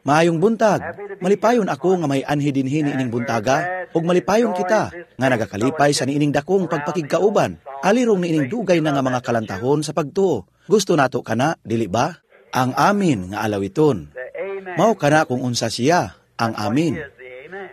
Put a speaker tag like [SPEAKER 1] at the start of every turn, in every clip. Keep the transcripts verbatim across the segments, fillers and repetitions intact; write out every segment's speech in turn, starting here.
[SPEAKER 1] Maayong buntag. Malipayon ako nga may anhi dinhi niining buntaga ug malipayon kita nga nagakalipay sa niining dakong pagpakigkauban. Alirong niining dugay na nga mga kalantahon sa pagtuo. Gusto nato kana, dili ba? Ang amin nga alawiton. Mao kana kung unsa siya, ang amin.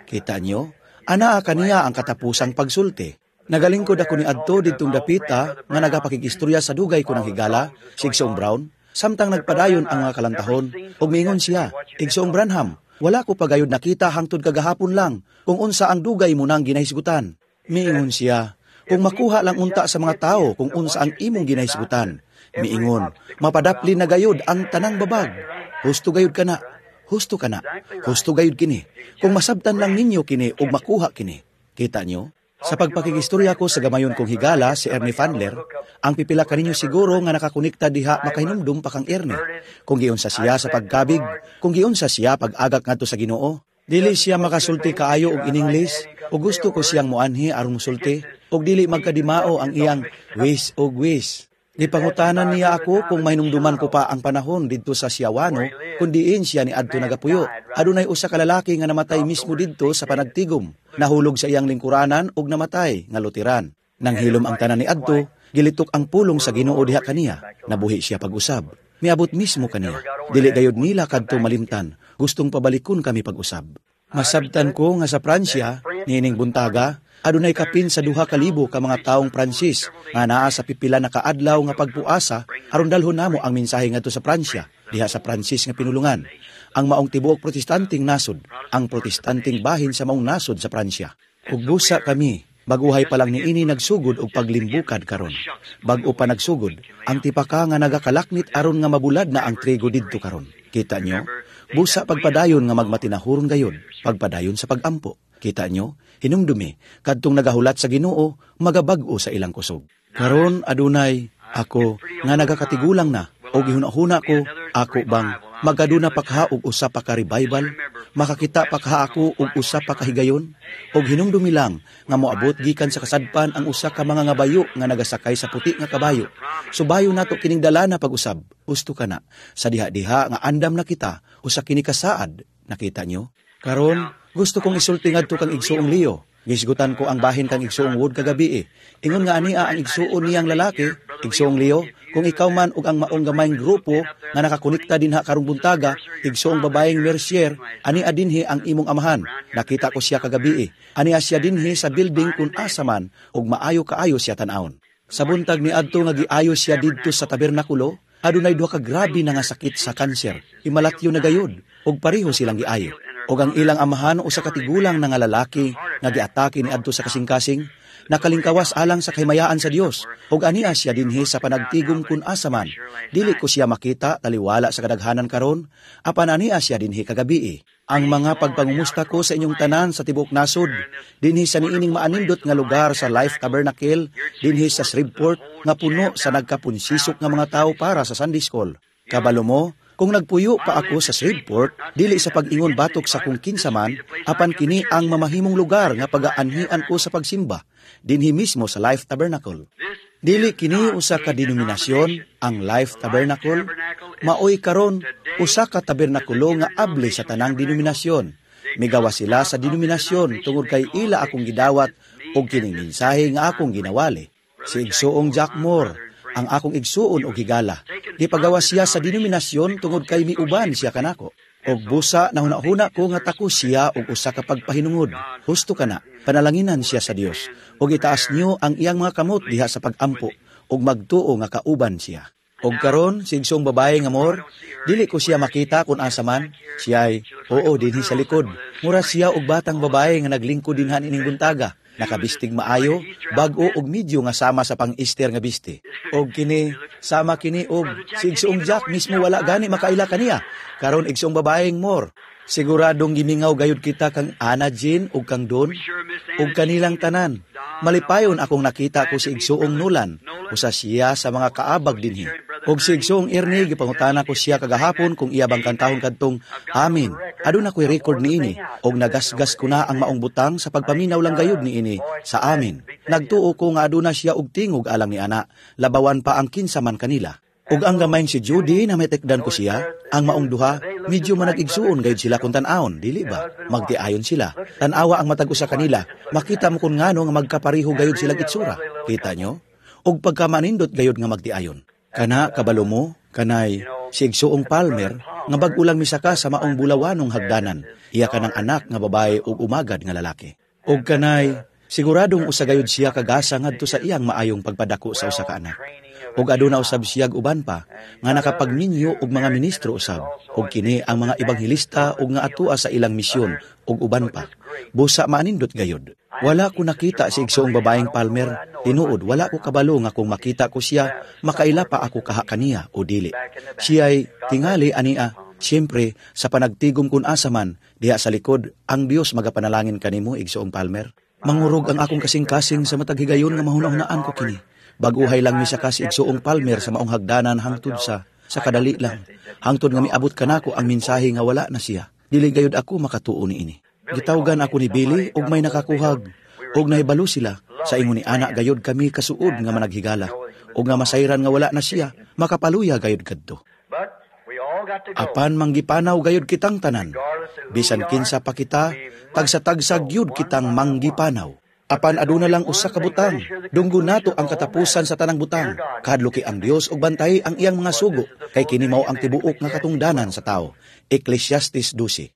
[SPEAKER 1] Kita nyo? Anaa kaniya ang katapusang pagsulti. Nagalingkod ako ni adto didtong dapita nga nagapakigistorya sa dugay ko ng higala, si Igsoong Brown, samtang nagpadayon ang mga kalantahon, ug miingon siya, Igsoong Branham, wala ko pagayod nakita hangtod kagahapon lang kung unsa ang dugay mo nang ginahisgutan. Miingon siya, kung makuha lang unta sa mga tao kung unsa ang imong ginahisgutan. Miingon, mapadapli na gayod ang tanang babag. Husto gayod kana, husto kana, husto gayod kini. Kung masabtan lang ninyo kini ug makuha kini. Kita nyo? Sa pagpakigistorya ko sa gamayon kong higala si Ernie Fandler, ang pipila kaninyo siguro nga nakakonekta diha makahinumdum pa kang Ernie. Kung giunsa siya sa pagkabig, kung giunsa siya pag-agak ngadto sa Ginoo, dili siya makasulti kaayo og in English, ug gusto ko siyang muanhi aron musulti, ug dili magkadimao ang iyang wish og wish. Gipangutanan niya ako kung mahinumduman ko pa ang panahon didto sa Shawano kung diin siya ni adto nagapuyo. Adunay usa ka lalaki nga namatay mismo didto sa panagtigom. Nahulog sa iyang lingkuranan ug namatay nga Lutheran. Nang hilom ang tanan ni adto, gilitok ang pulong sa Ginoo diha kaniya. Nabuhi siya pag-usab. Miabot mismo kaniya. Dili gayud nila kadto malimtan. Gustong pabalikon kami pag-usab. Masabtan ko nga sa Pransya, niining buntaga, adunay kapin sa duha ka libo ka mga taong Pransis nga naa sa pipila na kaadlaw nga pagpuasa aron dalhon namo ang mensahe ngadto sa Pransya, diha sa Pransis nga pinulungan. Ang maong tibuok protestanting nasod, ang protestanting bahin sa maong nasod sa Pransya. Ug busa kami, baguhay pa lang niini nagsugod og paglimbukad karon. Bag-o pa nagsugod, ang tipaka nga nagakalaknit aron nga mabulad na ang trigo didto karon. Kita nyo? Busa pagpadayon nga magmatinahuron gayod, pagpadayon sa pagampo. Kita nyo? Hinumdumi, kadtong nagahulat sa Ginoo, magabag-o sa ilang kusog. Karon adunay ako nga nagakatigulang na o gihuna-huna ko ako bang magaduna pa kaha og usa pa ka revival, makakita pa kaha ako og usa pa ka higayon, og hinumdumi lang nga moabot gikan sa kasadpan ang usa ka mga ngabayo nga nagasakay sa puti nga kabayo. Subayo nato kining dala na pag-usab. Husto kana sa diha-diha nga andam na kita usa kini kasaad. Nakita nyo? Karon gusto kong isulti ngadto kang igsuong Leo. Gisgutan ko ang bahin kang igsuong Wood kagabi eh. Ingon nga ania ang igsuon niyang lalaki, igsuong Leo, kung ikaw man ug ang maong gamayng grupo nga nakakonekta dinha karong buntaga, igsuong babaeng Mercier, ania dinhi ang imong amahan. Nakita ko siya kagabi eh. Ania siya dinhi sa building kung asa man ug maayo kaayo siya tan-awon. Sa buntag ni adto nga giayo siya didto sa tabernakulo, adunay duha ka grabe na nga sakit sa kanser. Imalatyo na gayud ug pareho silang giayo. Og ang ilang amahan usa ka tigulang na nga lalaki nga giatake ni adto sa kasing-kasing, nakalingkawas alang sa kahimayaan sa Dios. Og ania siya dinhi sa panagtigom kun asa man. Dili ko siya makita taliwala sa kadaghanan karon, apan ania siya dinhi kagabii. Ang mga pagpangumusta ko sa inyong tanan sa tibuok nasod, dinhi sa niining maanindot nga lugar sa Life Tabernacle, dinhi sa Shreveport, nga puno sa nagkapunsisok nga mga tao para sa Sunday School. Kabalo mo, kung nagpuyo pa ako sa Shreveport, dili sa pag-ingon batok sa kung kinsa man, apan kini ang mamahimong lugar nga pagaanhian ko sa pagsimba, dinhi mismo sa Life Tabernacle. Dili kini usa ka denominasyon, ang Life Tabernacle, maoy karon usa ka tabernakulo nga abli sa tanang denominasyon. Migawa sila sa denominasyon tungod kay ila akong gidawat og kining mensahe nga akong ginawali. Si Igsuong Jack Moore, ang akong igsuon og higala. Gipagawa siya sa denominasyon tungod kay miuban siya kanako. Og busa nahuna-huna ko nga tako siya og usa ka pagpahinungod. Husto kana, panalanginan siya sa Dios. Og itaas niyo ang iyang mga kamot diha sa pagampo og magtuo nga kauban siya. Og karon si igsoong babae nga Moore, dili ko siya makita kung asa man. Siya'y, oo, dinhi sa likod. Mura siya og batang babae nga naglingkod dinha ining buntaga. Nakabistig maayo, bag-o og medyo nga sama sa pang-Easter nga bisti. Og kini, sama kini og si igsoong Jack mismo wala gani makaila kaniya. Karon igsoong babaeng Moore, siguradong gimingaw gayud kita kang Anna Jean ug kang Don ug kanilang tanan. Malipayon akong nakita ko si igsoong Nolan, usa siya sa mga kaabag dinhi. Og si igsoong Ernie gipangutana ko siya kagahapon kung iya bang kantahon kadtong Amin. Aduna ko'y record niini og nagasgas ko na ang maong butang sa pagpaminaw lang gayud niini sa amin. Nagtuo ko nga aduna siya og tingog alang ni ana, labawan pa ang kinsa man kanila. Ug ang gamayng si Judy na may tekdan ko siya, ang maong duha, medyo manag-igsuon gayud sila kung tan-awon, dili ba? Magtiayon sila. Tan-awa ang matag usa kanila, makita mo kung ngano nga magkapariho gayud sila itsura. Kita nyo? Ug pagkamanindot gayud nga magtiayon. Kana kabalo mo, kanay si igsuong Palmer nga bag-o lang misaka sa maong bulawanong hagdanan, iya kanang anak nga babae ug umagad nga lalaki. Ug kanay siguradong usa gayud siya kagasa ngadto sa iyang maayong pagpadako sa usa ka anak. Ug aduna usab siyag uban pa nga nakapagminyo og mga ministro usab ug kini ang mga ebanghelista ug nga atua sa ilang misyon ug uban pa. Busa maanindot gayud. Wala ko nakita si igsuong babaeng Palmer. Tinuod wala ko kabalo nga kung makita ko siya makaila pa ako kaha kaniya o dili. Siya'y tingali ania. Siyempre, sa panagtigom kun asa man, diha sa likod, ang Dios magapanalangin kanimo, igsuong Palmer. Mangurog ang akong kasing-kasing sa matag higayon nga mahuna-hunaan ko kini. Baguhay lang misaka si igsuong Palmer sa maong hagdanan hangtod sa sa kadali lang. Hangtod nga miabot kanako ang mensahe nga wala na siya. Dili gayud ako makatuo niini. Gitawgan ako ni Billy ug may nakakuhag ug nahibalo sila sa ingon ni ana gayud kami kasuod nga managhigala ug nga masayran nga wala na siya makapaluya gayud kadto. Apan manggipanaw gayud kitang tanan. Bisan kinsa pa kita, tagsa-tagsa gyud kitang manggipanaw. Apan aduna lang usa ka butang, dunggo nato ang katapusan sa tanang butang. Kahadluki ang Dios ug bantay ang iyang mga sugo, kay kini mao ang tibuok nga katungdanan sa tao. Ecclesiastes twelve.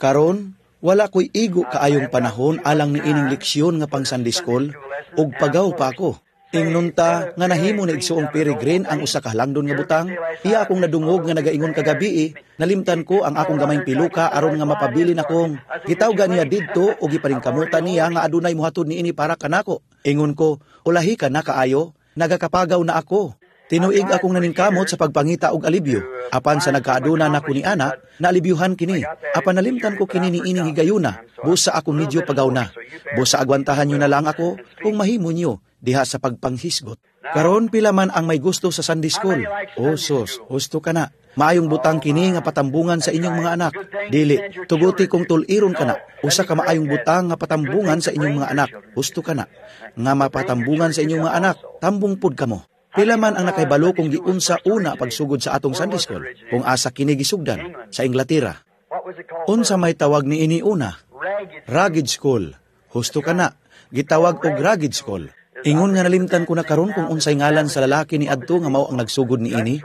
[SPEAKER 1] Karon, wala ko'y igo kaayong panahon alang niining leksyon nga pang Sunday School ug pagaw pa ako. Ingnon ta nga nahimo ni igsuong Peregrine ang usa ka halangdon nga butang, iya akong nadungog nga nagaingon kagabi, nalimtan ko ang akong gamayng piluka aron nga mapabilin akong gitawgan niya didto o gipaningkamutan niya nga adunay mohatod niini para kanako. Ingon ko, ulahi ka na kaayo, nagakapagaw na ako. Tinuig akong naningkamot sa pagpangita og alibyo. Apan sa nagkaaduna nako ni ana, naalibyuhan kini. Apan nalimtan ko kini niining higayuna, busa ako medyo pagaw na. Busa agwantahan nyo na lang ako kung mahimo nyo diha sa pagpanghisgot. Karon pila man ang may gusto sa Sunday School. O sus, husto ka na. Maayong butang kini nga patambungan sa inyong mga anak. Dili, tuguti kung tuliron ka na. Usa ka maayong butang nga patambungan sa inyong mga anak. Husto ka na. Nga mapatambungan sa inyong mga anak, tambong pud kamo. Pila man ang nakahibalo kung giunsa una pagsugod sa atong Sunday School, kung asa kini gisugdan sa Inglaterra. Unsa may tawag ni ini una? Ragged School. Husto ka na. Gitawag og Ragged School. Ingon nga nalimtan ko na karon kung unsay ngalan sa lalaki ni adto nga mao ang nagsugod ni ini.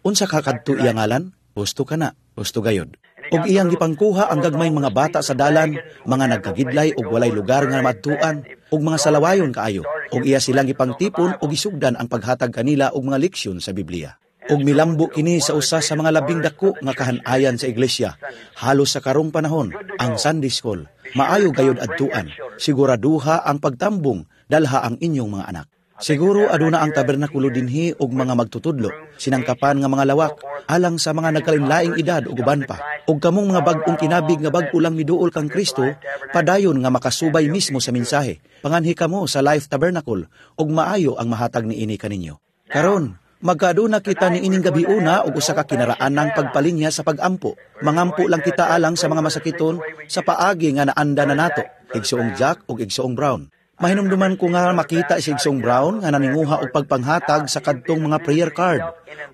[SPEAKER 1] Unsa ka kadto iya ngalan? Husto ka na. Husto gayod. Og iyang gipangkuha ang gagmayng mga bata sa dalan, mga nagkagidlay og walay lugar nga maadtuan, og mga salawayon kaayo. Og iya silang gipangtipon og gisugdan ang paghatag kanila og mga leksyon sa Biblia. Og milambo kini sa usa sa mga labing dako nga kahanayan sa iglesia. Halos sa karong panahon, ang Sunday School, maayo gayod adtuan. Siguraduha ang pagtambong, dalha ang inyong mga anak. Siguro aduna ang tabernakulo dinhi og mga magtutudlo, sinangkapan nga mga lawak, alang sa mga nagkalainlaing edad ug uban pa. Og kamong mga bag-ong kinabig nga bag-o lang miduol kang Kristo, padayon nga makasubay mismo sa mensahe. Panganhi kamo sa Life Tabernacle ug maayo ang mahatag niini kaninyo. Karon, magkaaduna kita niining gabi una og usa ka kinaraanang pagpalinya sa pagampo. Mangampo lang kita alang sa mga masakiton sa paagi nga naanda na nato, Igsuong Jack ug Igsuong Brown. Mahinumduman ko nga makita si Igsoong Brown nga naninguha og pagpanghatag sa kadtong mga prayer card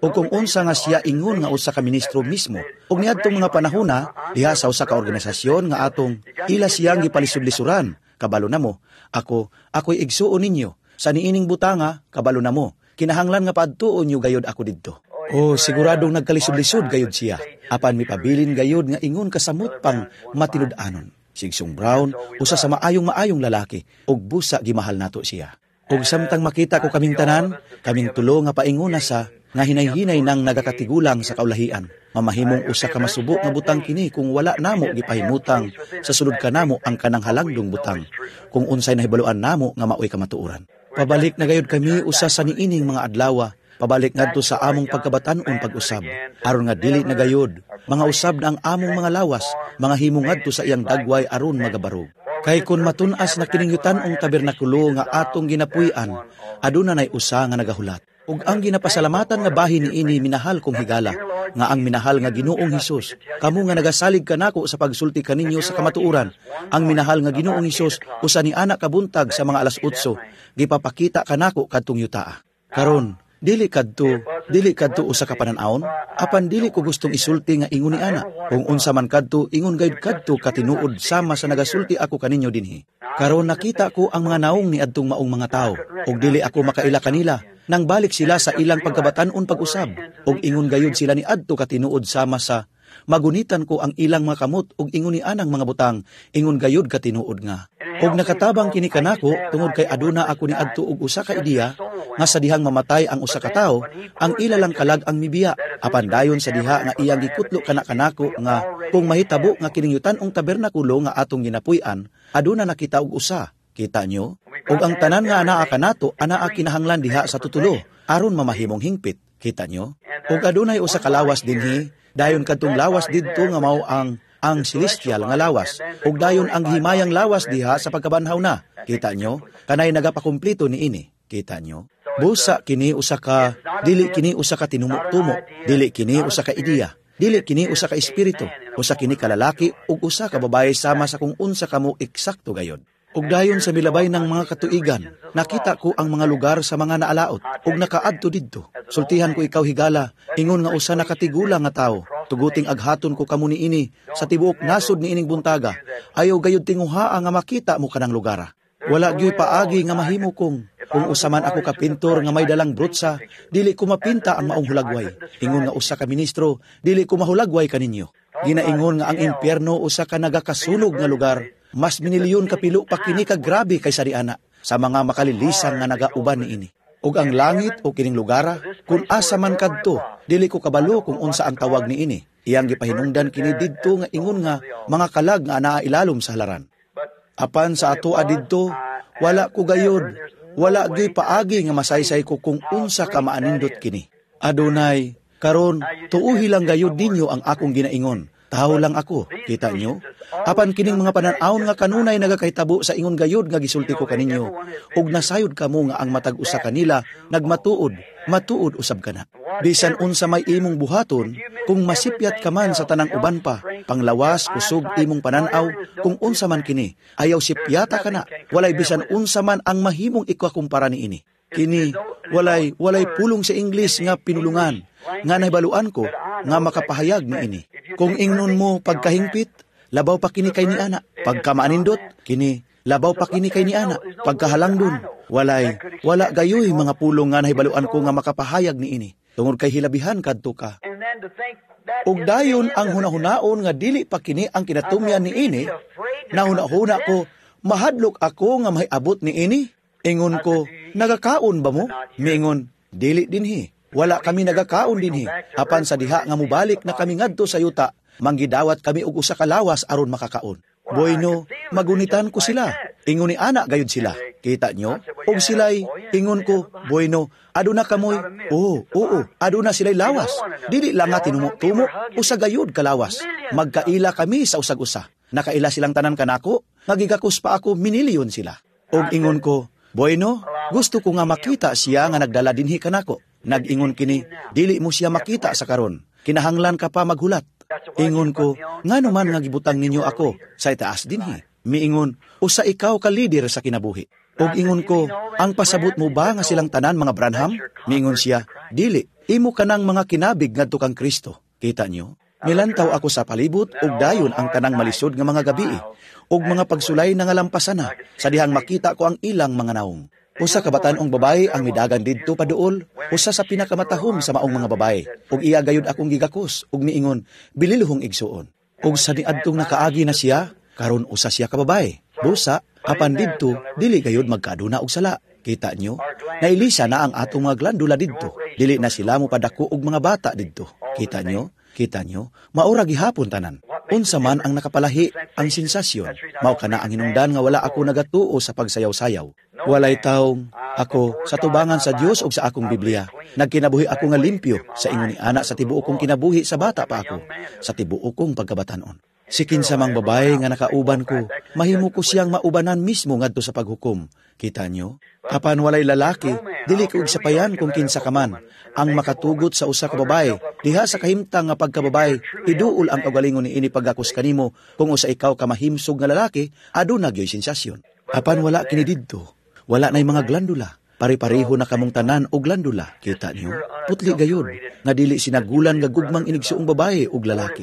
[SPEAKER 1] ug kung unsa nga siya ingon nga usa ka ministro mismo. Ug niadtong mga panahona diha sa usa ka organisasyon nga atong ila siyang gipalisod-lisuran. Kabalo na mo, ako ako'y igsuon ninyo sa niining butanga, kabalo na mo. Kinahanglan nga paadtuon niyo gayod ako didto. Oh, siguradong nagkalisod-lisod gayod siya. Apan mipabilin gayod nga ingon kasamot pang matinud-anon. Si Igsoong Brown, usa sa maayong maayong lalaki, ug busa gimahal nato siya. Ug samtang makita ko kaming tanan, kaming tulo nga paingona sa nga hinay-hinay nang nagakatigulang sa kaulahian. Mamahimong usa ka masubo nga butang kini kung wala namo gipahimutang sa sulod kanamo ang kanang halangdong butang, kung unsay nahibaluan namo nga maoy kamatuoran. Pabalik na gayud kami usa sa niining mga adlawa, pabalik ngadto sa among pagkabatan-on pag-usab. Aron nga dili na gayud, mga usab na ang among mga lawas, mga himo ngadto sa iyang dagway aron magabarog. Kay kun matun-as na kining yutan-ong tabernakulo nga atong ginapuy-an, aduna nay usa nga nagahulat. Ug ang ginapasalamatan nga bahin niini minahal kong higala, nga ang minahal nga Ginoong Hesus, kamo nga nagasalig kanako sa pagsulti kaninyo sa kamatuoran, ang minahal nga Ginoong Hesus usa ni anak kabuntag sa mga alas otso, gipapakita kanako kadtong yutaa. Karon, Dili kadto, dili kadto usa ka panan-awon, apan dili ko gustong isulti nga ingon ni ana. Kung unsa man kadto, ingon gayud kadto katinuod sama sa nagasulti ako kaninyo dinhi. Karon nakita ko ang mga naong ni adtong maong mga tawo, ug dili ako makaila kanila. Nang balik sila sa ilang pagkabatan-on pag-usab, ug ingon gayud sila ni adto katinuod sama sa magunitan ko ang ilang mga kamot ug ingon ni anang mga butang, ingon gayud katinuod nga. Ug nakatabang kini kanako tungod kay aduna ako ni adto og usa ka ideya nga sa dihang mamatay ang usa ka tawo, ang ila lang kalag ang mibiya. Apan dayon sa diha nga iyang gikutlo kana kanako nga kung mahitabo nga kining yutan-ong tabernakulo nga atong ginapuy-an, aduna nakita og usa. Kita nyo? Ug ang tanan nga anaa kanato, anaa kinahanglan diha sa tutulo aron mamahimong hingpit. Kita nyo? Ug adunay usa ka lawas dinhi, dayon kadtong lawas didto nga mao ang ang celestial nga lawas, ug dayon ang himayang lawas diha sa pagkabanhaw na. Kita nyo? Kanay nagapakumplito niini. Kita nyo? Busa kini usa ka, dili kini usa ka tinumok-tumo, dili kini usa ka ideya, dili kini usa ka espiritu, usa kini ka lalaki ug usa ka babaye sama sa kung unsa kamo eksakto gayod. Ug dayon sa milabay ng mga katuigan, nakita ko ang mga lugar sa mga naalaot, ug nakaadto didto. Sultihan ko ikaw higala, ingon nga usa nakatigula nga tawo. Tuguting aghaton ko kamo niini sa tibuok nasod niining buntaga. Ayaw gayud tinguhaa nga makita mo kanang lugara. Wala gyud paagi nga mahimo kong kung usa man ako ka pintor nga may dalang brutsa, dili ko mapinta ang maong hulagway. Ingon nga usa ka ministro, dili ko mahulagway kaninyo. Ginaingon nga ang impyerno usa ka nagakasunog nga lugar. Mas minilyon kapilo pa kini ka grabe kaysa diana sa mga makalilisang nga nagauban niini. Ug ang langit o kining lugara, kung asa man kadto, dili ko kabalo kung unsa ang tawag niini. Iyang gipahinungdan kini didto nga ingon nga mga kalag nga anaa ilalom sa halaran. Apan sa ato didto, wala ko gayod, wala gyud paagi nga masaysay ko kung unsa ka maanindot kini. Adunay, karon tuuhi lang gayud ninyo ang akong ginaingon. Tawo lang ako, kita nyo? Apan kining mga panan-awon nga kanunay nagakahitabo sa ingon gayud nga gisulti ko kaninyo, ug nasayod kamo nga ang matag usa kanila nagmatuod, matuod usab kana. Bisan unsa may imong buhaton, kung masipyat ka man sa tanang uban pa, panglawas, kusog imong pananaw, kung unsa man kini, ayaw sipyata kana, walay bisan unsa man ang mahimong ikakumpara niini. Kini, walay, walay pulong sa Ingles nga pinulungan, nga nahibaluan ko, nga makapahayag niini. Kung ingnon mo pagkahingpit, labaw pa kini kay ni ana. Pagkamaanindot, kini, labaw pa kini kay ni ana. Pagkahalangdon, walay, wala gayoy mga pulong nga nahibaluan ko nga makapahayag niini. Tungod kay hilabihan kadto ka. Ug dayon ang hunahunaon nga dili pa kini ang kinatumyan niini, nahunahuna ko, mahadlok ako nga mahiabot niini. Ingon ko, nagakaon ba mo? Miingon, dili dinhi. Wala kami nagakaon dinhi. Apan sa diha nga mubalik na kami ngadto sa yuta, manggidawat kami og usa ka lawas aron makakaon. Bueno, magunitan ko sila. Ingon ni ana gayud sila. Kita nyo? Og sila'y, ingon ko, bueno, aduna kamoy. Oo, oo, aduna sila'y lawas. Dili lang nga tinumo-tumo, usa gayud kalawas. Magkaila kami sa usag-usa. Nakaila silang tanan kanako, nagigakos pa ako, minilyon sila. Og ingon ko, bueno, gusto ko nga makita siya nga nagdala dinhi kanako. Nag-ingon kini, dili mo siya makita sa karon. Kinahanglan ka pa maghulat. Ingon ko, ngano man nga gibutang ninyo ako sa itaas dinhi. Miingon, usa ikaw ka lider sa kinabuhi. Og ingon ko, ang pasabot mo ba nga silang tanan mga Branham? Miingon siya, dili, imo kanang mga kinabig ngadto kang Kristo. Kita nyo? Milantaw ako sa palibot ug dayon ang tanang malisod nga mga gabii ug mga pagsulay na nga lampasan na sa dihang makita ko ang ilang mga naong. Usa ka batan-ong babae ang midagan didto paduol, usa sa pinakamatahom sa maong mga babae. Ug iya gayud akong gigakos ug miingon, bililuhong igsuon. Ug sa niadtong nakaagi na siya, karon usa siya ka babae. Busa, apan didto dili gayud magkaaduna og sala. Kita nyo? Nailisa na ang atong mga glandula didto. Dili na sila mopadako og mga bata didto. Kita nyo? Kita nyo? Maura gihapon tanan. Unsa man ang nakapalahi ang sensasyon. Mao kana ang hinungdan nga wala ako nagatuo sa pagsayaw-sayaw. Walay taong ako sa tubangan sa Dios ug sa akong Biblia. Nagkinabuhi ako nga limpyo sa ingon ni ana sa tibuok kong kinabuhi sa bata pa ako, sa tibuok kong pagkabatan-on. Si kinsa mang babae nga nakauban ko, mahimo ko siyang maubanan mismo ngadto sa paghukom. Kita nyo? Apan walay lalaki, dili ko igsapayan kung kinsa ka man ang makatugot sa usa ka babae. Diha sa kahimtang nga pagkababae, iduol ang kaugalingon niini paggakos kanimo kung usa ikaw ka mahimsog nga lalaki, aduna gyoy sensasyon. Apan wala kini didto. Wala na'y mga glandula. Pare-pareho na kamong tanan og glandula, kita niyo? Putli gayud, nga dili sinagulan nga gugmang inigsuong babae ug lalaki,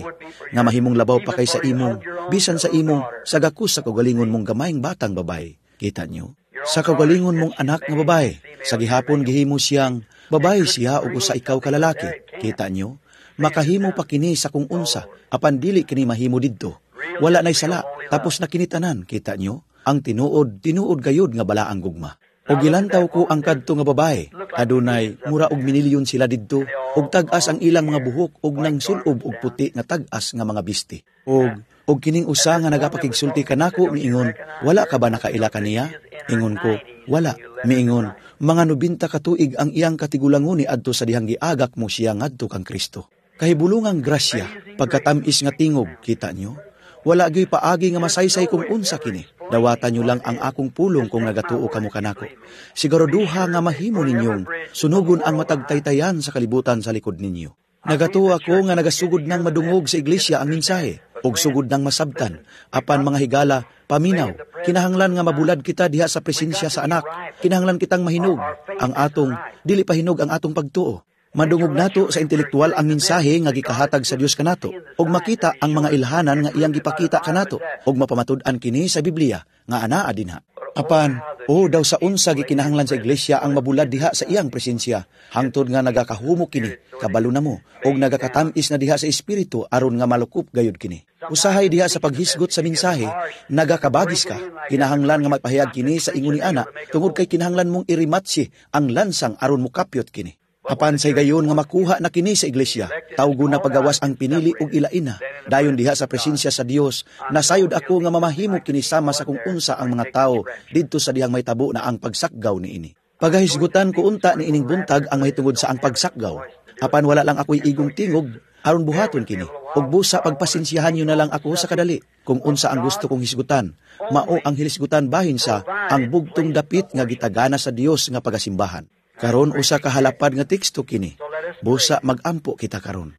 [SPEAKER 1] nga mahimong labaw pa kay sa imong, bisan sa imong, sa gakus sa kaugalingon mong gamayng batang babae. Kita niyo? Sa kaugalingon mong anak nga babae, sa gihapon gihimo siyang babae siya ug usa ikaw ka lalaki. Kita niyo? Makahimo pa kini sa kung unsa, apan dili kini mahimo didto. Wala na'y sala, tapos na kini tanan, kita niyo? Ang tinuod, tinuod gayud nga balaang gugma. O gilantaw ko ang kadto nga babae, adunay mura og minilyon sila didto, og tag-as ang ilang mga buhok og nang sulob og puti nga tag-as nga mga bisti. Og og kining usa nga nagapakigsulti kanako miingon, wala ka ba nakaila kaniya? Ingon ko, wala. Miingon, mga nobinta ka tuig ang iyang katigulangon ni adto sa dihang giagak mo siya ngadto kang Kristo. Kahibulungang grasya, pagkatamis nga tingog, kita nyo? Wala gyoy paagi nga masaysay kung unsa kini. Dawatan nyo lang ang akong pulong kung nagatuo kamo kanako. Siguraduha nga mahimo ninyong sunugon ang matagtaytayan sa kalibutan sa likod ninyo. Nagatuo ako nga nagasugod nang madungog sa iglesia ang mensahe, ug sugod nang masabtan, apan mga higala, paminaw, kinahanglan nga mabulad kita diha sa presensya sa anak, kinahanglan kitang mahinog, ang atong, dili pa hinog ang atong pagtuo. Madungog nato sa intelektual ang mensahe nga gikahatag sa Dios kanato ug makita ang mga ilhanan nga iyang gipakita kanato ug mapamatud-an kini sa Biblia nga anaa dinha. Apan, o daw sa unsa gikinahanglan sa iglesia ang mabulad diha sa iyang presensya, hangtod nga nagakahumok kini, kabalo na mo, ug nagakatam-is na diha sa espiritu aron nga malukop gayud kini. Usahay diha sa paghisgot sa mensahe, nagakabagis ka, kinahanglan nga magpahayag kini sa ingon ni ana, tungod kay kinahanglan mong irimatsi ang lansang aron mokapyot kini. Apan sa higayon nga makuha na kini sa iglesia, tawgon na pagawas ang pinili ug ilaina. Dayon diha sa presensya sa Dios, nasayod ako nga mamahimo kini sama sa kung unsa ang mga tawo didto sa dihang may tabo na ang pagsakgaw niini. Pagahisgutan ko unta ni ining buntag ang mahitungod sa ang pagsakgaw. Apan wala lang ako'y igong tingog aron buhaton kini. Ug busa pagpasensyahan niyo na lang ako sa kadali kung unsa ang gusto kong hisgutan. Mao ang hilisgutan bahin sa ang bugtong dapit nga gitagana sa Dios nga pagasimbahan. Karon usa ka halapad nga teksto kini. Busa magampo kita karon.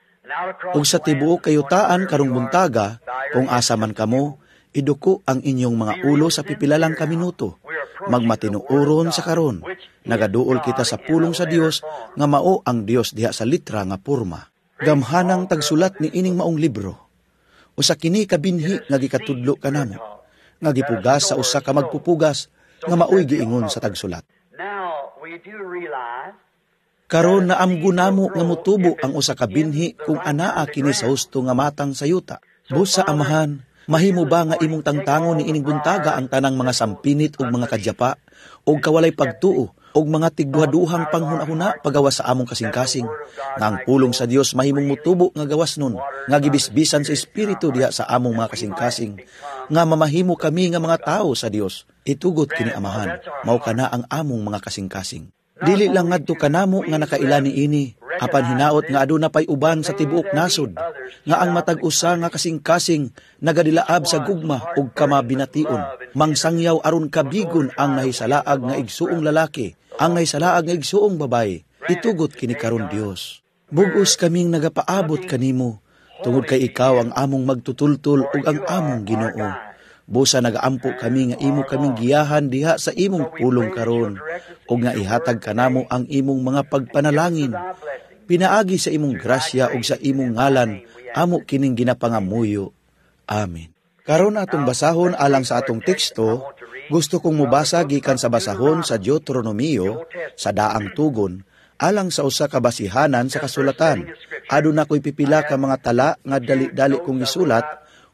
[SPEAKER 1] Ug sa tibuok kayutaan karong buntaga, kung asa man kamo, iduko ang inyong mga ulo sa pipila lang ka minuto. Magmatinuoron sa karon. Nagaduol kita sa pulong sa Dios nga mao ang Dios diha sa litra nga porma. Gamhanang tagsulat ni ining maong libro. Usa kini ka binhi nga gikatudlo kanamo, nga gipugas sa usa ka magpupugas nga maoy giingon sa tagsulat. Karon naamgo namo nga motubo ang usa ka binhi kung anaa kini sa husto nga matang sa yuta. Busa Amahan, mahimo ba nga imong tangtangon ni ining buntaga ang tanang mga sampinit ug mga kadyapa ug kawalay pagtuo ug mga tigduhaduhang panghuna-huna pagawas sa among kasing-kasing nga ang pulong sa Dios mahimong motubo nga gawas nun nga gibisbisan sa espiritu diha sa among mga kasing-kasing nga mamahimo kami nga mga tawo sa Dios. Itugot kini Amahan, mao kana ang among mga kasing-kasing. Dili lang ngadto kanamo nga nakaila niini, apan hinaot nga aduna pay uban sa tibuok nasod, nga ang matag usa nga kasing-kasing nagadilaab sa gugma ug kamabination, mangsangyaw aron kabigon ang nahisalaag nga igsuong lalaki, ang nahisalaag nga igsuong babaye. Itugot kini karon Dios. Bug-os kaming nagapaabot kanimo, tungod kay ikaw ang among magtutultol ug ang among Ginoo. Busa nagaampo kami nga imo kaming giyahan diha sa imong pulong karon, ug nga ihatag kanamo ang imong mga pagpanalangin. Pinaagi sa imong grasya ug sa imong ngalan, amo kining ginapangamuyo. Amen. Karon atong basahon alang sa atong teksto, gusto kong mobasa gikan sa basahon sa Deuteronomio sa daang tugon, alang sa usa ka basihanan sa kasulatan. Aduna ko'y pipila ka mga tala nga dali-dali kong gisulat,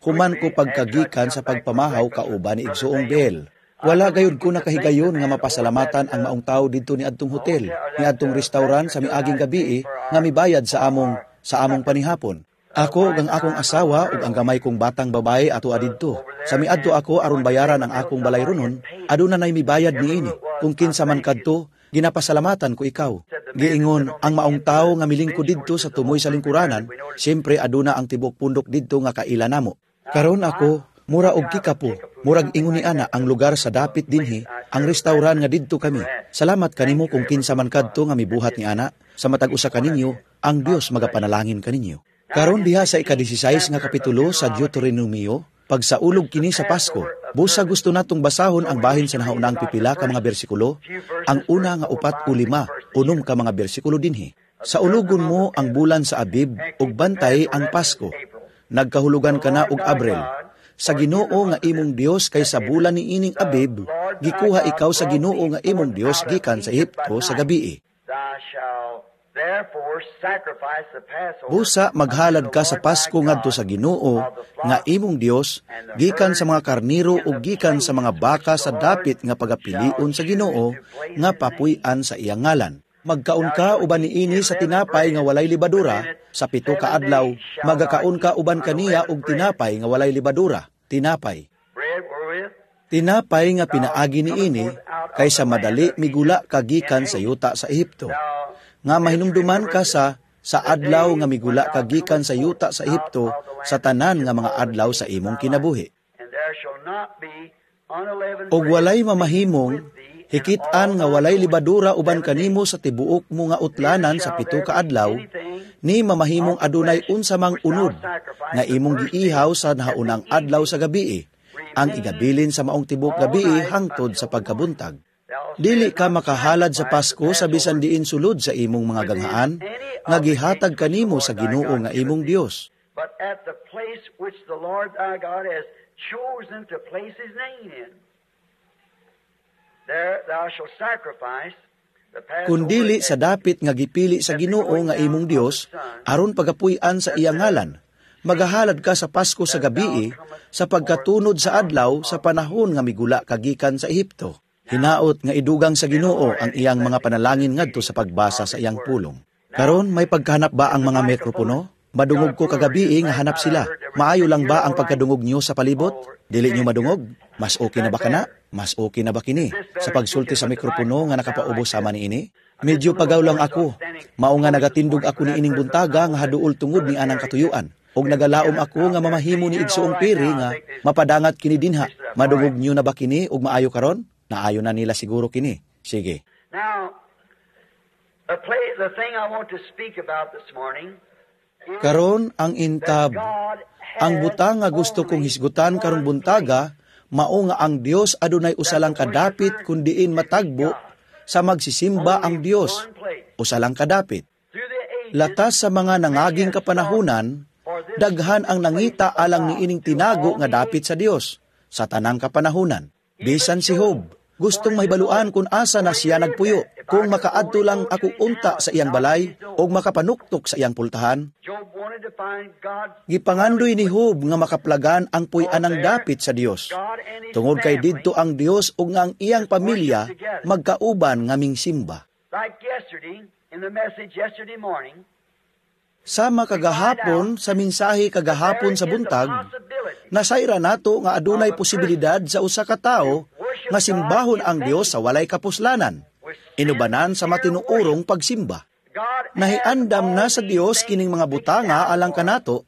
[SPEAKER 1] human ko pagkagikan sa pagpamahaw kauban ni Igsuong Bell. Wala gayud ko nakahigayon nga mapasalamatan ang maong tawo didto ni adtong hotel, ni adtong restaurant sa miaging gabi nga mibayad sa among sa among panihapon. Ako ug ang akong asawa ug ang gamay kong batang babae ato adidto. Sa miadto ako aron bayaran ang akong balay ronon, aduna nay mibayad niini. Kung kinsa man kadto, ginapasalamatan ko ikaw. Giingon ang maong tawo nga milingkod didto sa tumoy sa lingkuranan, siyempre aduna ang tibuok pundok didto nga kaila namo. Karon ako, mura og kikapo, murag ingon ni ana ang lugar sa dapit dinhi, ang restauran nga didto kami. Salamat kanimo kung kinsa man kadto nga mibuhat ni ana, sa matag usa kaninyo, ang Dios magapanalangin kaninyo. Karon diha sa ika-disisayis nga kapitulo sa Deuteronomio, Pagsaulog kini sa Pasko. Busa gusto natong basahon ang bahin sa nahaunang pipila ka mga bersikulo, ang una nga upat o lima, unom ka mga bersikulo dinhi. Saulugon mo ang bulan sa Abib ug bantay ang Pasko. Nagkahulugan ka na og Abril. Sa Ginoo nga imong Dios kay sa bulan ni ining Abib, gikuha ikaw sa Ginoo nga imong Dios gikan sa Ehipto sa gabii. Busa maghalad ka sa Pasko ngadto sa Ginoo nga imong Dios gikan sa mga karniro ug gikan sa mga baka sa dapit nga pagapilion sa Ginoo nga papuy-an sa iyang ngalan. Magkaon ka uban niini sa tinapay nga walay libadura sa pito ka adlaw, magakaon ka uban kaniya og tinapay nga walay libadura, tinapay. Tinapay nga pinaagi niini kay sa madali migula ka gikan sa yuta sa Ehipto. Nga mahinumduman ka sa sa adlaw nga migula ka gikan sa yuta sa Ehipto sa tanan nga mga adlaw sa imong kinabuhi. Og walay mamahimong hikit-an nga walay libadura uban kanimo sa tibuok mo nga utlanan sa pito ka adlaw, ni mamahimong adunay unsa mang unod nga imong giihaw sa nahaunang adlaw sa gabii, ang igabilin sa maong tibuok gabii hangtod sa pagkabuntag. Dili ka makahalad sa Pasko sa bisan diin sulod sa imong mga ganghaan, nga gihatag kanimo sa Ginoo nga imong Dios.
[SPEAKER 2] But at the place which the Lord thy God has chosen to place his name in, there thou shalt sacrifice the Passover.
[SPEAKER 1] Kundili sa dapit nga gipili sa Ginoo nga imong Dios aron pagapuy-an sa iyang ngalan, magahalad ka sa Pasko sa gabii sa pagkatunod sa adlaw sa panahon nga migula ka gikan sa Ehipto. Hinaot nga idugang sa Ginoo ang iyang mga panalangin ngadto sa pagbasa sa iyang pulong. Karon may pagkahanap ba ang mga mikropono? Madungog ko kagabii nga hanap sila. Maayo lang ba ang pagkadungog niyo sa palibot? Dili niyo madungog? Mas okay na ba kana? Mas okay na ba kini? Sa pagsulti sa mikropono nga nakapaubos sama niini? Medyo pagaw lang ako. Mao nga nagatindog ako ni ining buntaga nga haduol tungod ni anang katuyuan. Og nagalaom ako nga mamahimo ni igsuong Piri nga mapadangat kini dinha. Madungog niyo na ba kini og maayo karon? Naayo na nila siguro kini. Sige.
[SPEAKER 2] Now, the, play, the thing I want to speak about this morning is
[SPEAKER 1] Karon ang intab,
[SPEAKER 2] that God
[SPEAKER 1] ang
[SPEAKER 2] has
[SPEAKER 1] butang nga gusto kong
[SPEAKER 2] only
[SPEAKER 1] hisgutan karong
[SPEAKER 2] one
[SPEAKER 1] buntaga, mao nga ang Dios adunay usa lang kadapit kun diin matagbo sa magsisimba ang
[SPEAKER 2] Only
[SPEAKER 1] Dios.
[SPEAKER 2] one place.
[SPEAKER 1] Usa lang kadapit.
[SPEAKER 2] Through the ages,
[SPEAKER 1] Latas sa mga nangaging kapanahunan, daghan ang nangita alang niining tinago nga dapit sa Dios sa tanang kapanahunan. Bisan si Job, gustong mahibaluan kung asa na siya nagpuyo. Kung makaadto lang ako unta sa iyang balay o makapanuktok sa iyang pultahan,
[SPEAKER 2] Job wanted to find God's
[SPEAKER 1] gipangandoy ni Job nga makaplagan ang puy-anang dapit sa Dios.
[SPEAKER 2] God and his
[SPEAKER 1] Tungod kay
[SPEAKER 2] family,
[SPEAKER 1] didto ang Dios ug nga ang iyang pamilya magkauban nga mingsimba.
[SPEAKER 2] like yesterday, in the message yesterday morning,
[SPEAKER 1] Sama kagahapon sa mensahe kagahapon sa buntag, nasayra nato nga adunay posibilidad sa usa ka tawo nga simbahon ang Dios sa walay kapuslanan, inubanan sa matinuorong pagsimba.
[SPEAKER 2] God
[SPEAKER 1] Nahiandam na sa Dios kining mga butanga alang kanato,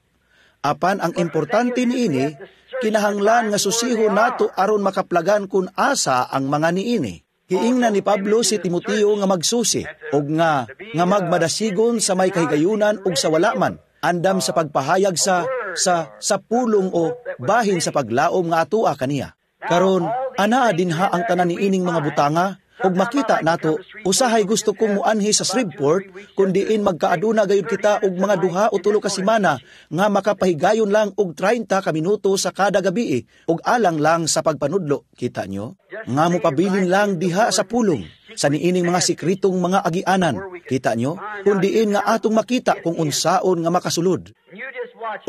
[SPEAKER 1] apan ang importante niini, kinahanglan nga susihon nato aron makaplagan kun asa ang mga niini. Giingnan ni Pablo si Timoteo nga magsusi og nga nga magmadasigon sa may kahigayunan ug sa wala man, andam sa pagpahayag sa sa sa pulong o bahin sa paglaom nga atua kaniya. Karon anaa dinha ang tanan niining mga butanga ug makita nato usahay gusto kong muanhi sa Shreveport kun diin magkaaduna gayud kita og mga duha o tulo ka semana nga makapahigayon lang og treinta ka minuto sa kada gabi ug alang lang sa pagpanudlo, kita nyo, nga mopabilin lang diha sa pulong sa niining mga sikritong mga agianan, kita nyo, kun diin nga atong makita kung unsaon nga makasulod.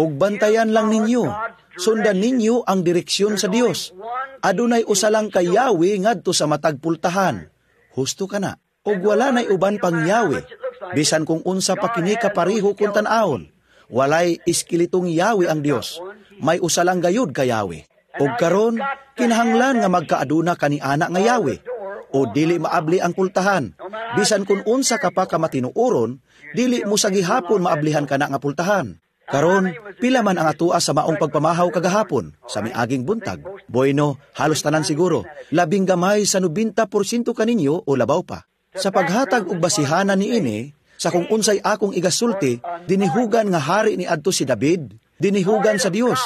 [SPEAKER 1] Ug bantayan lang ninyo, sundan ninyo ang direksyon sa Dios. Adunay usa lang ka Yahweh ngadto sa matag pultahan. Husto ka na. Ug wala nay uban pang Yahweh. Bisan kung unsa pa kini kapariho kun tan-awon, walay iskilitong Yahweh ang Dios. May usa lang gayud ka Yahweh. Ug karon kinahanglan nga magkaaduna kani ana nga Yahweh. O dili maabli ang pultahan. Bisan kung unsa ka pa ka matinuoron, dili mo sa gihapon maablihan kana nga pultahan. Karon, pila man ang atua sa maong pagpamahaw kagahapon, sa miaging buntag. Bueno, halos tanan siguro. Labing gamay sa nobenta porsyento kaninyo o labaw pa. Sa paghatag og basihanan niini, sa kung unsay akong igasulti, dinihugan nga hari ni adto si David, dinihugan sa Dios.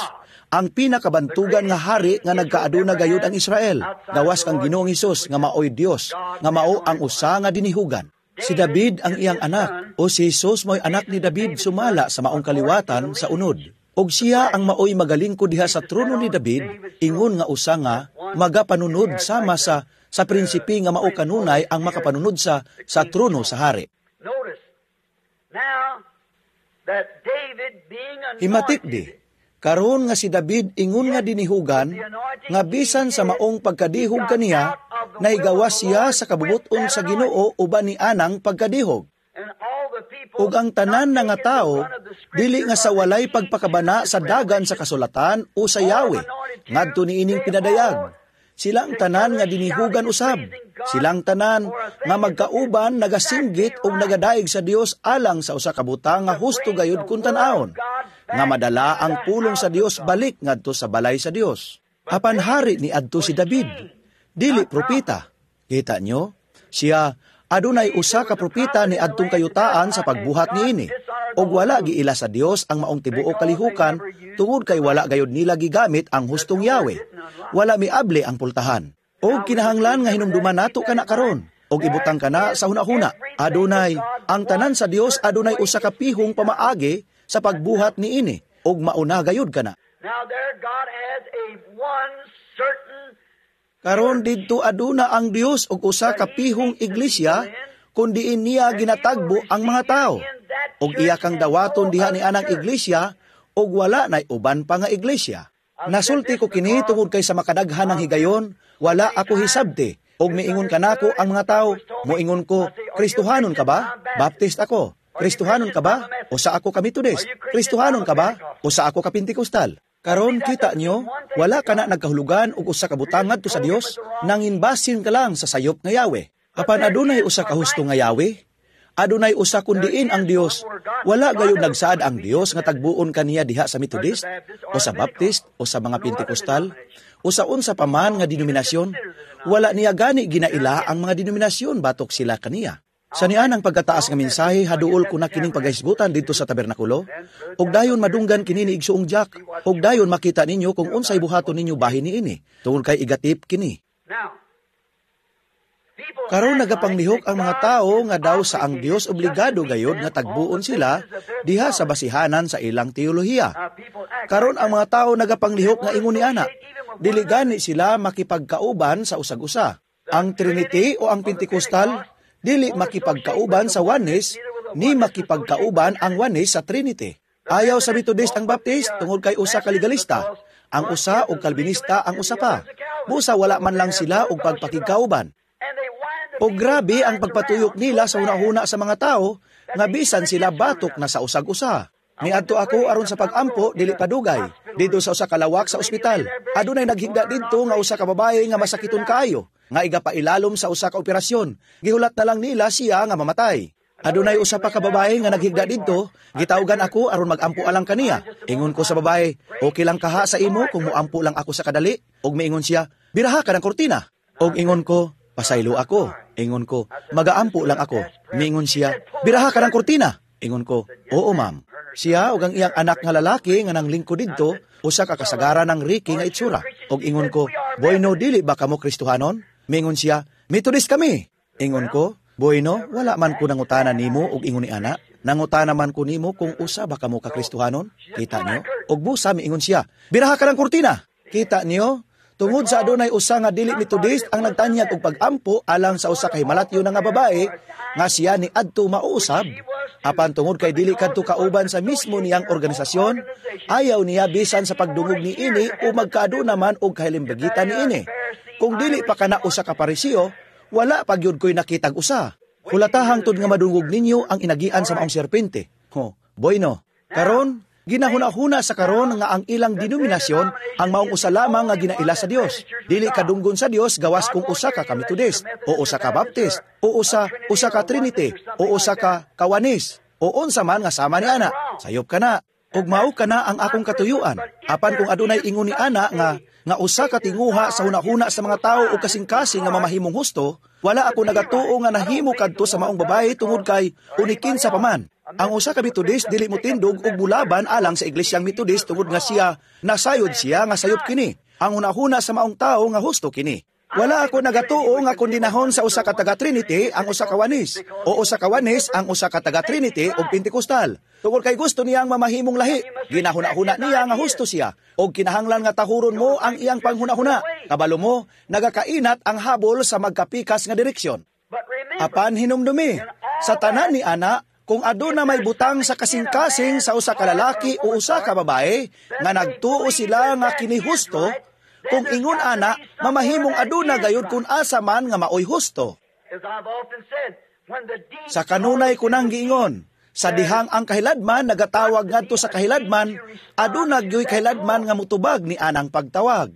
[SPEAKER 1] Ang pinakabantugan nga hari nga nagkaaduna gayud ang Israel, gawas kang Ginoong Hesus nga maoy Dios, nga mao ang usa nga dinihugan. Si David ang iyang anak, o si Hesus mo'y anak ni David sumala sa maong kaliwatan sa unod. Og siya ang maoy magalingkod diha sa trono ni David, ingon nga usa nga magapanunod sama sa sa prinsipe nga mao kanunay ang makapanunod sa sa trono sa hari.
[SPEAKER 2] Notice, now that David being
[SPEAKER 1] Himatik di, karon nga si David ingon nga dinihugan, nga bisan sa maong pagkadihog kaniya, nahigawas siya sa kabubuton sa Ginoo uban ni anang pagkadihog.
[SPEAKER 2] And all the people
[SPEAKER 1] Ug ang tanan na nga tao, dili nga sa walay pagpakabana sa dagan sa kasulatan o sa Yahweh, ngadto niining pinadayag. Silang tanan nga dinihugan usab. Silang tanan nga magkauban nagasinggit ug nagadayeg sa Dios alang sa usa ka butang nga husto gayud kun tan-awon, nga madala ang pulong sa Dios balik ngadto sa balay sa Dios. Apan hari ni adto si David, dili propeta. Kita nyo? Siya adunay usa ka propeta ni adtong kayutaan sa pagbuhat niini. Og wala giila sa Dios ang maong tibuok kalihukan tungod kay wala gayud nila gigamit ang hustong Yahweh. Wala miable ang pultahan. Og kinahanglan nga hinumduman nato kana karon. Og ibutang kana sa hunahuna. Adunay ang tanan sa Dios adunay usa ka pihong pamaagi sa pagbuhat niini og mauna gayud kana.
[SPEAKER 2] Now there God has a one certain
[SPEAKER 1] Karon didto aduna ang Dios og usa ka pihong iglesia kun diin niya ginatagbo ang mga tao. Og iya kang dawaton diha ni anang iglesia og wala nay uban pa nga iglesia. Nasulti ko kini tungod kay sa makadaghan ng higayon, wala ako hisabti. Og miingon kanako ang mga tao, moingon ko, Kristohanon ka ba? Baptist ako. Kristohanon ka ba? Usa ako ka Methodist. Kristohanon ka ba? Usa ako ka Pentecostal. Karon kita nyo, wala ka na nagkahulugan og usa ka butang ngadto sa Dios, nanginbasin ka lang sa sayop nga Yahweh. Apan adunay usa ka husto nga Yahweh, adunay usa kun diin ang Dios. Wala gayud nagsaad ang Dios nga tagbuon kaniya diha sa Methodist o sa Baptist o sa mga Pentecostal o sa unsa pa man nga denominasyon. Wala niya gani ginaila ang mga denominasyon batok sila kaniya. Sa nian ang pagkataas nga mensahe, haduol ko na kining paghisgutan didto sa tabernakulo, ug dayon madunggan kini ni Igsuong Jack, ug dayon makita ninyo kung unsay buhaton ninyo bahin niini, tungod kay igatip kini.
[SPEAKER 2] Now, people
[SPEAKER 1] Karon nagapanglihok ang mga tao nga daw sa ang Dios obligado gayod nga tagbuon sila diha sa basihanan sa ilang teolohiya. Karon ang mga tao nagapanglihok nga ingon ni ana, dili gani sila makipagkauban sa usag-usa. Ang Trinity o ang Pentecostal dili makipagkauban sa Oneness ni makipagkauban ang Oneness sa Trinity. Ayaw sa Methodist ang Baptist tungod kay usa ka legalista. Ang usa og Calvinista ang usa pa. Busa wala man lang sila og pagpakigkauban. O grabe ang pagpatuyok nila sa hunahuna sa mga tao nga bisan sila batok na sa usag-usa. Niadto ako aron sa pag-ampo dili padugay didto sa usa ka lawak sa ospital. Adunay naghigda didto nga usa ka babaye nga masakiton kaayo nga igapailalom sa usa ka operasyon. Gihulat na lang nila siya nga mamatay. Adunay usa pa ka babae nga naghigda didto, gitawgan ako aron mag-ampo alang kaniya. Ingon ko sa babae, okay lang kaha sa imo kung moampo lang ako sa kadali? Og miingon siya, biraha ka ng kurtina. Og ingon ko, pasaylo ako. Ingon ko, magaampo lang ako. Miingon siya, biraha ka ng kurtina. Ingon ko, oo ma'am. Siya og ang iyang anak nga lalaki nga nanglingkod didto, usa ka kasagaran ng Ricky nga itsura. Og ingon ko, boy no dili ba kamo Kristohanon? Miingon siya, Methodist kami. Ingon ko, boy no, wala man ko nangutana nimo og ingon ni ana. Nangutana man ko nimo kung usa ba kamo ka Kristohanon. Kita niyo? Og busa miingon siya, biraha ka ng kurtina. Kita niyo? Tungod sa adunay usa nga dili Methodist ang nagtanyag og pag-ampo alang sa usa ka himalatyo na nga babae nga siya ni adto mauusab. Apan tungod kay dili kadto kauban sa mismo niyang organisasyon, ayaw niya bisan sa pagdungog ni ini o magkaaduna man og kahilimbagitan ni ini. Kung dili pa kana usa ka Pariseo, wala pa gyud ko'y nakitag usa. Hulatahang tud nga madungog ninyo ang inagian sa maong serpente. Ho, boyno. Karon, ginahuna-huna sa karon nga ang ilang denominasyon ang maong usa lamang nga ginaila sa Dios. Dili kadunggon sa Dios gawas kung usa ka ka Methodist, o usa ka Baptist, o usa usa ka Trinity, o usa ka ka Oneness, o unsa man nga sama ni ana. Sayop ka na. Ug mao ka na ang akong katuyuan. Apan kung adunay ingon ni ana nga nga usa ka tinguha sa hunahuna sa mga tawo o kasing-kasing nga mamahimong husto, wala ako nagatuo nga nahimo kadto sa maong babae tungod kay unikin sa paman. Ang usa ka Methodist dili motindog og mulaban alang sa iglesyang Methodist tungod nga siya nasayod siya nga sayop kini. Ang hunahuna sa maong tawo nga husto kini. Wala ako nagatuo nga kondinahon sa usa ka taga Trinity ang usa ka Oneness o usa ka Oneness ang usa ka taga Trinity o Pentecostal. Tungod kay gusto niyang mamahimong lahi, ginahuna-huna niya nga husto siya og kinahanglan nga tahuron mo ang iyang panghuna-huna. Kabalo mo, nagakainat ang habol sa magkapikas nga direksyon. Apan hinumdumi, sa tanan ni ana, kung aduna may butang sa kasing-kasing sa usa ka lalaki o usa ka babae nga nagtuo sila nga kini husto, kung ingon ana, mamahimong aduna gayud kung asa man nga maoy husto. Sa kanunay ko nang giingon, sa dihang ang kahiladman nagatawag ngadto sa kahiladman, aduna gyoy kahiladman nga mutubag ni anang pagtawag.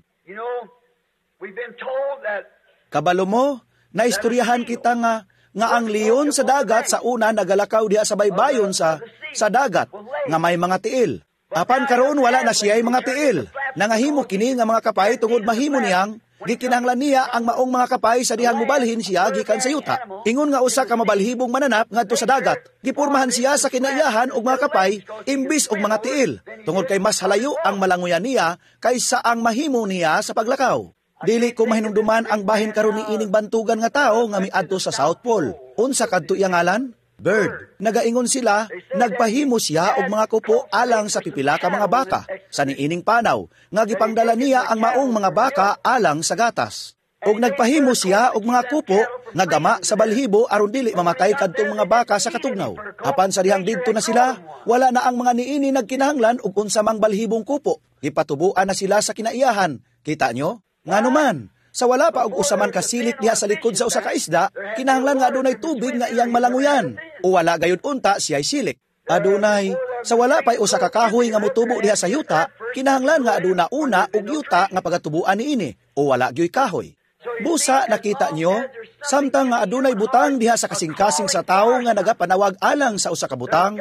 [SPEAKER 1] Kabalo mo, naistoryahan kita nga nga ang leon sa dagat sa una nagalakaw diha sa baybayon sa sa dagat nga may mga tiil. Apan karon wala na siya'y mga tiil. Nangahimo kini nga mga kapay tungod mahimo niyang gikinahanglan niya ang maong mga kapay sa dihang mobalhin siya gikan sa yuta. Ingon nga usa ka mabalhibong mananap ngadto sa dagat. Gipurmahan siya sa kinaiyahan og mga kapay imbis og mga tiil tungod kay mas halayo ang malanguyan niya kaysa ang mahimo niya sa paglakaw. Dili ko mahinumduman ang bahin karon ni ining bantugan nga tawo nga miadto sa South Pole. Unsa kadto iyang ngalan? Bird. Nagaingon sila, nagpahimo siya og mga kupo alang sa pipila ka mga baka sa niining panaw nga gipangdala niya ang maong mga baka alang sa gatas. Og nagpahimo siya og mga kupo nga gama sa balhibo aron dili mamatay kadtong mga baka sa katugnaw. Apan sa dihang didto na sila, wala na ang mga niini nagkinahanglan og unsa mang balhibong kupo. Gipatubuan na sila sa kinaiyahan. Kita nyo? Nganuman, sa wala pa og usa man ka silik diha sa likod sa usa ka isda, kinahanglan nga adunay tubig nga iyang malanguyan, o wala gayud unta siya'y silik. Adunay, sa wala pa'y usa ka kahoy nga motubo diha sa yuta, kinahanglan nga aduna una og yuta nga pagatubuan niini, o wala gyoy kahoy. Busa nakita nyo, samtang nga adunay butang diha sa kasing-kasing sa tawo nga nagapanawag alang sa usa ka butang,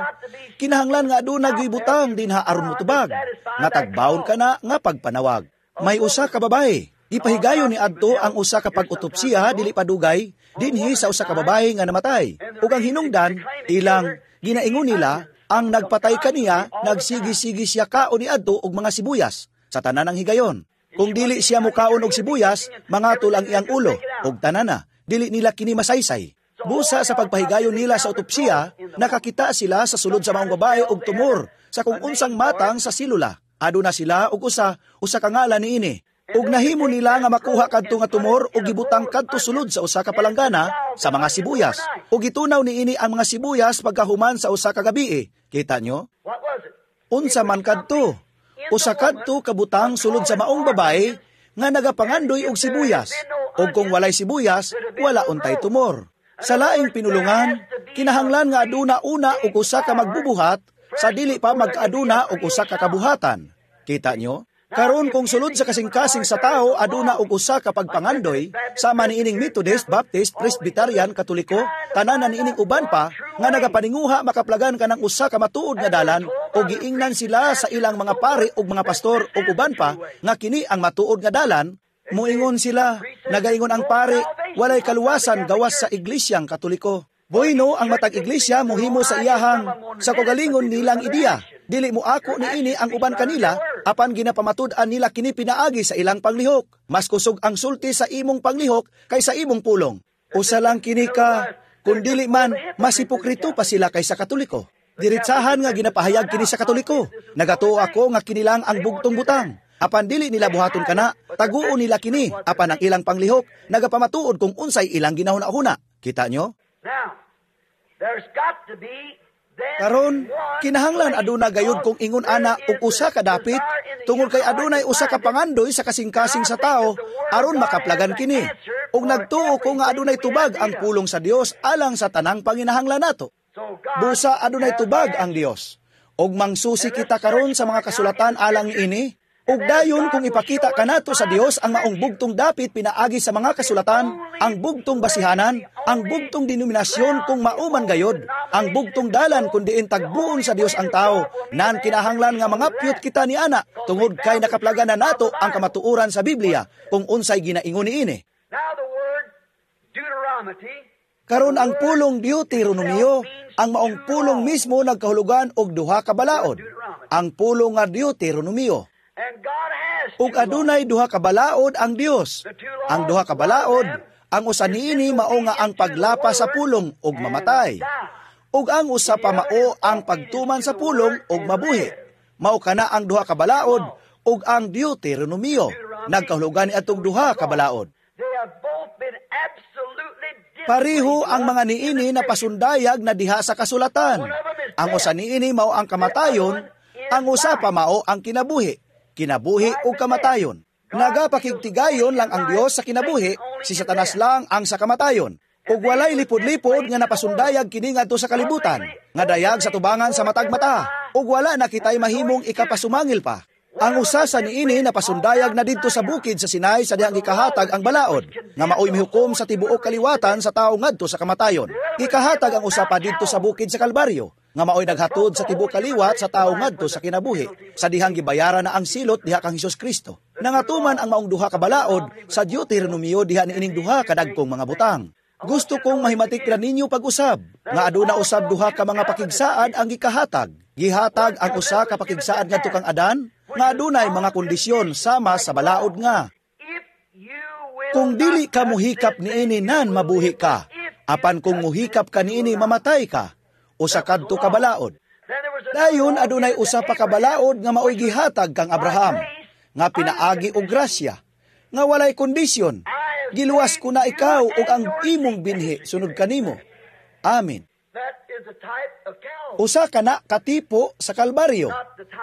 [SPEAKER 1] kinahanglan nga aduna gyoy butang dinha aron motubag, nga tagbawon ka na nga pagpanawag. May usa ka babae, gipahigayon ni adto ang usa ka pag-otopsiya dili padugay dinhi sa usa ka babae nga namatay. Ug ang hinungdan ilang ginaingon nila ang nagpatay kaniya nagsigi-sigi siya kaon ni adto og mga sibuyas sa tanan ang higayon. Kung dili siya mukaon og sibuyas, mangatol ang iyang ulo ug tanana, dili nila kini masaysay. Busa sa pagpahigayon nila sa otopsiya, nakakita sila sa sulod sa maong babae og tumor sa kung unsang matang sa silula. Aduna sila og usa usa ka ngalan niini. Ug nahimo nila nga makuha kadto nga tumor ug gibutang kadto sulod sa usa ka palanggana sa mga sibuyas. Ug gitunaw niini ang mga sibuyas pagkahuman sa usa ka gabii. Kita nyo? Unsa man kadto? Usa kadto kabutang sulod sa maong babae nga nagapangandoy og sibuyas. Ug kung walay sibuyas, wala untay tumor. Sa laing pinulungan, kinahanglan nga aduna una og usa ka magbubuhat sa dili pa magkaaduna og usa ka kabuhatan. Kita nyo? Karon kung sulod sa kasing-kasing sa tao aduna og usa ka pagpangandoy sama niining Methodist, Baptist, Presbyterian, Katoliko, tanan na niining uban pa nga nagapaninguha makaplagan kanang usa ka matuod nga dalan o giingnan sila sa ilang mga pari ug mga pastor ug uban pa nga kini ang matuod nga dalan, muingon sila, nagaingon ang pari, walay kaluwasan gawas sa Iglesyang Katoliko. Bueno, ang matag iglesia mohimo sa iyahang sa kagalingon nilang ideya. Dili mo ako niini ang uban kanila, apan ginapamatud-an nila kini pinaagi sa ilang panglihok. Mas kusog ang sulti sa imong panglihok kaysa imong pulong. Usa lang kini ka, kung dili man, mas hipokrito pa sila kaysa Katoliko. Diretsahan nga ginapahayag kini sa Katoliko. Nagatuo ako nga kinilang ang bugtong butang. Apan dili nila buhaton kana, taguon nila kini, apan ang ilang panglihok nagapamatuod kung unsay ilang ginahuna-huna. Kita nyo?
[SPEAKER 2] Now, there's got to be
[SPEAKER 1] Karon, kinahanglan aduna gayud kung ingon ana og usa ka dapit tungod kay adunay usa ka pangandoy sa kasing-kasing sa tao aron makaplagan kini. Ug nagtuo ko nga adunay tubag ang pulong sa Dios alang sa tanang panginahanglan nato. Busa adunay tubag ang Dios. Ug mangsusi kita karon sa mga kasulatan alang niini. Ug dayon kung ipakita kanato sa Dios ang maong bugtong dapit pinaagi sa mga kasulatan, ang bugtong basihanan, ang bugtong denominasyon kung mauman gayod, ang bugtong dalan kung diin tagbuon sa Dios ang tao, nan kinahanglan nga mangapyot kita ni ana tungod kay nakaplagan na nato ang kamatuoran sa Biblia kung unsay ginaingon niini.
[SPEAKER 2] Now the word Deuteronomy.
[SPEAKER 1] Karon ang pulong Deuteronomio, ang maong pulong mismo nagkahulugan og duha ka balaod. Ang pulong nga Deuteronomio. Ug adunay duha ka balaod ang Dios. Ang duha ka balaod, ang usa niini mao nga ang paglapas sa pulong ug mamatay. Ug ang usa pa mao ang pagtuman sa pulong ug mabuhi. Mao kana ang duha ka balaod ug ang Deuteronomio nagkahulugan ni atong duha ka balaod. Pareho ang mga niini na pasundayag na diha sa kasulatan. Ang usa niini mao ang kamatayon, ang usa pa mao ang kinabuhi. Kinabuhi ug kamatayon. Nagapakigtigayon lang ang Dios sa kinabuhi, si Satanas lang ang sa kamatayon. Ug walay lipod-lipod nga napasundayag kini ngadto sa kalibutan, nga dayag sa tubangan sa matag mata, ug wala na kitay mahimong ikapasumangil pa. Ang usa sa niini napasundayag na didto sa bukid sa Sinai sa dihang gikahatag ang balaod, nga maoy mihukom sa tibuok kaliwatan sa tawo ngadto sa kamatayon. Gikahatag ang usa pa didto sa bukid sa Kalbaryo, nga maoy naghatod sa tibuok kaliwat sa tawo ngadto sa kinabuhi, sa dihang gibayaran na ang silot diha kang Hesus Kristo. Nangatuman ang maong duha ka balaod sa Deuteronomio diha niining duha ka dagkong mga butang. Gusto kong mahimatik ra ninyo pag-usab, nga aduna usab duha ka mga pakigsaad ang gikahatag. Gihatag ang usa ka pakigsaad ngadto kang Adan, nga adunay mga kondisyon sama sa balaod nga kung dili ka muhikap niini nan mabuhi ka, apan kung muhikap ka niini mamatay ka, usa kadto ka balaod. Dayon adunay usa pa ka balaod nga maoy gihatag kang Abraham, nga pinaagi og grasya, nga walay kondisyon. Giluwas ko na ikaw ug ang imong binhi sunod kanimo. Amen. Usa kana katipo sa Kalbaryo.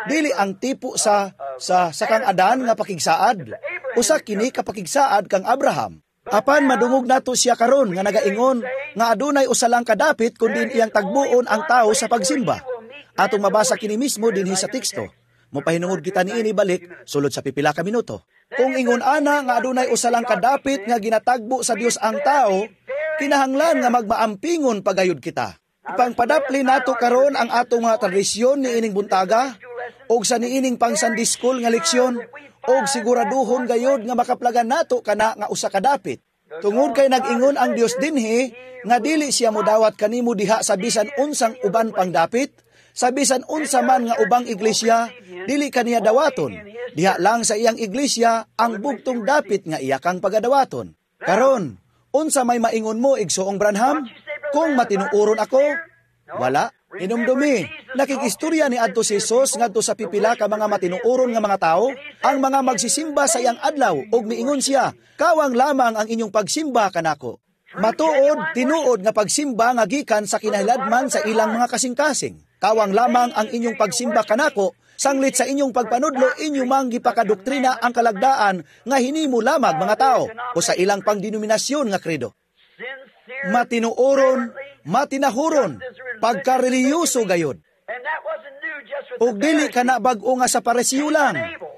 [SPEAKER 1] Dili ang tipo sa sa sa kang Adan nga pakigsaad. Usa kini ka pakigsaad kang Abraham. Apan madungog nato siya karon nga nagaingon nga adunay usa lang kadapit kundi iyang tagbuon ang tawo sa pagsimba. Atong mabasa kini mismo dinhi sa teksto. Mopahinungod kita niini balik sulod sa pipila ka minuto. Kung ingon ana nga adunay usa lang kadapit nga ginatagbo sa Dios ang tao, kinahanglan nga magmaampingon pagayod kita. Ipangpadapli nato karon ang atong mga tradisyon niining buntaga og sa niining pang Sunday school nga leksyon og siguraduhon gayod nga makaplagan nato kana nga usa ka dapit. Tungod kay nag-ingon ang Dios dinhi nga dili siya modawat kanimo diha sa bisan unsang uban pang dapit, sa bisan unsa man nga ubang iglesia, dili kaniya dawaton. Diha lang sa iyang iglesia ang bugtong dapit nga iya kang pagadawaton. Karon, unsa may maingon mo igsoong Branham? Kung matinuoron ako, wala. Hinumdumi, nakikistorya ni adto si Jesus ngadto sa pipila ka mga matinuoron nga mga tao, ang mga magsisimba sa iyang adlaw ug miingon siya, kawang lamang ang inyong pagsimba kanako. Matuod, tinuod nga pagsimba nga gikan sa kinahiladman sa ilang mga kasing-kasing. Kawang lamang ang inyong pagsimba kanako, sanglit sa inyong pagpanudlo inyo mang gipakadoktrina ang kalagdaan nga hinimo lamag mga tao o sa ilang pangdenominasyon nga kredo. Matinuoron, matinahuron, pagkareliyoso gayod. Ug dili ka na bag-o nga sa Parisiyo lang.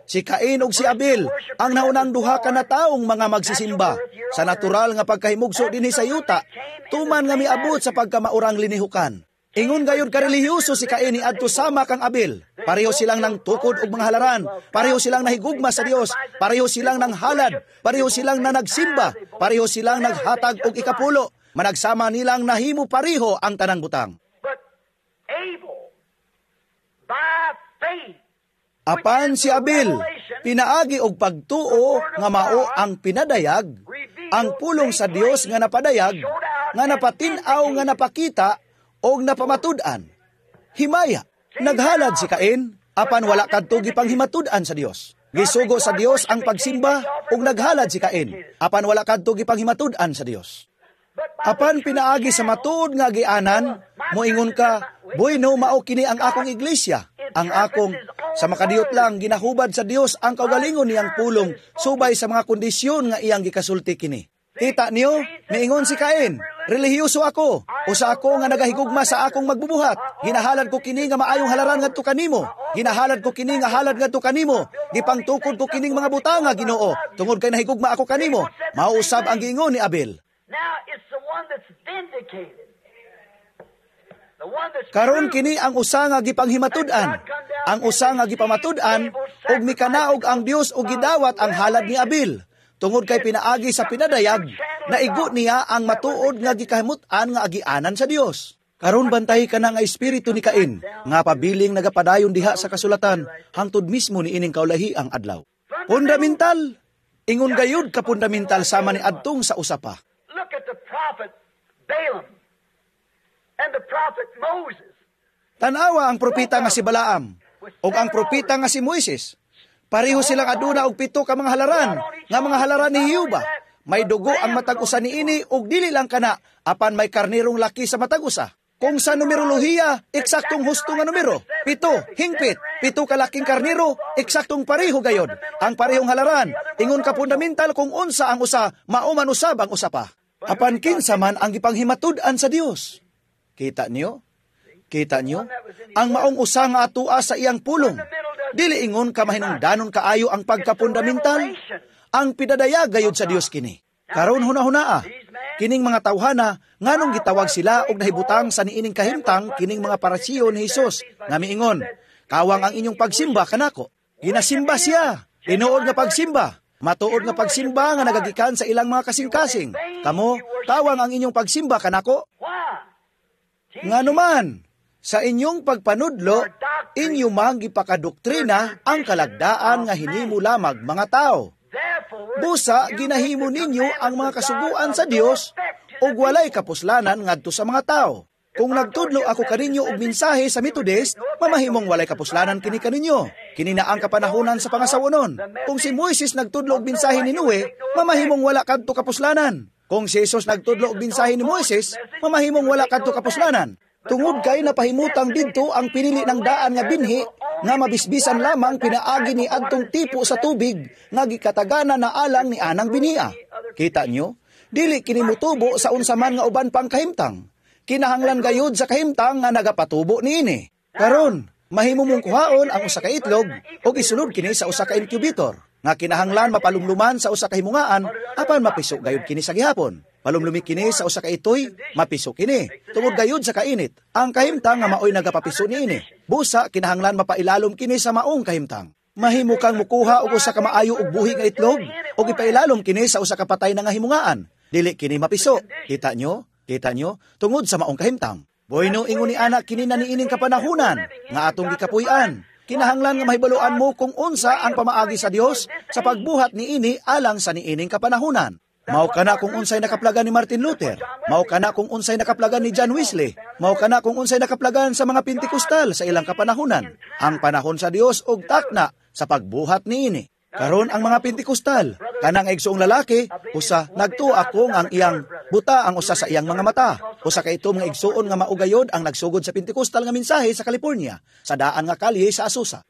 [SPEAKER 1] Si Cain ug si Abel ang naunang duha ka na taong mga magsisimba sa natural nga pagkahimugso dinhi sa yuta, tuman nga miabot sa pagkamaurang linihukan. Ingon gayud karelihiyoso si Cain niadto sama kang Abel. Pareho silang nang tukod og mga halaran, pareho silang nahigugma sa Dios, pareho silang nang halad, pareho silang nanagsimba, pareho silang naghatag og ikapulo. Managsama nilang nahimo pareho ang tanang butang.
[SPEAKER 2] But Abel, by faith,
[SPEAKER 1] Apan si Abel, pinaagi og pagtuo nga mao ang pinadayag, ang pulong sa Dios nga napadayag, nga napatin-aw nga napakita og napamatud-an. Himaya, naghalad si Cain, apan wala kadto gipanghimatud-an sa Dios. Gisugo sa Dios ang pagsimba ug naghalad si Cain, apan wala kadto gipanghimatud-an sa Dios. Apan pinaagi sa matuod nga gianan, moingon ka, bueno mao kini ang akong iglesia, ang akong sa makadiyot lang ginahubad sa Dios ang kaugalingon niyang pulong subay sa mga kondisyon nga iyang gikasulti kini. Kita niyo, miingon si Cain, relihiyoso ako, usa ako nga nagahigugma sa akong magbubuhat. Ginahalad ko kini nga maayong halaran ngadto kanimo. Ginahalad ko kini nga halad ngadto kanimo. Gipangtukod ko kining mga butanga, Ginoo, tungod kay nahigugma ako kanimo. Mao usab ang giingon ni Abel.
[SPEAKER 2] Now it's the one that's vindicated. The one that's
[SPEAKER 1] Karon
[SPEAKER 2] true.
[SPEAKER 1] Kini ang usa nga gipanghimatud-an. Ang usa nga gipamatud-an ug mikanaog ang Dios ug gidawat ang halad ni Abel. Tungod kay pinaagi sa pinadayag, Naigo niya ang matuod nga gikahimut-an nga agianan sa Dios. Karon bantay ka na nga espiritu ni Cain, nga pabiling nagapadayon diha sa kasulatan, hangtod mismo ni ining kaulahi ang adlaw. Fundamental! Ingon gayud ka fundamental sama ni adtong sa usa pa.
[SPEAKER 2] Look at the prophet Balaam and the prophet Moses.
[SPEAKER 1] Tanawa ang propeta nga si Balaam ug ang propeta nga si Moises. Pareho silang aduna og pito ka mga halaran, nga mga halaran ni Jehova. May dugo ang matag usa niini ug dili lang kana apan may karnerong laki sa matag usa. Kung sa numerolohiya, eksaktong husto nga numero. Pito, hingpit, pito kalaking karnero, eksaktong pareho gayod. Ang parehong halaran, ingon ka fundamental kung unsa ang usa, mao man usab ang usa pa. Apan kinsa man ang gipanghimatud-an sa Dios. Kita niyo? Kita niyo? Ang maong usa nga atua sa iyang pulong. Dili ingon ka mahinungdanon kaayo ang pagkapundamental. Ang pidadayag gayud sa Dios kini. Karon hunahunaa, kining mga tawhana nganong gitawag sila og nahibutang sa niining kahimtang kining mga Parisiyo ni Hesus nga miingon, kawang ang inyong pagsimba kanako. Ginasimba siya, tinuod nga pagsimba, matuod nga pagsimba nga nagagikan sa ilang mga kasing-kasing. Kamo, kawang ang inyong pagsimba kanako. Nganuman, sa inyong pagpanudlo, inyo mang gipakadoktrina ang kalagdaan nga hinimo lamag mga tao. Busa, ginahimo ninyo ang mga kasuguan sa Dios ug walay kapuslanan ngadto sa mga tao. Kung nagtudlo ako kaninyo og mensahe sa Methodist, mamahimong walay kapuslanan kini kaninyo. Kini na ang kapanahonan sa pangasawonon. Kung si Moises nagtudlo og mensahe ni Noe, mamahimong wala kadto kapuslanan. Kung si Jesus nagtudlo og mensahe ni Moises, mamahimong wala kadto kapuslanan. Tungod kay napahimutang didto ang pinili ng daan nga binhi nga mabisbisan lamang pinaagi ni adtong tipo sa tubig nga gikatagana na alang ni anang binia. Kita nyo? Dili kini motubo sa unsa man nga uban pang kahimtang. Kinahanglan gayud sa kahimtang nga nagapatubo niini. Karon, mahimo mong kuhaon ang usa ka itlog ug isulod kini sa usa ka incubator nga kinahanglan mapalumluman sa usa ka himungaan apan mapiso gayud kini sa gihapon. Palumlumi kini sa usa ka itoy, mapiso kini. Tungod gayud sa kainit, ang kahimtang nga maoy nagapapiso niini. Busa kinahanglan mapailalom kini sa maong kahimtang. Mahimo kang mukuha og usa ka maayo og buhi nga itlog ug ipailalom kini sa usa ka patay na nga himungaan. Dili kini mapiso. Kita nyo? Kita nyo? Tungod sa maong kahimtang. Bueno, ingon ni ana kini na niining kapanahunan nga atong gikapuy-an. Kinahanglan nga mahibaluan mo kung unsa ang pamaagi sa Dios sa pagbuhat niini alang sa niining kapanahunan. Mao kana kung unsay nakaplagan ni Martin Luther. Mao kana kung unsay nakaplagan ni John Wesley. Mao kana kung unsay nakaplagan sa mga Pentecostal sa ilang kapanahunan. Ang panahon sa Dios og takna sa pagbuhat niini. Karon ang mga Pentecostal, kanang igsoong lalaki, usa nagtuo ako nga ang iyang buta ang usa sa iyang mga mata. Usa ka ito mga igsoon nga maugayod ang nagsugod sa Pentecostal nga mensahe sa California, sa daan nga kalye sa Azusa.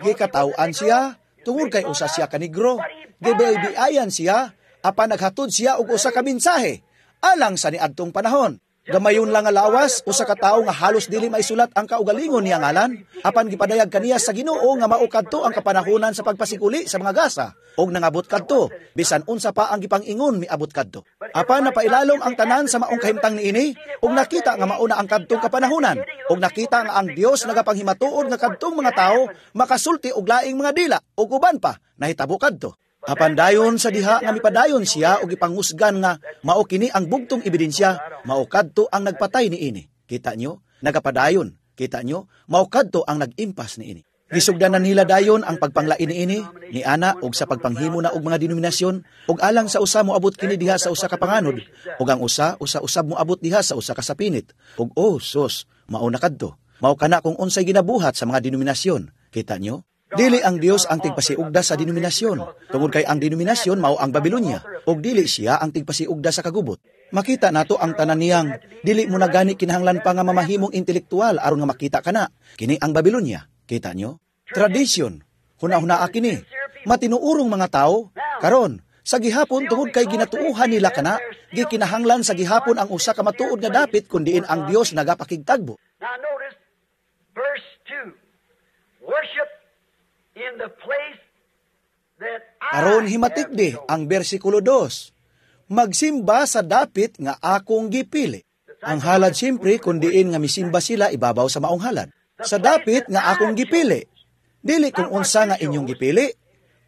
[SPEAKER 1] Gikataw-an siya tungod kay usa siya ka negro. Gibiayan siya apan naghatod siya og usa ka mensahe alang sa niadtong panahon. Gamayon lang nga lawas, usa ka tawo nga halos dili maisulat ang kaugalingon niya ngalan, apan gipadayag kaniya sa Ginoo nga mao kadto ang kapanahonan sa pagpasikuli sa mga gasa, og nangabot kadto, bisan unsa pa ang gipang-ingon miabot kadto. Apan napailalom ang tanan sa maong kahimtang niini, ug nakita nga mao na ang kadtong kapanahonan, ug nakita nga ang Dios nagapanghimatuod nga kadtong mga tawo makasulti og laing mga dila ug uban pa nahitabo kadto. Apan dayon sa diha nga mipadayon siya og ipangusgan nga mao kini ang bugtong ebidensya, mao kadto ang nagpatay niini. Kita nyo? Nagapadayon. Kita nyo? Mao kadto ang nag-impas niini. Gisugdanan nila dayon ang pagpanglain niini ni ana og sa pagpanghimo na og mga denominasyon ug alang sa usa moabot kini diha sa usa ka panganod ug ang usa usa usab moabot diha sa usa ka sapinit ug oh sus, mao na kadto. Mao kana kung unsay ginabuhat sa mga denominasyon. Kita nyo? Dili ang Dios ang tigpasiugda sa denominasyon, tungod kay ang denominasyon mao ang Babilonia, ug dili siya ang tigpasiugda sa kagubot. Makita nato ang tanan niyang dili mo na gani kinahanglan pa nga mamahimong intelektual aron nga makita kana. Kini ang Babilonia. Kita nyo? Tradisyon. Huna-hunaa kini. Matinuurong mga tao karon sa gihapon tungod kay ginatuuhan nila kana, gikinahanglan sa gihapon ang usa ka matuod nga dapit kun diin ang Dios nagapakigtagbo.
[SPEAKER 2] Now notice verse two. Worship in the place that I
[SPEAKER 1] Aron himatikdi ang bersikulo dos. Magsimba sa dapit nga akong gipili. Ang halad siyempre kun diin nga misimba sila ibabaw sa maong halad. Sa dapit nga akong gipili. Dili kung unsa nga inyong gipili,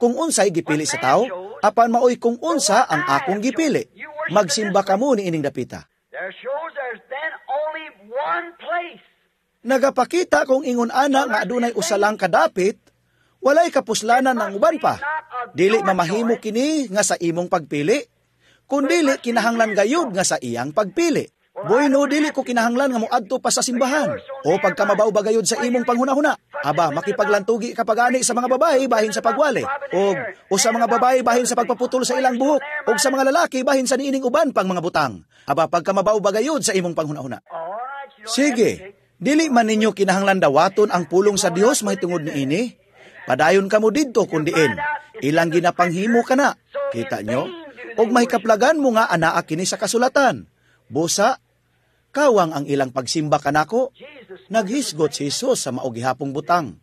[SPEAKER 1] kung unsay gipili sa tao, apan maoy kung unsa ang akong gipili. Magsimba kamo niining dapita.
[SPEAKER 2] There shows there's then only one place.
[SPEAKER 1] Nagapakita kung ingon ana nga adunay usa lang kadapit, walay kapuslanan ng uban pa. Dili mamahimo kini nga sa imong pagpili, kundili kinahanglan gayud nga sa iyang pagpili. Bueno, dili ko kinahanglan nga moadto pa sa simbahan o pagkamabaw ba gayud sa imong panghunahuna. Aba, makipaglantugi ka pagani sa mga babae bahin sa pagwali, og o sa mga babae bahin sa pagpaputol sa ilang buhok, og sa mga lalaki bahin sa niining uban pang mga butang. Aba, pagkamabaw ba gayud sa imong panghunahuna.
[SPEAKER 2] All right, you don't
[SPEAKER 1] Sige, dili man ninyo kinahanglan dawaton ang pulong sa Dios mahitungod niini. Padayon kamo didto kun diin. Ilang ginapanghimo kana. Kita nyo? Og mahikaplagan mo nga anaa kini sa kasulatan. Busa, kawang ang ilang pagsimba kanako. Naghisgot si Jesus sa mao gihapong butang.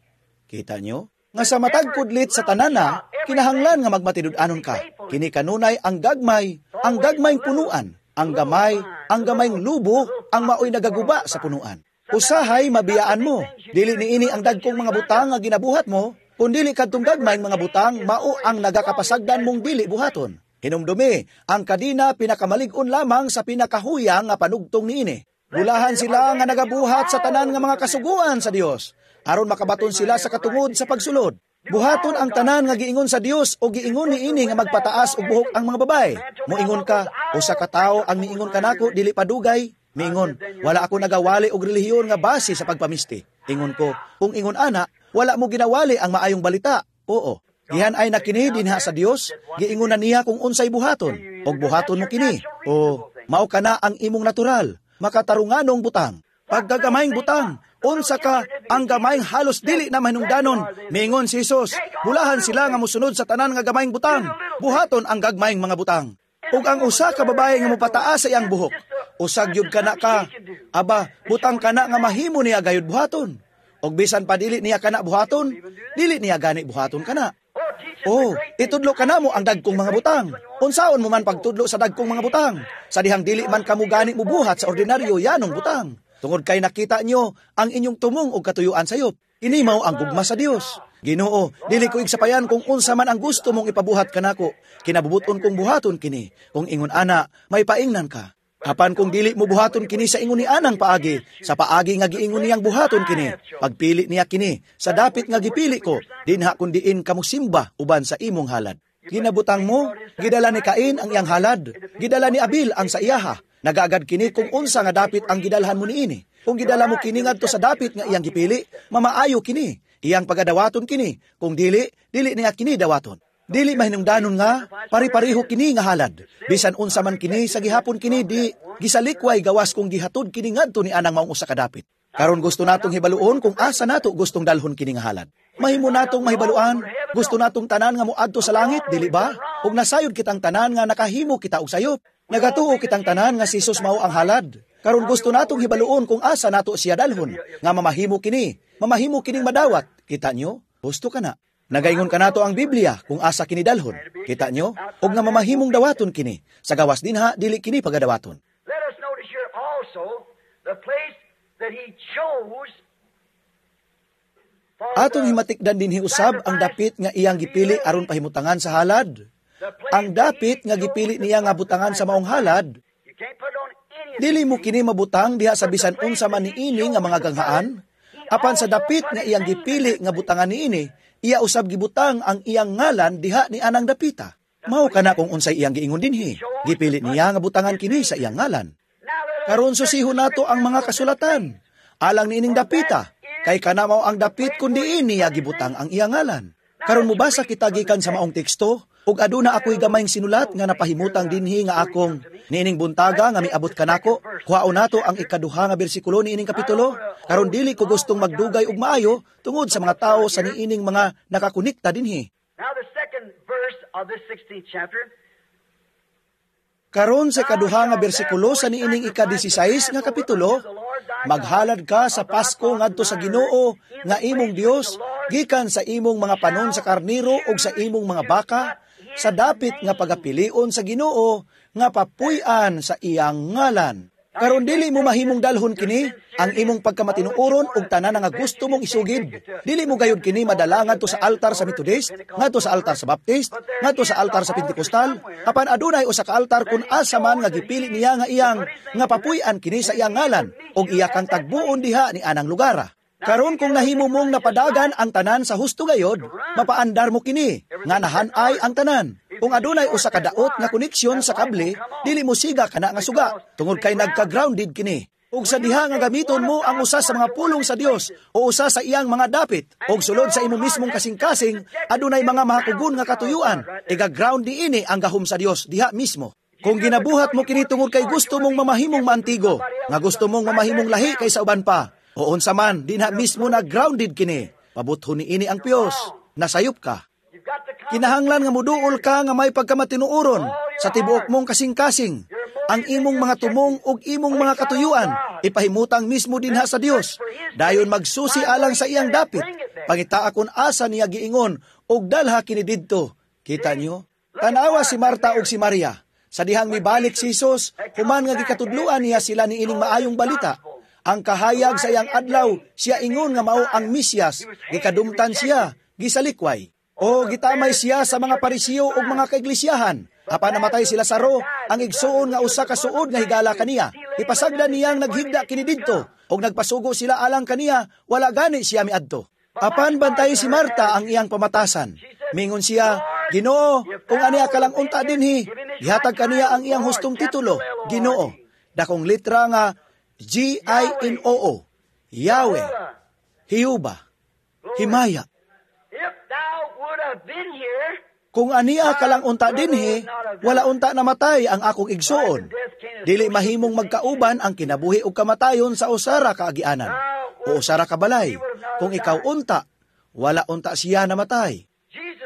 [SPEAKER 1] Kita nyo? Nga sa matag kudlit sa tanana, kinahanglan nga magmatinud-anon ka. Kini kanunay ang gagmay, ang gagmayng punuan, ang gamay, ang gamayng lubo, ang maoy nagaguba sa punuan. Usahay mabiyaan mo. Dili niini ang dagkong mga butang nga ginabuhat mo, kundili kadtong gagmayng mga butang mao ang nagakapasagdan mong dili buhaton. Hinumdumi, ang kadina pinakamalig-on lamang sa pinakahuyang nga panugtong niini. Bulahan sila nga nagabuhat sa tanan nga mga kasuguan sa Dios aron makabaton sila sa katungod sa pagsulod. Buhaton ang tanan nga giingon sa Dios o giingon niini nga magpataas og buhok ang mga babae. Moingon ka, usa ka tawo ang miingon kanako dili padugay. Miingon, wala ako nagawali og relihiyon nga base sa pagpamisti. Ingon ko, kung ingon ana, wala mo ginawali ang maayong balita. Oo. Gihan ay na kini dinha sa Dios, giingon na niya kung unsay buhaton, og buhaton mo kini. O mao kana ang imong natural, makatarunganong butang. Pagkagamayng butang, unsa ka ang gamayng halos dili na mahinungdanon. Miingon si Jesus, bulahan sila nga mosunod sa tanan nga gamayng butang. Buhaton ang gagmayng mga butang. Ug ang usa ka babae nga mopataas sa iyang buhok, usag gyud kana ka, aba, butang kana nga mahimo niya gayud buhaton. Ug bisan pa dili niya kana buhaton, dili niya gani buhaton kana. Oh, itudlo ka namo ang dagkong mga butang. Unsaon mo man pagtudlo sa dagkong mga butang? Sa dihang dili man kamo gani mubuhat sa ordinaryo yanong butang. Tungod kay nakita nyo ang inyong tumong og katuyuan sayop. Ini mao ang gugma sa Dios. Ginoo, dili ko igsapayan kung unsa man ang gusto mong ipabuhat kanako. Kinabubuton kong buhaton kini. Kung ingon ana, may paingnan ka. Apan kung dili mo buhaton kini sa ingon ni anang paagi, sa paagi nga giingon niyang buhaton kini, pagpili niya kini, sa dapit nga gipili ko, dinha kun diin kamo simba uban sa imong halad. Ginabutang mo, gidala ni Cain ang iyang halad, gidala ni Abil ang sa iyaha. Nagaagad kini kung unsa nga dapit ang gidalhan mo niini. Kung gidala mo kini ngadto sa dapit nga iyang gipili, mamaayo kini. Iyang pagadawaton kini. Kung dili, dili niya kini dawaton. Dili mahinungdanon nga, pari-pariho kini nga halad. Bisan unsa man kini, sa gihapon kini di gisalikway gawas kung gihatod kini ngadto ni anang maong usa ka dapit. Karon gusto natong hibaluon kung asa nato gustong dalhon kini nga halad. Mahimo natong mahibaluan, gusto natong tanan nga moadto sa langit, dili ba? Ug nasayod kitang tanan nga nakahimo kita og sayop. Nagatuo kitang tanan nga si Jesus mao ang halad. Karon gusto natong hibaluon kung asa nato siya dalhon, nga mamahimo kini, mamahimo kining madawat. Kita nyo? Gusto ka na. Nagaingon kanato ang Biblia kung asa kini dalhon. Kita nyo? Og nga mamahimong dawaton kini. Sa gawas dinha, dili kini pagadawaton.
[SPEAKER 2] Let us notice here also the place that he chose for
[SPEAKER 1] Atong
[SPEAKER 2] the
[SPEAKER 1] himatikdan dinhi usab ang dapit nga iyang gipili aron pahimutangan sa halad. Ang dapit nga gipili niya nga butangan sa maong halad,
[SPEAKER 2] You can't put it on any of
[SPEAKER 1] dili mo kini mabutang diha sa bisan unsa man niini nga mga ganghaan. Apan sa dapit nga iyang gipili nga butangan niini, iya usab gibutang ang iyang ngalan diha ni anang dapita. Mao kana kung unsay iyang giingon dinhi. Gipili niya nga butangan kini sa iyang ngalan.
[SPEAKER 2] Now let us
[SPEAKER 1] Karon susihon nato ang mga kasulatan. Alang niining dapita, kay kana mao ang dapit kun diin niya gibutang ang iyang ngalan. Karon mobasa kita gikan sa maong teksto, ug aduna ako'y gamayng sinulat nga napahimutang dinhi nga akong niining buntaga nga miabot kanako. Kuhaon nato ang ikaduha nga bersikulo niining kapitulo. Karon dili ko gustong magdugay og maayo tungod sa mga tawo sa niining mga nakakonekta dinhi.
[SPEAKER 2] Now the second verse of this sixteenth chapter.
[SPEAKER 1] Karon sa ikaduha nga bersikulo sa niining ika-disisais nga kapitulo, maghalad ka sa Pasko ngadto sa Ginoo nga imong Dios gikan sa imong mga panon sa karniro ug sa imong mga baka sa dapit nga pagapilion sa Ginoo nga papuy-an sa iyang ngalan. Karon dili mo mahimong dalhon kini ang imong pagkamatinuoron ug tanan nga gusto mong isugid. Dili mo gayud kini madala ngadto sa altar sa Methodist, ngadto sa altar sa Baptist, ngadto sa altar sa Pentecostal, apan adunay usa ka altar kun asa man nga gipili niya nga iyang nga papuy-an kini sa iyang ngalan ug iya kang tagbuon diha ni anang lugar. Karon kung nahimo mong napadagan ang tanan sa husto gayod, mapaandar mo kini nga nahanay ang tanan. Kung adunay usa ka daot nga koneksyon sa kable, dili mo siga kana nga suga tungod kay nagka-grounded kini. Ug sa diha nga gamiton mo ang usa sa mga pulong sa Dios o usa sa iyang mga dapit og sulod sa imo mismong kasing-kasing, adunay mga mahakugon nga katuyuan, iga-ground niini ang gahom sa Dios diha mismo. Kung ginabuhat mo kini tungod kay gusto mong mamahimong maantigo, nga gusto mong mamahimong lahi kaysa uban pa, o unsa man, dinha mismo na grounded kini. Pabuthon niini ang piyos, nasayop ka. Kinahanglan nga muduol ka nga may pagkamatinuoron sa tibuok mong kasing-kasing. Ang imong mga tumong ug imong mga katuyuan, ipahimutang mismo dinha sa Dios. Dayon magsusi alang sa iyang dapit. Pangitaa kon asa niya giingon ug dalha kini didto. Kita nyo? Tanawa si Marta ug si Maria. Sa dihang mibalik si Jesus, human nga gikatudluan niya sila niining maayong balita. Ang kahayag sa iyang adlaw, siya ingon nga mao ang Mesiyas, gikadumtan siya, gisalikway. O gitamay siya sa mga Parisiyo ug mga kaiglesiyahan. Apan namatay si Lazaro, ang igsuon nga usa ka suod nga higala kaniya. Ipasagdan niyang naghigda kini didto, ug nagpasugo sila alang kaniya, wala gani siya miadto. Apan bantay si Marta ang iyang pamatasan. Mingon siya, "Ginoo, kung aniya ka lang unta dinhi, gihatag kaniya ang iyang hustong titulo, Ginoo." Dakong litra nga G I N O O, Yahweh, Hiyuba, Himaya. Kung aniya ka lang unta dinhi, wala unta namatay ang akong igsuon. Dili mahimong magkauban ang kinabuhi ug kamatayon sa usara ka agianan o usara ka balay. Kung ikaw unta, wala unta siya namatay.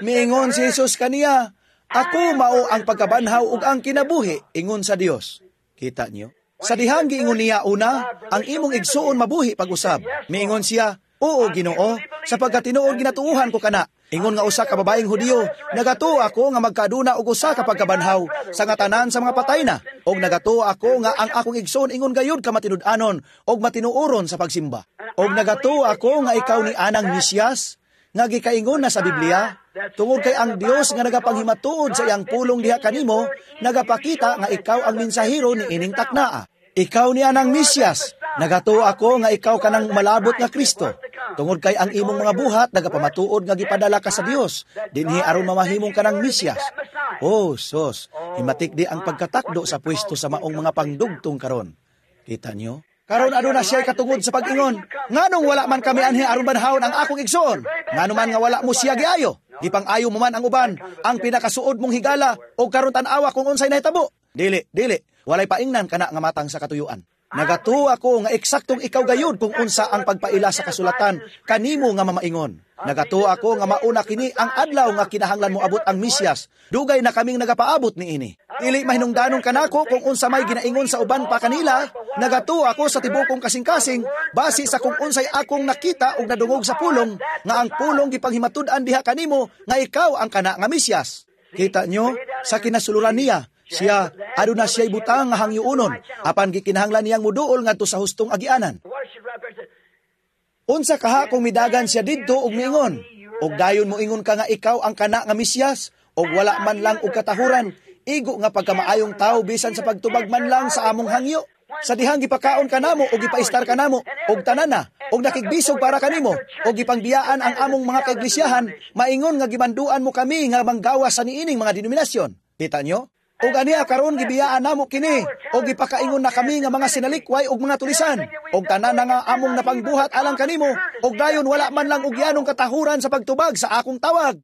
[SPEAKER 1] Miingon si Jesus kaniya, "Ako mao ang pagkabanhaw ug ang kinabuhi," ingon sa Dios. Kita niyo? Sa dihang giingon niya una, ang imong igsuon mabuhi pag-usab. Miingon siya, "Oo, Ginoo, sapagkat tinuod ginatuohan ko kana. Ingon nga usa ka babaeng Hudiyo, nagatuo ako nga magkaduna og usa ka pagkabanhaw sa nga tanan sa mga patay na, og nagatuo ako nga ang akong igsoon ingon gayud ka matinud-anon og matinuoron sa pagsimba. Og nagatuo ako nga ikaw ni anang Mesiyas nga gikaingon na sa Biblia, tungod kay ang Dios nga nagapanghimatuod sa iyang pulong diha kanimo, nagapakita nga ikaw ang mensahero ni ining taknaa. Ikaw ni anang Mesiyas, nagatuo ako nga ikaw kanang malabot nga Kristo. Tungod kay ang imong mga buhat nagapamatuod nga gipadala ka sa Dios, dinhi aron mamahimong kanang Mesiyas." Oh, sos, himatik di ang pagkatakdo sa pwesto sa maong mga pangdugtong karon. Kita nyo? Karon aduna siya katungod sa pag-ingon, "Nganong wala man kami anhi aron banhawon ang akong igsoon? Ngano man nga wala mo siya giayo? Gipang-ayo mo man ang uban, ang pinakasuod mong higala, og karon tan-awa kung unsay nahitabo." Dili, dili, walay paingnan kana nga matang sa katuyuan. Nagatuo ako nga eksaktong ikaw gayud kung unsa ang pagpaila sa kasulatan kanimo nga mamaingon. Nagatuo ako nga mauna kini ang adlaw nga kinahanglan mo abot ang Mesiyas. Dugay na kaming nagapaabot niini. Dili mahinungdanon kanako kung unsa may ginaingon sa uban pa kanila. Nagatuo ako sa tibokong kasing-kasing base sa kung unsay akong nakita ug nadungog sa pulong nga ang pulong gipanghimatud-an diha kanimo nga ikaw ang kana nga Mesiyas. Kita nyo sa kinasuluran niya, siya, aduna siya'y butang nga hangyuonon, apan gikinahanglan niyang muduol ngadto sa hustong agianan. Unsa kaha kung midagan siya didto og miingon, og dayon moingon ka nga ikaw ang kana nga Mesiyas, og wala man lang og katahuran, igo nga pagkamaayong tawo bisan sa pagtubag man lang sa among hangyo. Sa dihang gipakaon kanamo og gipaistar kanamo og tanan na og nakigbisog para kanimo og gipangbiyaan ang among mga kaiglisyahan, maingon nga gimanduan mo kami nga manggawas sa niining mga denominasyon. Kita nyo? Og aniya karon gibiyaan namo kini og gipakaingon na kami nga mga sinalikway og mga tulisan og tanan na nga among napangbuhat alang kanimo og dayon wala man lang og yanong katahuran sa pagtubag sa akong tawag.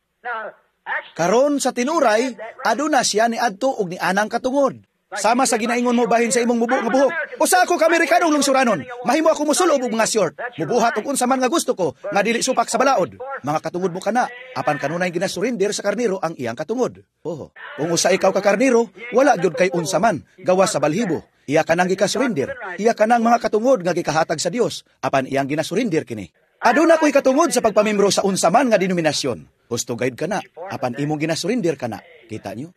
[SPEAKER 1] Karon sa tinuray aduna siya niadto og nianang katungod. Sama sa ginaingon mo bahin sa imong mubo nga buhok. Usa ako ka Amerikanong lungsuranon. Mahimo ako musulob og mga short. Mubuhat og unsa man nga gusto ko nga dili supak sa balaod. Mga katungod mo kana, apan kanunay ginasurinder sa karniro ang iyang katungod. Oho. Kung usa ikaw ka karniro, wala gyud kay unsa man gawas sa balhibo. Iya kanang gikasurinder. Iya kanang mga katungod nga gikahatag sa Dios, apan iyang ginasurinder kini. Aduna ko'y katungod sa pagpamembro sa unsa man nga denominasyon. Husto gayud kana, apan imong ginasurinder kana. Kita niyo?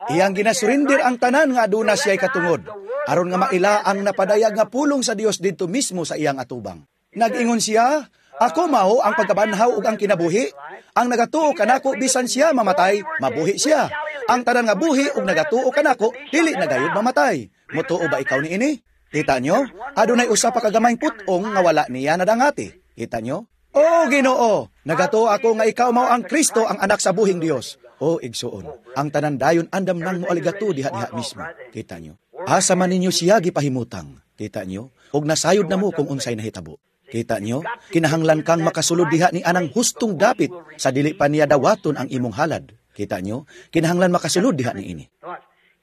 [SPEAKER 1] Iyang ginasurinder ang tanan nga aduna siya'y katungod, aron nga maila ang napadayag nga pulong sa Dios didto mismo sa iyang atubang. Nag-ingon siya, "Ako mao ang pagkabanhaw ug ang kinabuhi. Ang nagatuo kanako bisan siya mamatay, mabuhi siya. Ang tanan nga buhi ug nagatuo kanako, dili na gayud mamatay. Mutuo ba ikaw niini?" Kita nyo? Adunay usa pa ka gamayng put-ong nga wala niya nadangati. Kita nyo? "O Ginoo, nagatuo ako nga ikaw mao ang Kristo, ang anak sa buhing Dios." O igsuon, ang tanan dayon andam nang moaligato diha-diha mismo. Kita nyo? Asa man ninyo siya gipahimutang. Kita nyo? Og nasayod na mo kung unsay nahitabo. Kita nyo? Kinahanglan kang makasulod diha ni anang hustong dapit sa dili pa niya dawaton ang imong halad. Kita nyo? Kinahanglan makasulod diha ni ini.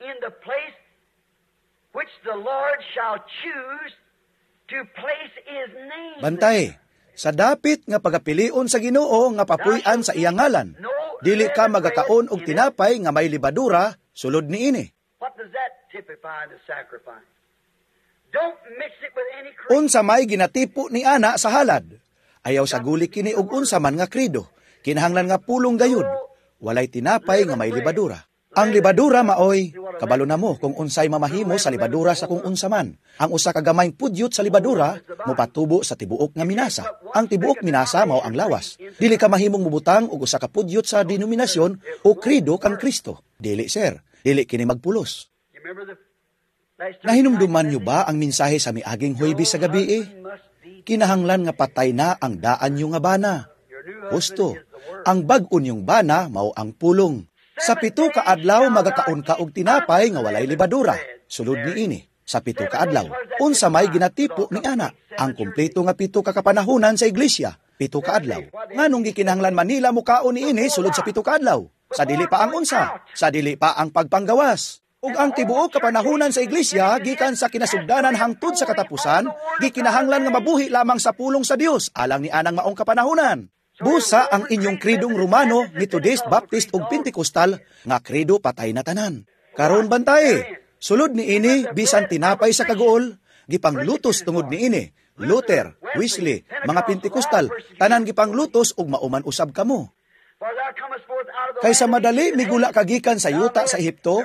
[SPEAKER 2] In the place which the Lord shall choose to place His name.
[SPEAKER 1] Bantay, sa dapit nga pagapilion sa Ginoo nga papuy-an sa iyang ngalan. Dili ka magakaon og tinapay nga may libadura, sulod niini.
[SPEAKER 2] What does that typify in the sacrifice? Don't mix it with any creed.
[SPEAKER 1] Unsa may ginatipo ni ana sa halad. Ayaw saguli kini og unsa man nga kredo. Kinahanglan nga pulong gayud. Walay tinapay nga may libadura. Ang libadura maoy, kabalo na mo kung unsay mamahimo sa libadura sa kung unsa man. Ang usa ka gamayng pudyot sa libadura mopatubo sa tibuok nga minasa. Ang tibuok minasa mao ang lawas. Dili ka mahimong mobutang og usa ka pudyot sa denominasyon o kredo kang Kristo. Dili, sir, dili kini magpulos.
[SPEAKER 2] You remember the last
[SPEAKER 1] Nahinumduman niyo ba ang mensahe sa miaging Huwebes sa gabi eh? Kinahanglan nga patay na ang daan niyo nga bana. Husto, ang bag-o niyong bana mao ang pulong. Sa pito ka adlaw magakaon ka og tinapay nga walay libadura. Sulod niini. Sa pito ka adlaw, unsa may ginatipo ni ana? Ang kumpleto nga pito ka kapanahunan sa iglesia. Pito ka adlaw. Nganong gikinahanglan man nila mukaon niini sulod sa pito ka adlaw? Sa dili pa ang unsa? Sa dili pa ang pagpanggawas. Ug ang tibuok kapanahunan sa iglesia gikan sa kinasugdanan hangtod sa katapusan, gikinahanglan nga mabuhi lamang sa pulong sa Dios alang ni anang maong kapanahunan. Busa ang inyong kredong Romano, Methodist, Baptist ug Pentecostal nga kredo patay na tanan. Karon bantay, sulod niini bisan tinapay sa kaguol, gipanglutos tungod niini. Luther, Wesley, mga Pentecostal, tanan gipanglutos ug mauman usab kamo.
[SPEAKER 2] For thou comest forth out of the
[SPEAKER 1] Kay sa
[SPEAKER 2] land of
[SPEAKER 1] madali
[SPEAKER 2] Egypt,
[SPEAKER 1] migula ka gikan sa yuta sa Ehipto,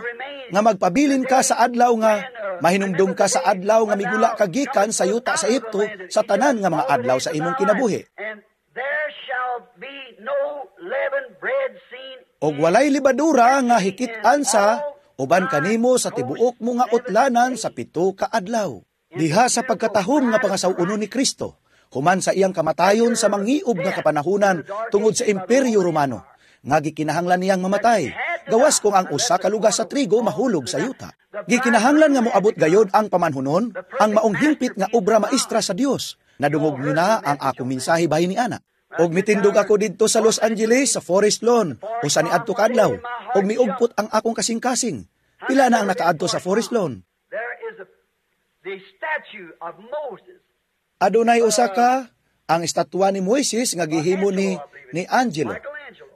[SPEAKER 1] nga magpabilin ka sa adlaw nga mahinumdum ka sa adlaw nga migula ka gikan sa yuta sa Ehipto sa tanan nga mga adlaw sa imong kinabuhi.
[SPEAKER 2] And there shall be no leavened bread seen
[SPEAKER 1] Og walay libadura nga hikit-an sa uban kanimo sa tibuok mo nga utlanan sa pito ka adlaw. Diha sa pagkatahom nga pangasaw-uno ni Kristo, human sa iyang kamatayon sa mangiob nga kapanahunan tungod sa Imperyo Romano, nga gikinahanglan niyang mamatay, gawas kung ang usa ka lugas sa trigo mahulog sa yuta. Gikinahanglan nga moabot gayod ang pamanhunon, ang maong hingpit nga obra maestra sa Dios. Nadungog niyo na ang akong mensahe bahin ni ana. Og mitindog ako didto sa Los Angeles sa Forest Lawn, usa ni adto kadlaw, og miugpot ang akong kasing-kasing. Pila na ang nakaadto sa Forest Lawn?
[SPEAKER 2] There is a, the statue of Moses.
[SPEAKER 1] Adunay usa ka ang estatwa ni Moises nga gihimo ni ni Angelo.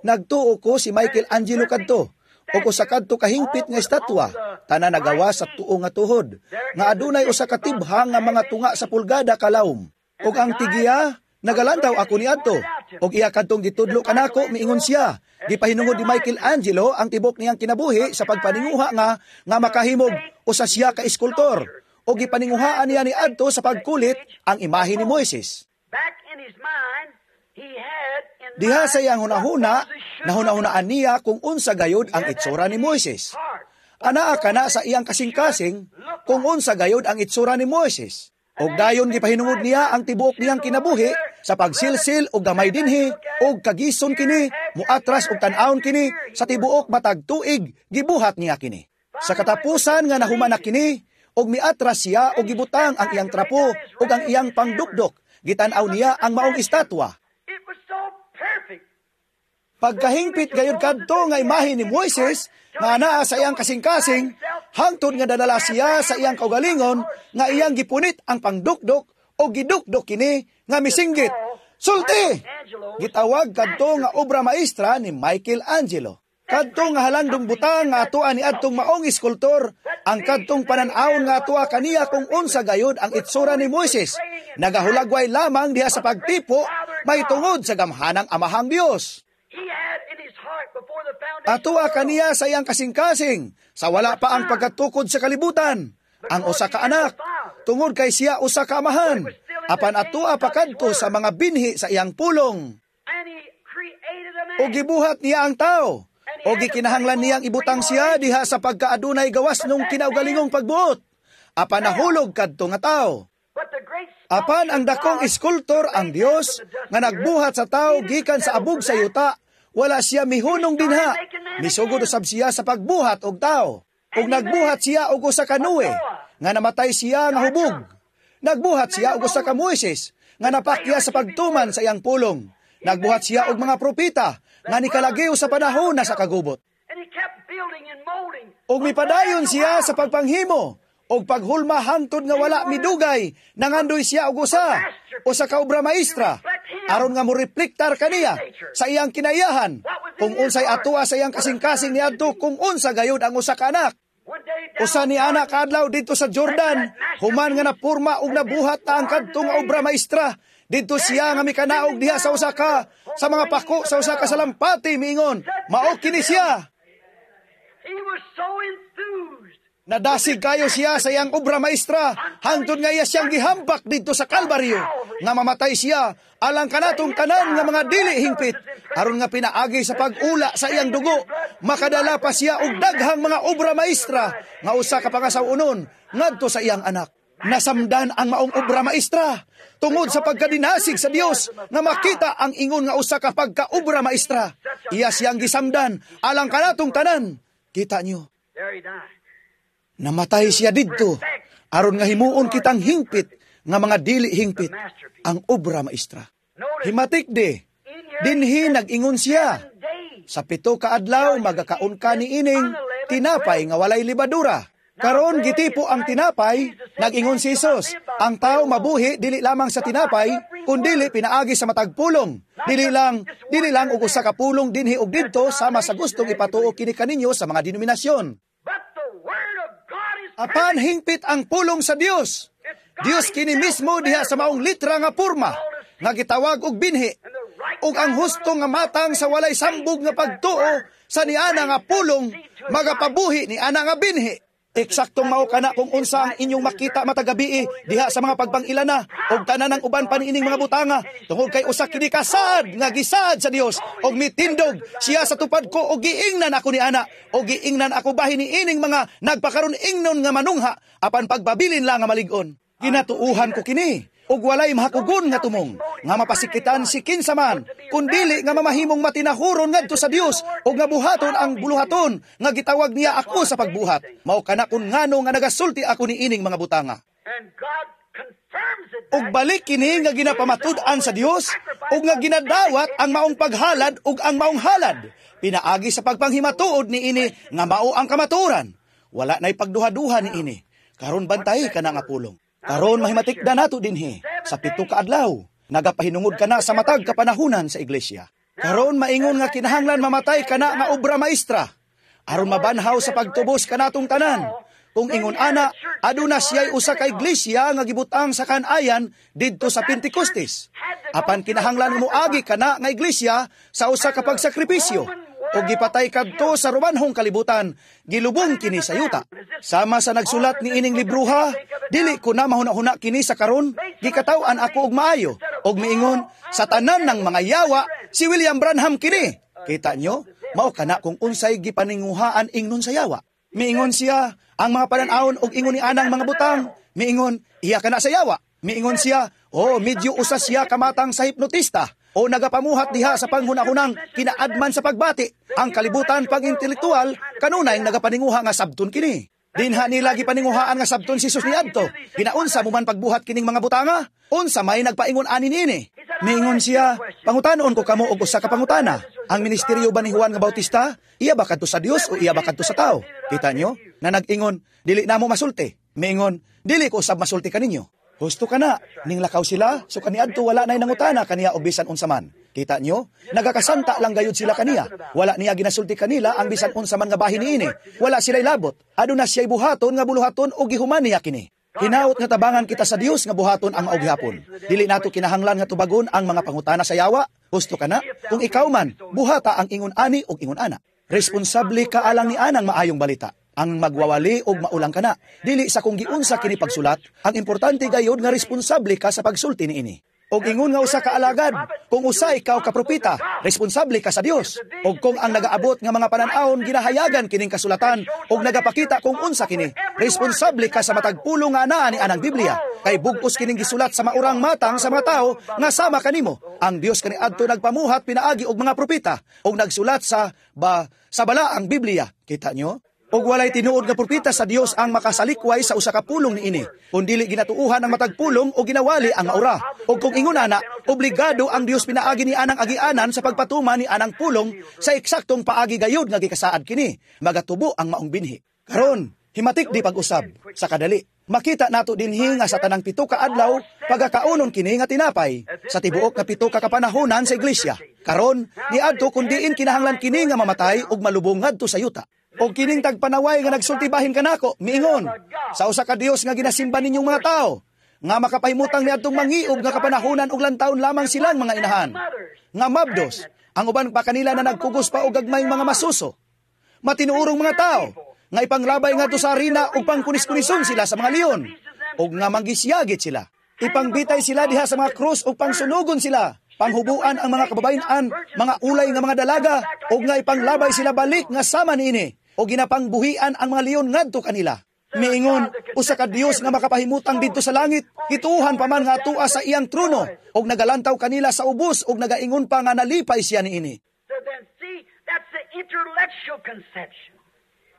[SPEAKER 1] Nagtuo ko si Michael Angelo kadto. Og usa kadto kahingpit nga estatwa tanan nagawa sa tuo nga tuhod nga adunay usa ka tibhang nga mga tunga sa pulgada kalawom. Og ang tigiya nagalantaw ako niadto. Og iya kadtong gitudlo kanako miingon siya. Gipahinungod ni Michael Angelo ang tibok niyang kinabuhi sa pagpaninguha nga nga makahimog usa siya ka eskultor. O gipaninguhaan niya ni adto sa pagkulit ang imahe ni Moises.
[SPEAKER 2] Back in his mind, he had in
[SPEAKER 1] Diha sa iyang
[SPEAKER 2] mind
[SPEAKER 1] hunahuna,
[SPEAKER 2] what Moses should
[SPEAKER 1] nahunahunaan niya kung unsa gayod ang itsura ni Moises.
[SPEAKER 2] heart.
[SPEAKER 1] Anaa kana sa iyang kasing-kasing kung unsa gayod ang itsura ni Moises. Og dayon gipahinungod niya ang tibuok niyang kinabuhi sa pagsilsil og gamay dinhi og kagison kini, muatras og tan-awon kini sa tibuok matag tuig gibuhat niya kini. Sa katapusan nga nahuman na kini, og miatras siya og gibutang ang iyang trapo ug ang iyang pangdukdok. Gitan-aw niya ang maong estatwa.
[SPEAKER 2] It was so perfect.
[SPEAKER 1] Pagkahingpit gayud kadto nga imahe ni Moises nga naa sa iyang kasing-kasing, hangtod nga dadala siya sa iyang kaugalingon nga iyang gipunit ang pangdukdok o gidukdok kini nga misinggit. "Sulti!" Gitawag kadto nga obra maestra ni Michael Angelo. Kadto nga halandong butang nga atoa ni adtong maong eskultor, ang kadtong panan-awon nga atoa kaniya kung unsa gayud ang itsura ni Moises, nagahulagway lamang diha sa pagtipo may tungod sa gamhanang Amahang Dios.
[SPEAKER 2] He had in his
[SPEAKER 1] Atoa kaniya sa iyang kasing-kasing, sa wala pa ang pagkatukod sa kalibutan, ang usa ka anak, tungod kay siya usa ka amahan, apan atoa pa kadto sa mga binhi sa iyang pulong. O gibuhat niya ang tao, o gikinahanglan niyang ibutang siya diha sa pagkaadunay gawas nung kinaugalingong pagbuot, apan nahulog kadto nga tao. Apan ang dakong iskultor ang Dios nga nagbuhat sa tao gikan sa abog sa yuta, wala siya mihunong dinha. Misugod usab siya sa pagbuhat og tao. Ug nagbuhat siya og usa ka Noe, nga namatay siya nga hubog. Nagbuhat siya og usa ka Moises, nga napakya sa pagtuman sa iyang pulong. Nagbuhat siya og mga propeta, nga nikalagiw sa panahon na sa kagubot. Ug mipadayon siya sa pagpanghimo, og paghulma hangtod nga wala midugay, nangandoy siya og usa, usa ka obra maestra, aron nga morepliktar kaniya sa iyang kinayahan, kung unsay atoa sa iyang kasing-kasing niadto, kung unsa gayud ang usa ka anak. Usa ni anak kadlaw didto sa Jordan, human nga napurma og nabuhat na ang kadto nga obra maestra, didto siya nga mikanaog diha sa usa ka sa mga pako sa usa ka salampati, miingon, mao kini siya.
[SPEAKER 2] He was so enthused.
[SPEAKER 1] Nadasig kayo siya sa iyang obra maestra, hangtod nga iya siyang gihambak didto sa Kalbaryo, nga mamatay siya alang kanatong tanan nga mga dili hingpit, aron nga pinaagi sa pag-ula sa iyang dugo, makadala pa siya og daghang mga obra maestra nga usa ka pangasaw-onon ngadto sa iyang anak. Nasamdan ang maong obra maestra tungod sa pagkadinasig sa Dios nga makita ang ingon nga usa ka pagkaobra maestra. Iya siyang gisamdan alang kanatong tanan. Kita niyo,
[SPEAKER 2] There he died.
[SPEAKER 1] namatay siya didto aron nga himuon kitang hingpit nga mga dili hingpit ang obra maestra. Himatik di, dinhi nag-ingon siya, sa pito ka adlaw magakaon ka niining tinapay nga walay libadura. Karon gitipo ang tinapay, nag-ingon si Jesus, ang tao mabuhi dili lamang sa tinapay, kundili pinaagi sa matag pulong. Dili lang, dili lang og usa ka pulong dinhi og didto sama sa gustong ipatuo kini kaninyo sa mga denominasyon.
[SPEAKER 2] But the word of God is
[SPEAKER 1] Apan hingpit ang pulong sa Dios. Dios kini mismo diha sa maong litra nga porma nga gitawag og binhi ug ang husto nga matang sa walay sambog nga pagtuo sa niana nga pulong magapabuhi ni ana nga binhi. Eksaktong mao kana kung unsa ang inyong makita matag gabii diha sa mga pagpangilana og tanan ng uban pa niining mga butanga tungod kay usa kini kasaad nga gisaad sa Dios og mitindog siya sa tupad ko og giingnan ako ni ana og giingnan ako bahin niining mga nagpakaron ingnon nga manungha apan pagpabilin lang nga malig-on. Ginatuuhan ko kini ug walay mahakugon nga tumong nga mapasikitan si kinsa man kun dili nga mamahimong matinahuron ngadto sa Dios ug nga buhaton ang buluhaton nga gitawag niya ako sa pagbuhat. Mao kana kun ngano nga nagasulti ako niining mga butanga.
[SPEAKER 2] And God confirms it.
[SPEAKER 1] Ug balik kini nga ginapamatud-an sa Dios ug nga ginadawat ang maong paghalad ug ang maong halad pinaagi sa pagpanghimatuod niini nga mao ang kamatuoran. Wala na'y pagduha-duha niini. Karon bantay kana nga pulong. Karon mahimatikda nato dinhi sa pito ka adlaw. Nagapahinungod kana sa matag kapanahunan sa iglesia. Karon maingon nga kinahanglan mamatay kana nga obra maestra aron mabanhaw sa pagtubos kanatong tanan. Kung ingon ana, aduna siya'y usa ka iglesia nga gibutang sa kanayan didto sa Pentecostes. Apan kinahanglan moagi kana nga iglesia sa usa ka pagsakripisyo o gipatay kadto sa Romanhong kalibutan, gilubong kini sa yuta. Sama sa nagsulat ni ining libruha, dili ko na mahuna-huna kini sa karon, gikataw-an ako og maayo, og miingon, sa tanan ng mga yawa, si William Branham kini. Kita nyo, mao kana kung unsay gipaninguhaan ingnon sa yawa. Miingon siya, ang mga panan-awon og ingon ni anang mga butang. Miingon, iya kana sa yawa. Miingon siya, oh, medyo usa siya kamatang sa hipnotista o nagapamuhat diha sa panghunahunang kinaadman sa pagbati. Ang kalibutan pag-intelektual, kanunay nagapaninguha nga sabton kini. Dinha nila gipaninguhaan nga sabton si Jesus niadto. Ginaunsa mo man pagbuhat kining mga butanga? Unsa may nagpaingon ani niini? Miingon siya, pangutanon ko kamo og usa ka pangutana. Ang ministeryo ba ni Juan nga Bautista? Iya ba kadto sa Dios o iya ba kadto sa tao? Kita nyo? Na nag-ingon, dili na mo masulti. Miingon, dili ko usab masulti kaninyo. Husto ka na, ning lakaw sila, so kaniadto wala na'y nangutana kaniya o bisan unsa man. Kita nyo? Nagakasanta lang gayud sila kaniya. Wala niya ginasulti kanila ang bisan unsa man nga bahin niini. Wala sila'y labot. Aduna siya'y buhaton nga buluhaton o gihuman niya kini. Hinaot nga tabangan kita sa Dios nga buhaton ang mao gihapon. Dili nato kinahanglan nga tubagon ang mga pangutana sa yawa. Husto kana? Kung ikaw man, buhata ang ingon ani ug ingon ana. Responsable ka alang ni anang maayong balita. Ang magwawali og maulang kana. Dili sa kung giunsa kini pagsulat, ang importante gayod nga responsable ka sa pagsulti niini. Og ingon nga usa ka alagad, kung usa ikaw ka propeta, responsable ka sa Dios. Og kung ang nagaabot nga mga panan-awon ginahayagan kining kasulatan og nagapakita kung unsa kini, responsable ka sa matag pulong nga anaa ni anang Biblia. Kay bug-os kining gisulat sa maurang matang sa mga tawo nga sama kanimo. Ang Dios kaniadto nagpamuhat pinaagi og mga propeta og nagsulat sa ba sa balaang Biblia. Kita nyo? Og walay tinuod nga propeta sa Dios ang makasalikway sa usa ka pulong niini. Kun dili ginatuuhan ang matag pulong o ginawali ang maura. Og kung ingon ana, obligado ang Dios pinaagi ni anang agianan sa pagpatuman ni anang pulong sa eksaktong paagi gayud nga gikasaad kini. Magatubo ang maong binhi. Karon, himatik di pag-usab sa kadali. Makita nato dinhi nga sa tanang pito ka adlaw pagakaunon kini nga tinapay sa tibuok nga pito ka kapanahonan sa iglesia. Karon, niadto kun diin kinahanglan kini nga mamatay ug malubong ngadto sa yuta. Og kining tagpanaway nga nagsulti bahin kanako, miingon sa usa ka Dios nga ginasimba ninyong mga tao, nga makapahimutang niadtong mangiob nga kapanahonan ug lantawon lamang silang mga inahan. Nga mabdos, ang uban pa kanila na nagkugos pa og gagmayng mga masuso. Matinuorong mga tao, nga ipanglabay ngadto sa arena ug pangkunis-kunison sila sa mga leon, ug nga manggisyagit sila. Ipangbitay sila diha sa mga krus ug pangsunugon sila. Panghubuan ang mga kababayen-an, mga ulay nga mga dalaga, ug nga ipanglabay sila balik nga sama niini, o ginapangbuhian ang mga leon ngadto kanila. Miingon, usa ka Dios nga makapahimutang didto sa langit, gituohan pa man nga atua sa iyang trono, ug nagalantaw kanila sa ubos ug nagaingon pa nga nalipay siya niini.
[SPEAKER 2] So then see, that's the intellectual conception,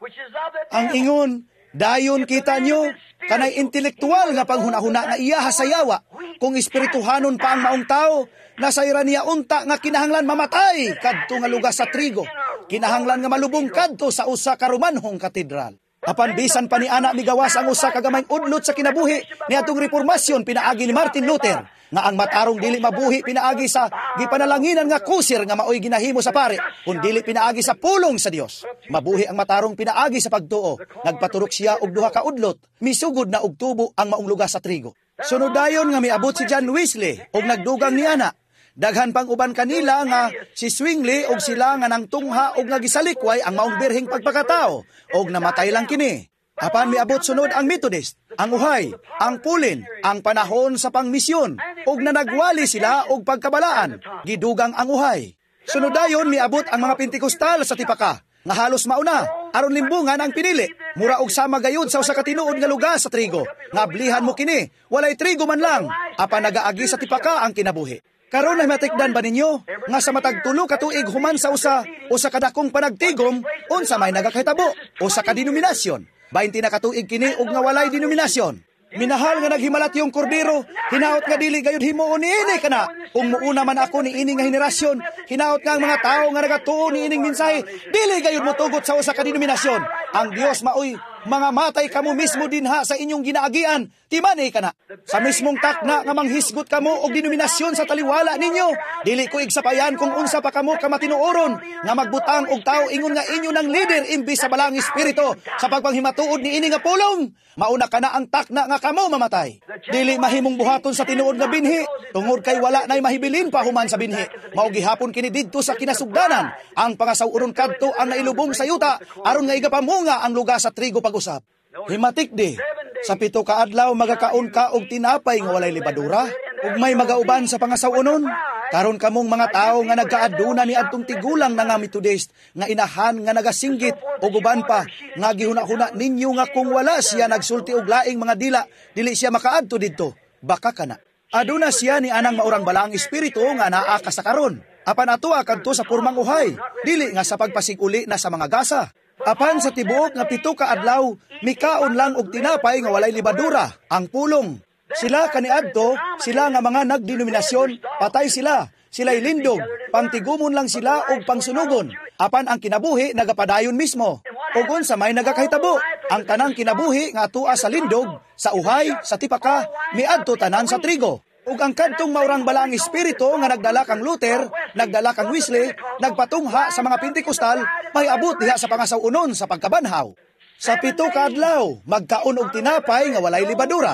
[SPEAKER 2] which is of the
[SPEAKER 1] Ang
[SPEAKER 2] devil.
[SPEAKER 1] ingon, dayon kita nyo, kanay intelektual nga panghunahuna nga iyaha sa yawa. Kung espirituhanon pa ang maong tao, nasayran niya unta nga kinahanglan mamatay kadto nga lugar sa trigo. Kinahanglan nga malubong kadto sa usa ka Romanhong katedral. Apan bisan pa ni ana migawas ang usa ka gamayng udlot sa kinabuhi niadtong reformasyon pinaagi ni Martin Luther nga ang matarong dili mabuhi pinaagi sa gipanalanginan nga kusir nga maoy ginahimo sa pare kun dili pinaagi sa pulong sa Dios. Mabuhi ang matarong pinaagi sa pagtuo. Nagpaturok siya og duha ka udlot, misugod na og tubo ang maong lugar sa trigo. Sunod dayon nga miabot si John Wesley og nagdugang ni ana. Daghan pang uban kanila nga si Zwingli og sila nga nangtungha og nga gisalikway ang maong birheng pagpakatao og namatay lang kini. Apan miabot sunod ang Methodist, ang uhay, ang pulin, ang panahon sa pangmisyon ug nanagwali sila og pagkabalaan, gidugang ang uhay. Sunod dayon miabot ang mga Pentecostal sa tipaka nga halos mauna aron limbungan ang pinili. Mura og sama gayud sa usa ka tinuod nga lugar sa trigo. Ngablihan mo kini, walay trigo man lang, apan nagaagi sa tipaka ang kinabuhi. Karon ay matikdan ba ninyo nga sa matag tulo ka tuig human sa usa usa ka dakong panagtigom unsa may nagakahitabo usa ka denominasyon? twenty na katuig kini og nga walay denominasyon. Minahal nga naghimalat yung kordero, hinaot nga dili gayud himuon niini kana. Kung muuna man ako niini nga henerasyon, hinaot nga ang mga tawo nga nagatuo niining mensahe, dili gayud motugot sa usa ka denominasyon. Ang Dios maoy mga matay kamo mismo dinha sa inyong ginaagian, timani kana. Sa mismong takna nga manghisgot kamo og denominasyon sa taliwala ninyo, dili ko igsapayan kung unsa pa kamo ka matinuoron nga magbutang og tawo ingon nga inyo ng leader imbis sa balang espiritu sa pagpanghimatuod niini nga pulong. Mauna kana ang takna nga kamo mamatay. Dili mahimong buhaton sa tinuod nga binhi tungod kay wala nay mahibilin pa human sa binhi. Mao gihapon kini didto sa kinasugdanan. Ang pangasaw-onon kadto ang nailubong sa yuta aron nga igapamunga ang lugar sa trigo pag-usap. Himatik di, sa pito ka adlaw magakaon ka og tinapay nga walay lebadura ug may magauban sa pangasaw-onon. Karon kamong mga tawo nga nagkaaduna ni adtong tigulang na nga Methodist nga inahan nga nagasinggit og uban pa nga gihuna-huna ninyo nga kung wala siya nagsulti og laing mga dila dili siya makaadto didto. Baka kana. Aduna siya ni anang maurang balaang espiritu nga naa ka sa karon. Apan ato kadto sa purmang uhay, dili nga sa pagpasiguli na sa mga gasa. Apan sa tibuok nga pito ka adlaw, mikaon lang og tinapay nga walay lebadura, ang pulong. Sila kaniadto, sila nga mga nagdenominasyon, patay sila, sila'y lindog, pangtigumon lang sila og pangsunugon. Apan ang kinabuhi nagapadayon mismo. Ug unsa may nagakahitabo, ang tanang kinabuhi nga atua sa lindog, sa uhay, sa tipaka, miadto tanan sa trigo. Ug ang kadtong maurang balaang espiritu nga nagdala kang Luther, nagdala kang Wesley, nagpatungha sa mga Pentecostal, may abot diha sa pangasaw-unon sa pagkabanhaw. Sa pito ka adlaw, magkaon og tinapay nga walay libadura.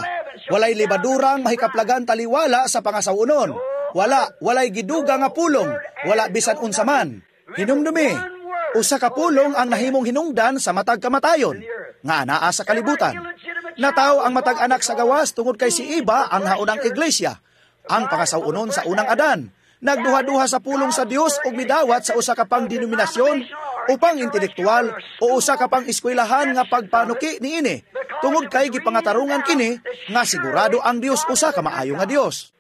[SPEAKER 1] Walay libadura ang mahikaplagan taliwala sa pangasawonon. Wala, walay giduga nga pulong, wala bisan unsa man. Hinumdumi, usa ka pulong ang nahimong hinungdan sa matag kamatayon, nga anaa sa kalibutan. Nataw ang matag anak sa gawas tungod kay si Iba ang haunang iglesia, ang pangasawonon sa unang Adan. Nagduha-duha sa pulong sa Dios ug midawat sa usa ka pang denominasyon o pang intelektual o usa ka pang eskwelahan nga pagpanuki niini tungod kay gipangatarungan kini nga sigurado ang Dios usa ka maayo nga Dios.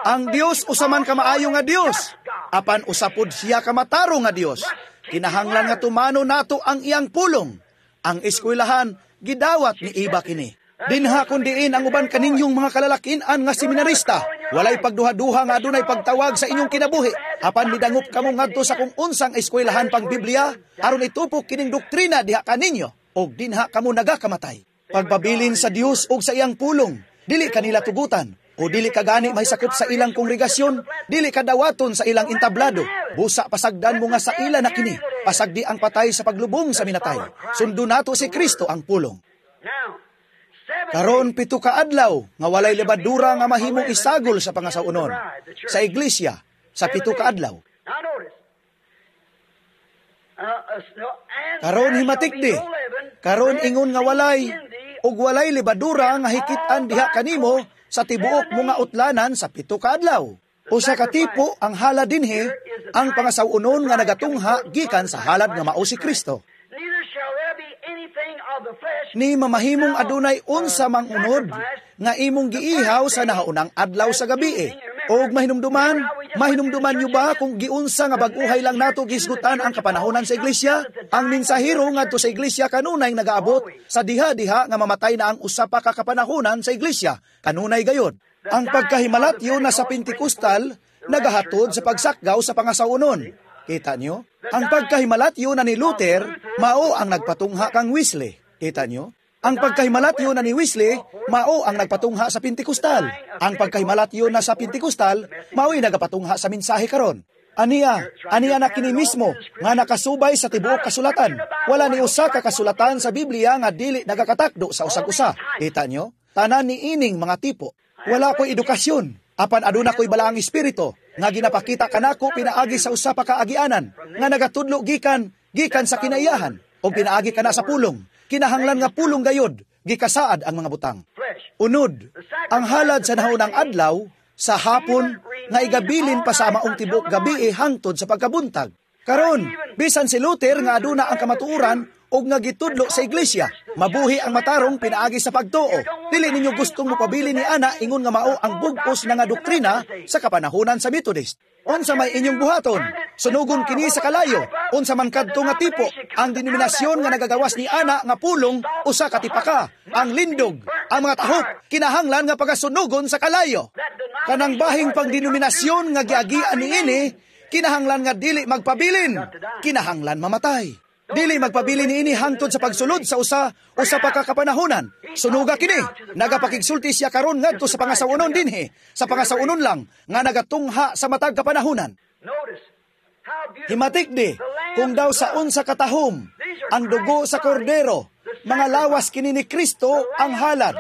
[SPEAKER 1] Ang Dios usa man ka maayo nga Dios, apan usa pod siya ka matarong nga Dios. Kinahanglan nga tumano nato ang iyang pulong. Ang eskwelahan gidawat ni Iba kini. Dinha kun diin ang uban kaninyong mga kalalakinan nga seminarista. Walay pagduha-duha nga adunay pagtawag sa inyong kinabuhi. Apan midangop kamo ngadto sa kung unsang eskwelahan pang Biblia aron itupok kining doktrina diha kaninyo og dinha kamo nagakamatay. Pagpabilin sa Dios og sa iyang pulong, dili kanila tugutan o dili ka gani may sakop sa ilang kongregasyon, dili ka dawaton sa ilang entablado. Busa pasagdan mo nga sa ila na kini, pasagdi ang patay sa paglubong sa minatay. Sundo nato si Kristo ang pulong. Karon pito ka adlaw nga walay lebadura nga mahimong isagol sa pangasaw-onon sa iglesia sa pito ka adlaw. Karon himatikdi, karon ingon nga walay ug walay lebadura nga hikit-an diha kanimo sa tibuok mo nga utlanan sa pito ka adlaw. Usa ka tipo ang halad dinhi ang pangasaw-onon nga nagatungha gikan sa halad nga mao si Kristo. Ni mamahimong adunay unsa mang unod nga imong giihaw sa nahaunang adlaw sa gabi. Og mahinumduman, mahinumduman nyo ba kung giunsa nga bag-uhay lang nato gisgutan ang kapanahonan sa iglesia? Ang mensahero ngadto sa iglesia kanunay nagaabot sa diha-diha nga mamatay na ang usa pa ka kapanahonan sa iglesia, kanunay gayod. Ang pagkahimalatyo na sa Pentecostal nagahatod sa pagsakgaw sa pangasawunon. Kita nyo? Ang pagkahimalatyo na ni Luther, mao ang nagpatungha kang Wesley. Kita nyo? Ang pagkahimalatyo na ni Wesley, mao ang nagpatungha sa Pentecostal. Ang pagkahimalatyo na sa Pentecostal, mao'y nagapatungha sa mensahe karon. Aniya, aniya na kini mismo nga nakasubay sa tibuok kasulatan. Wala ni usa ka kasulatan sa Biblia nga dili nagakatakdo sa usag-usa. Kita nyo? Tanan ni ining mga tipo. Wala ko'y edukasyon, apan aduna ko'y balaang espiritu nga ginapakita kanako pinaagi sa usa pa kaagianan nga nagatudlo gikan gikan sa kinaiyahan o pinaagi kana sa pulong. Kinahanglan nga pulong gayod gikasaad ang mga butang. Unod, ang halad sa nahaunang adlaw sa hapon nga igabilin pa sa maong tibuok gabi hangtod sa pagkabuntag. Karon, bisan si Luther nga aduna ang kamatuoran og nga gitudlo sa iglesia, mabuhi ang matarong pinaagi sa pagtuo. Dili ninyo gustong mopabili ni ana ingon nga mao ang bug-os na nga doktrina sa kapanahonan sa Methodist. Unsa may inyong buhaton? Sunugon kini sa kalayo. Unsa man kadto nga tipo ang denominasyon nga nagagawas ni ana nga pulong usa ka tipaka, ang lindog, ang mga tahop kinahanglan nga pagasunugon sa kalayo. Kanang bahing pagdenominasyon nga giagian niini kinahanglan nga dili magpabilin, kinahanglan mamatay. Dili magpabili niini hangtod sa pagsulod sa usa usa pa ka kapanahonan. Sunuga kini. Nagapakigsulti siya karon ngadto sa pangasawonon dinhi. Sa pangasawonon lang nga nagatungha sa matag kapanahonan. Himatik di kung daw sa unsa katahom ang dugo sa kordero, mga lawas kini ni Kristo ang halad.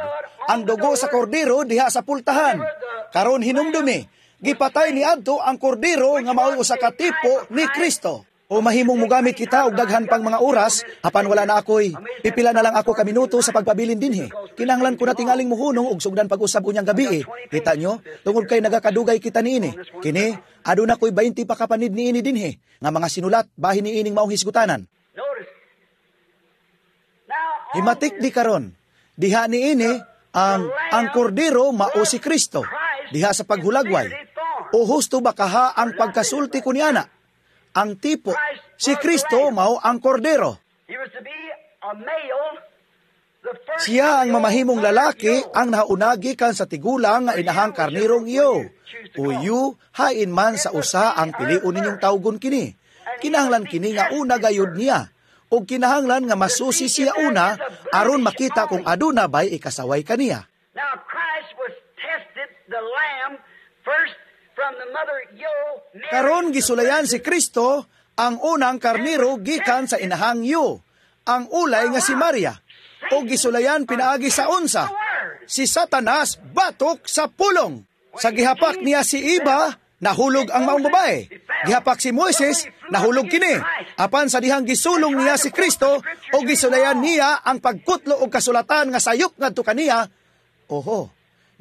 [SPEAKER 1] Ang dugo sa kordero diha sa pultahan. Karon hinumdumi, gipatay ni adto ang kordero nga mao'y usa ka tipo ni Kristo. O mahimong mugamit kita og daghan pang mga oras, apan wala na ako'y pipila na lang ako ka minuto sa pagpabilin dinhi. Kinahanglan ko na tingaling muhunong og sugdan pag-usab unyang gabi. Kita nyo, tungod kay nagakadugay kita niini. Kini, aduna ko'y twenty pa kapanid niini dinhi, nga mga sinulat bahin niining maong hisgutanan. Himatik di karon, diha niini ang ang kordero mao si Kristo, diha sa paghulagway. O husto ba kaha ang pagkasulti ko niana? Ang tipo, si Kristo mao ang kordero. Siya ang mamahimong lalaki ang naunagi kan sa tigulang nga inahang karnirong iyo. Uyu, hain man sa usa ang piliun ninyong tawgon kini. Kinahanglan kini nga una gayud niya. O kinahanglan nga masusi siya una aron makita kung aduna bay ikasaway kaniya.
[SPEAKER 2] Now Christ was tested, the lamb, first from the mother yo.
[SPEAKER 1] Karon gisulayan si Kristo ang unang karniro gikan sa inahang yo. Ang ulay nga si Maria. O gisulayan pinaagi sa unsa. Si Satanas batok sa pulong. Sa gihapak niya si Iba, nahulog ang maong babae. Gihapak si Moises, nahulog kini. Apan sa dihang gisulong niya si Kristo o gisulayan niya ang pagkutlo og kasulatan nga sayop ngadto kaniya, oho,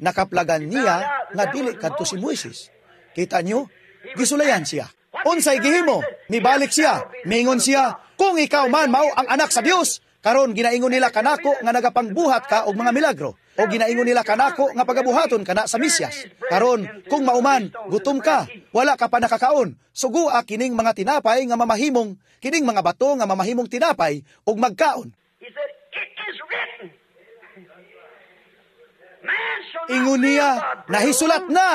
[SPEAKER 1] nakaplagan niya nga dili kadto si Moises. Kita nyo? Gisulayan siya. Unsay gihimo? Mibalik siya. Mingon siya, kung ikaw man mao ang anak sa Dios, karon ginaingon nila kanako nga nagapangbuhat ka og mga milagro. O ginaingon nila kanako nga pagabuhaton kana sa Misyas. Karon, kung mauman, gutom ka, wala ka pa nakakaon, sugua kining mga tinapay nga mamahimong, kining mga bato nga mamahimong tinapay ug magkaon.
[SPEAKER 2] He said, "It is written. Man shall not
[SPEAKER 1] Ingon niya,
[SPEAKER 2] live by bread
[SPEAKER 1] nahisulat
[SPEAKER 2] alone,
[SPEAKER 1] na,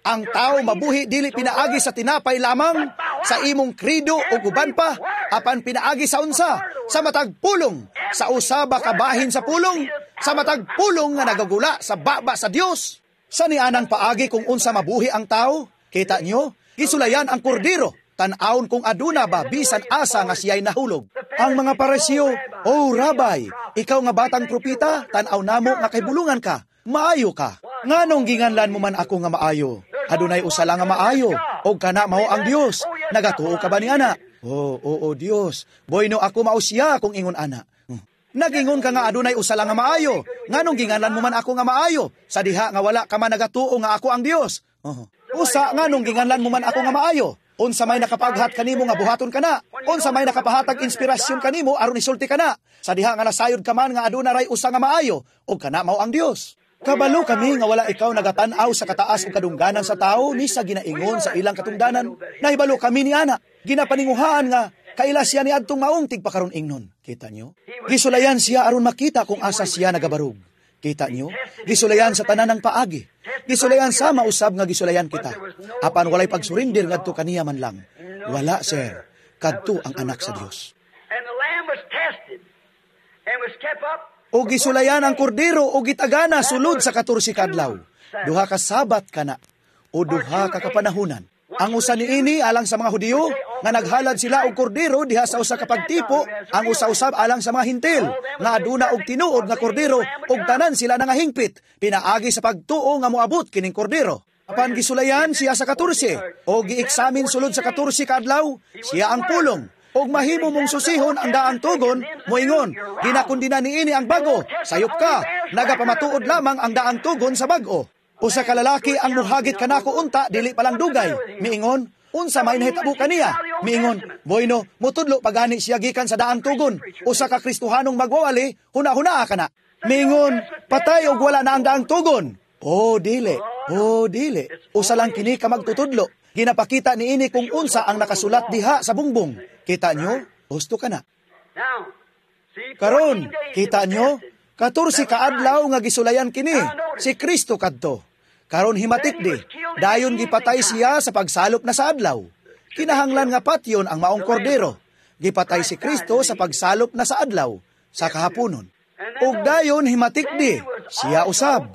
[SPEAKER 1] ang tao mabuhi dili pinaagi sa tinapay lamang, sa imong krido o uban pa, apan pinaagi sa unsa, sa matag pulong, sa usa ba kabahin sa pulong, sa matag pulong nga nagagula sa baba sa Dios. Sa nianang paagi kung unsa mabuhi ang tao, kita nyo, gisulayan ang kordero, tan-awon kung aduna ba bisan asa nga siya'y nahulog. Ang mga Pariseo, "Oh Rabbi, ikaw nga batang propita, tan-aw namo nga kahibulungan ka, maayo ka. Nganong ginganlan mo man ako nga maayo? Adunay usa lang nga maayo, og kana mao ang Dios. Nagatuo ka ba ni ana?" "Oh, oo, Dios. Bueno ako mao siya kung ingon ana." Hmm. "Nagingon ka nga adunay usa lang nga maayo. Nganong ginganlan mo man ako nga maayo? Sa diha nga wala ka man nagatuo nga ako ang Dios. Oh. Usa, nganong ginganlan mo man ako nga maayo? Unsa may nakapaghat kanimo nga buhaton kana? Unsa may nakapahatag inspirasyon kanimo aron isulti kana? Sa diha nga nasayod ka man nga aduna ray usa nga maayo, ug kana mao ang Dios. Kabalo kami nga wala ikaw nagatan-aw sa kataas o kadungganan sa tao ni sa ginaingon sa ilang katungdanan. Nahibalo kami ni ana. Ginapaninguhaan nga kaila siya ni adtong maong tigpakaron ingnon." Kita nyo? Gisulayan siya aron makita kung asa siya nagabarog. Kita nyo? Gisulayan sa tanan ng paagi. Gisulayan sa mausab nga gisulayan kita. Apan walay pagsurindir ngadto kaniya man lang. Wala, sir. Kadto ang anak sa Dios.
[SPEAKER 2] And the lamb was tested and was kept up
[SPEAKER 1] O gisulayan ang kordero o gitagana sulod sa katorse kadlaw. Duha ka Sabat kana o duha ka kapanahunan. Ang usa niini alang sa mga Hudiyo nga naghalad sila og kordero diha sa usa ka pagtipo, ang usa usab alang sa mga Hintil nga aduna og tinuod nga kordero ug tanan sila nangahingpit pinaagi sa pagtuo nga moabot kining kordero. Apan gisulayan siya sa katorse o gieksamin sulod sa katorse ka adlaw, siya ang pulong. Og mahimo mong susihon ang daang tugon, moingon, ginakondena niini ang bago, sayop ka, nagapamatuod lamang ang daang tugon sa bag-o. Usa ka lalaki ang muhagit kanako unta, dili palang dugay. Miingon, "Unsa may nahitabo kaniya?" Miingon, "Bueno, mutudlo pagani siya gikan sa daang tugon. Usa ka Kristohanong magwawali, huna-huna ka na." Miingon, "Patay og wala na ang daang tugon." Oh, dili. Oh, dili. Usa lang kini ka magtutudlo. Ginapakita niini kung unsa ang nakasulat diha sa bungbong. Kita nyo? Husto ka na.
[SPEAKER 2] Now, see,
[SPEAKER 1] Karon,
[SPEAKER 2] fourteen days it
[SPEAKER 1] kita
[SPEAKER 2] was
[SPEAKER 1] nyo?
[SPEAKER 2] tested.
[SPEAKER 1] Katorse kaadlaw nga gisulayan kini, si Kristo kadto. Karon himatik di, dayon gipatay siya sa pagsalop na sa adlaw. Kinahanglan nga patyon ang maong kordero. Gipatay si Kristo sa pagsalop na sa adlaw, sa kahaponon. Ug dayon himatik di, siya usab.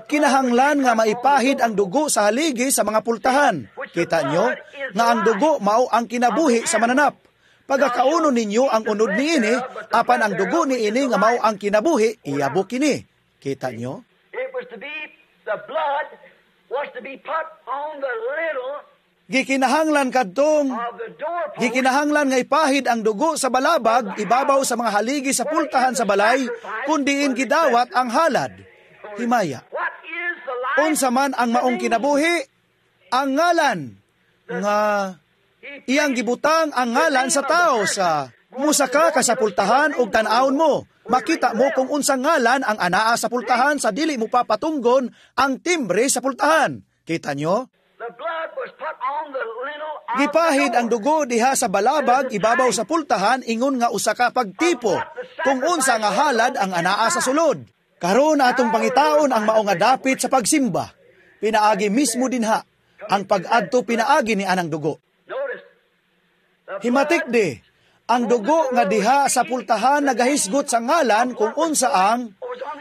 [SPEAKER 1] Kinahanglan nga maipahid ang dugo sa haligi sa mga pultahan. Kita nyo nga ang dugo mao ang kinabuhi sa mananap. Pagakaunon ninyo ang unod niini, apan ang dugo niini nga mao ang kinabuhi, iyabo kini. Kita nyo?
[SPEAKER 2] It was to be, the blood was to be put on the lintel
[SPEAKER 1] Gikinahanglan kadtong
[SPEAKER 2] of the doorpost.
[SPEAKER 1] Gikinahanglan nga ipahid ang dugo sa balabag ibabaw sa mga haligi sa pultahan sa balay kun diin gidawat ang halad. Himaya.
[SPEAKER 2] What is the life?
[SPEAKER 1] Unsa man ang maong kinabuhi? Ang ngalan nga iyang gibutang ang ngalan sa tao sa musaka ka sa pultahan og tan-awon mo. Makita mo kung unsang ngalan ang anaa sa pultahan sa dili mo papatunggon ang timbre sa pultahan. Kita nyo?
[SPEAKER 2] The blood was put on the lintel of
[SPEAKER 1] Gipahid
[SPEAKER 2] the
[SPEAKER 1] ang
[SPEAKER 2] door.
[SPEAKER 1] dugo diha sa balabag ibabaw sa pultahan ingon nga usa ka pagtipo kung unsa nga halad ang anaa sa sulod. Karon atong pangitaon ang mao nga dapit sa pagsimba. Pinaagi mismo dinha ang pag-adto pinaagi ni anang dugo.
[SPEAKER 2] Notice. The
[SPEAKER 1] Himatik
[SPEAKER 2] blood
[SPEAKER 1] di, ang dugo nga diha sa pultahan nagahisgot sa ngalan kung unsa ang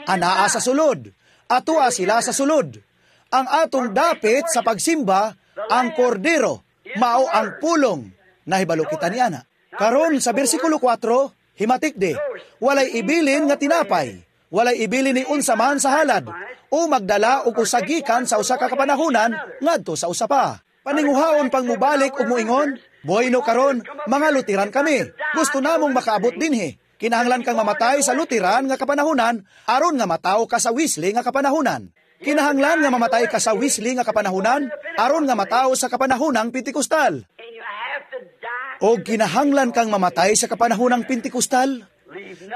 [SPEAKER 1] anaa sa sulod. Atoa sila sa sulod. Ang atong dapit sa pagsimba, ang kordero, mao ang pulong. Nahibalo kita ni ana. Karon sa bersikulo kwatro, Himatik di, walay ibilin nga tinapay, walay ibilin ni unsa man sa halad, o magdala og usa gikan sa usa ka kapanahunan ngadto sa usa pa. Paninguhaon pang mubalik ug moingon, "Bueno karon, mga Lutheran kami. Gusto namong makaabot dinhi." Kinahanglan kang mamatay sa Lutheran nga kapanahunan aron nga matawo ka sa Wesley nga kapanahunan. Kinahanglan nga mamatay ka sa Wesley nga kapanahunan aron nga matawo sa kapanahunang Pentecostal.
[SPEAKER 2] And you have to die.
[SPEAKER 1] O kinahanglan kang mamatay sa kapanahunang Pentecostal.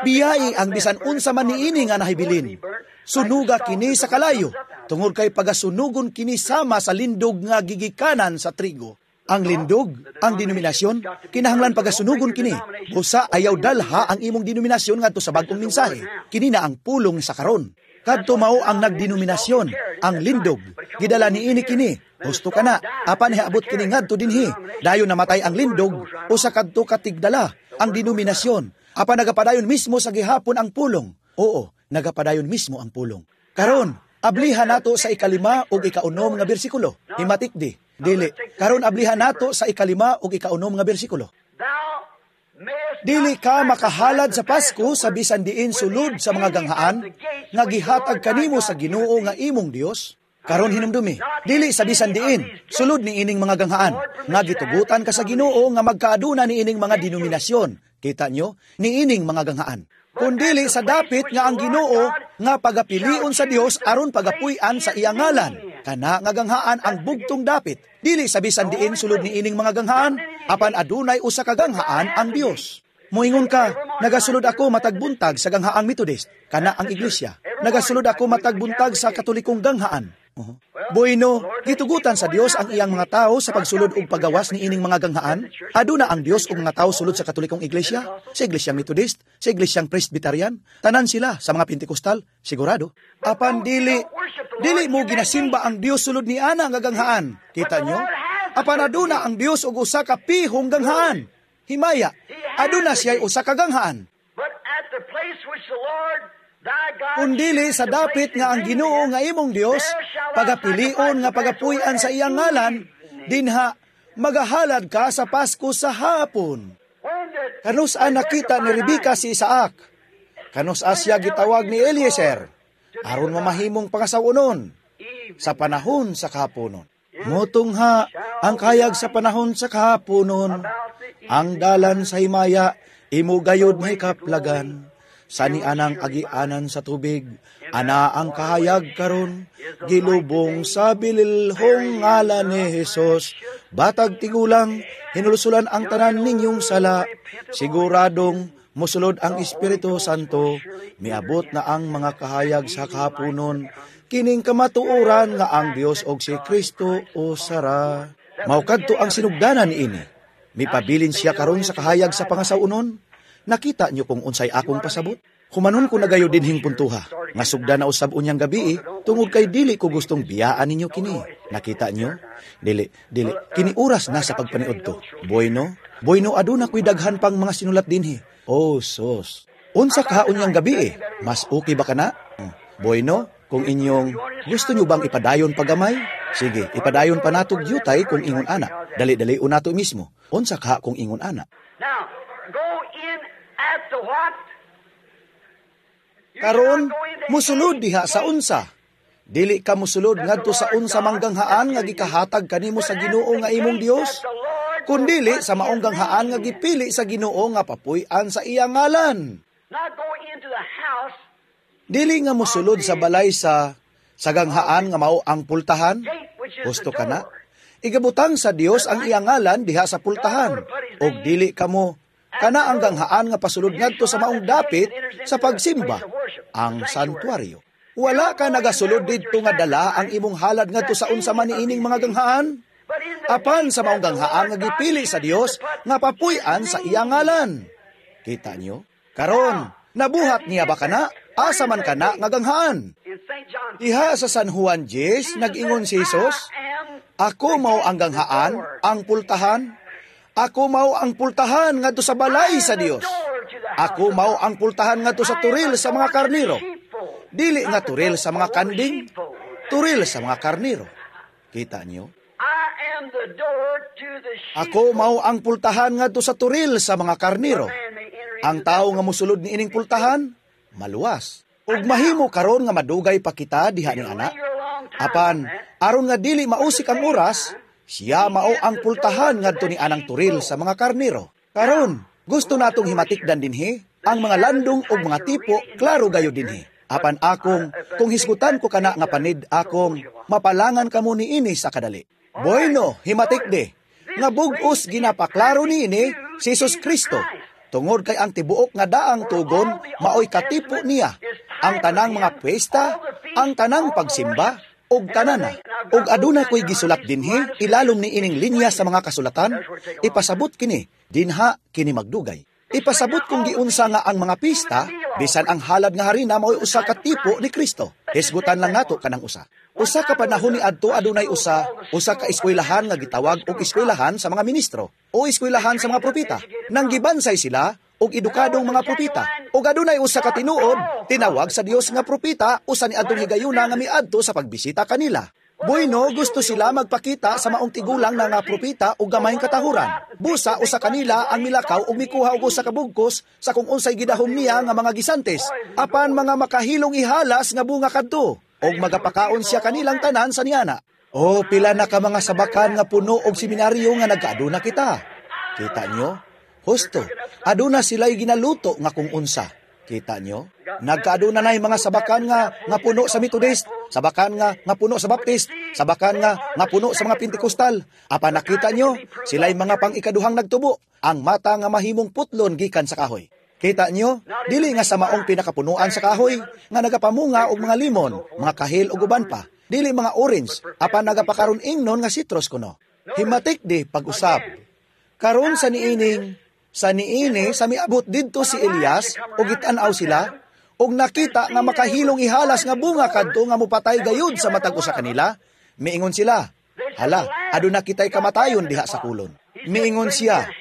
[SPEAKER 1] Biyai ang bisan unsa man niini nga nahibilin. Sunuga kini sa kalayo, tungod kay pagasunugon kini sama sa lindog nga gigikanan sa trigo. Ang lindog, ang denominasyon, kinahanglan pagasunugon kini. Busa ayaw dalha ang imong denominasyon ngadto sa bag-ong mensahe. Kini na ang pulong sa karon. Kadto mao ang nagdenominasyon, ang lindog. Gidala niini kini. Husto kana, apan hiabot kini ngadto dinhi. Dayon namatay ang lindog, usa kadto ka tigdala ang denominasyon. Apan nagapadayon mismo sa gihapon ang pulong. Oo, nagapadayon mismo ang pulong. Karon, ablihan nato sa ikalima ug ikaunom nga bersikulo. Himatik di. Dili. Karon ablihan nato sa ikalima ug ikaunom nga bersikulo.
[SPEAKER 2] Thou mayest
[SPEAKER 1] Dili ka makahalad sa Pasko sa bisan diin sulod sa mga ganghaan nga gihatag kanimo sa Ginoo nga imong Dios. Karon hinumdumi, dili sa bisan diin sulod ni ining mga ganghaan nga gitugutan ka sa Ginoo nga magkaaduna ni ining mga denominasyon. Kita nyo? Niining mga ganghaan. Kundili sa dapit nga ang Ginoo nga pagapilion sa Dios aron pagapuy-an sa iyang ngalan. Kana nga ganghaan ang bugtong dapit. Dili sa bisan diin sulod niining mga ganghaan, apan adunay usa ka ganghaan ang Dios. Moingon ka, "Nagasulod ako matag buntag sa ganghaang Methodist, kana ang iglesia. Nagasulod ako matag buntag sa Katolikong ganghaan." Uh-huh. Bueno, gitugutan sa Dios ang iyang mga tao sa pagsulod og pagawas ni ining mga ganghaan. Aduna ang Dios og mga tao sulod sa Katolikong iglesia, sa iglesyang Methodist, sa iglesyang Presbyterian, tanan sila sa mga Pentecostal, sigurado. Apan dili dili mo ginasimba ang Dios sulod ni ana nga ganghaan. Kita nyo? Apan aduna ang Dios og usa ka pihong ganghaan. Himaya, aduna siya usa ka ganghaan.
[SPEAKER 2] But at the place which the Lord thy God
[SPEAKER 1] Kundili sa dapit nga ang Ginoo nga imong Dios pagapilion nga pagapuy-an sa iyang ngalan, dinha magahalad ka sa Pasko sa hapon.
[SPEAKER 2] When did
[SPEAKER 1] Kanus-a nakita ni Rebecca si Isaac? Kanus-a siya gitawag ni Eliezer? Aron mamahimong pangasawonon sa panahon sa kahaponon. Motungha ang kahayag sa panahon sa kahaponon. Ang dalan sa himaya, imo gayod mahikaplagan. Sa nianang agianan sa tubig, ana ang kahayag karon, gilubong sa bililhong ngalan ni Jesus. Batag tigulang, hinulsulan ang tanan ninyong sala. Siguradong musulod ang Espiritu Santo, miabot na ang mga kahayag sa kahaponon, kining kamatuoran nga ang Dios og si Kristo usara. Mao kadto ang sinugdanan niini. Mipabilin siya karon sa kahayag sa pangasawonon. Nakita niyo kung unsay akong pasabot? Humanon ko na gayo dinhing puntuha. Nga sugda na usab unyang gabi, tungod kay dili ko gustong biyaan ninyo kini. Nakita niyo? Dili, dili. Kini oras na sa pagpaniud to. Bueno, bueno, aduna ko'y daghan pang mga sinulat dinhi. Oh, sos. Unsa ka unyang gabi? Mas okay ba kana? Hmm. Bueno, kung inyong gusto nyo bang ipadayon pagamay? Sige, ipadayon pa nato gyutay kung ingon ana. Dali-dali nato mismo. Unsa ka kung ingon ana?
[SPEAKER 2] Now, go in at the what? You
[SPEAKER 1] Karon,
[SPEAKER 2] shall go into
[SPEAKER 1] musulod
[SPEAKER 2] any
[SPEAKER 1] diha sa
[SPEAKER 2] gate.
[SPEAKER 1] Unsa. Dili ka musulod ngadto sa unsa mang ganghaan nga gikahatag kanimo sa Ginoo nga imong Dios, kundili sa maong ganghaan nga gipili sa Ginoo nga papuy-an sa iyang ngalan.
[SPEAKER 2] Not go into the house
[SPEAKER 1] Dili nga musulod sa balay sa sa ganghaan nga mao ang pultahan.
[SPEAKER 2] gate which is
[SPEAKER 1] Gusto
[SPEAKER 2] the
[SPEAKER 1] ka na?
[SPEAKER 2] door.
[SPEAKER 1] Igabutang sa Dios ang iyang ngalan diha sa pultahan. Og dili kamo kana ang ganghaan nga pasulod ngadto sa maong dapit sa pagsimba, ang santuario. Wala ka nagasulod didto nga dala ang imong halad ngadto sa unsa man niining mga ganghaan.
[SPEAKER 2] But in the
[SPEAKER 1] Apan sa maong ganghaan nga gipili sa Dios nga papuy-an sa iyang ngalan. Kita nyo? Karon, nabuhat niya ba kana? Asa man kana nga ganghaan?
[SPEAKER 2] In Saint John
[SPEAKER 1] Diha sa San Juan ten, nag-ingon si Jesus,
[SPEAKER 2] I am
[SPEAKER 1] "Ako mao ang ganghaan, ang pultahan. Ako mao ang pultahan ngadto sa balay sa Dios. Ako mao ang pultahan ngadto sa turil sa mga karniro." Dili nga turil sa mga kanding, turil sa mga karniro. Kita niyo?
[SPEAKER 2] I am the door to the sheep.
[SPEAKER 1] Ako mao ang pultahan ngadto sa turil sa mga karniro.
[SPEAKER 2] Man may enter in.
[SPEAKER 1] Ang tawo nga musulod niining pultahan, maluwas. Ug mahimo karon nga madugay pa kita diha ni ana. Apan aron nga dili mausik ang oras, siya mao ang pultahan ngadto ni anang turil sa mga karnero. Karon, gusto natong himatikdan dinhi ang mga landong ug mga tipo, klaro gayo dinhi. Apan akong kung hisgutan ko kana nga panid akong mapalangan kamo niini sa kadali. Bueno, himatikdi nga bug-os ginapaklaro niini si Jesus Kristo. Tungod kay ang tibuok nga daang tugon maoy katipo niya. Ang tanang mga pwesta, ang tanang pagsimba, ug tanana. Ug aduna ko'y gisulat dinhi, ilalom ni ining linya sa mga kasulatan, ipasabot kini, dinha kini magdugay. Ipasabot kung giunsa nga ang mga pista, bisan ang halad nga harina mao'y usa ka tipo ni Kristo. Hisgutan lang nato kanang usa. Usa ka panahon ni adto adunay usa, usa ka eskwelahan nga gitawag og eskwelahan sa mga ministro o eskwelahan sa mga propeta. Nang gibansay sila og edukadong mga propeta. Og adunay usa ka tinuod, tinawag sa Dios nga propeta usa ni adtong higayuna nga miadto sa pagbisita kanila. Bueno, gusto sila magpakita sa maong tigulang na nga propeta og gamayng katahuran. Busa usa kanila ang milakaw og mikuha og usa ka bugkos sa kung unsay gidahom niya nga mga gisantes, apan mga makahilong ihalas nga bunga kadto, og magapakaon siya kanilang tanan sa niana. O pila na ka mga sabakan nga puno og seminaryo nga nagkaaduna kita. Kita nyo? Husto, aduna sila'y ginaluto nga kung unsa. Kita nyo? Nagkaaduna na'y mga sabakan nga nga puno sa Methodist, sabakan nga nga puno sa Baptist, sabakan nga nga puno sa mga Pentecostal. Apan nakita nyo, sila'y mga pang-ikaduhang nagtubo, ang mata nga mahimong putlon gikan sa kahoy. Kita nyo, dili nga sa maong pinakapunuan sa kahoy, nga nagapamunga og mga limon, mga kahil ug uban pa. Dili mga orange, apan nagapakaron ingnon nga citrus kuno. Himatik di pag-usab. Karon sa niining, sa niini sa miabot didto si Elias ug gitan-aw sila ug nakita nga makahilong ihalas nga bunga kadto nga mopatay gayud sa matag usa kanila, miingon sila, "Hala, aduna kitay kamatayon diha sa kolon." Miingon siya,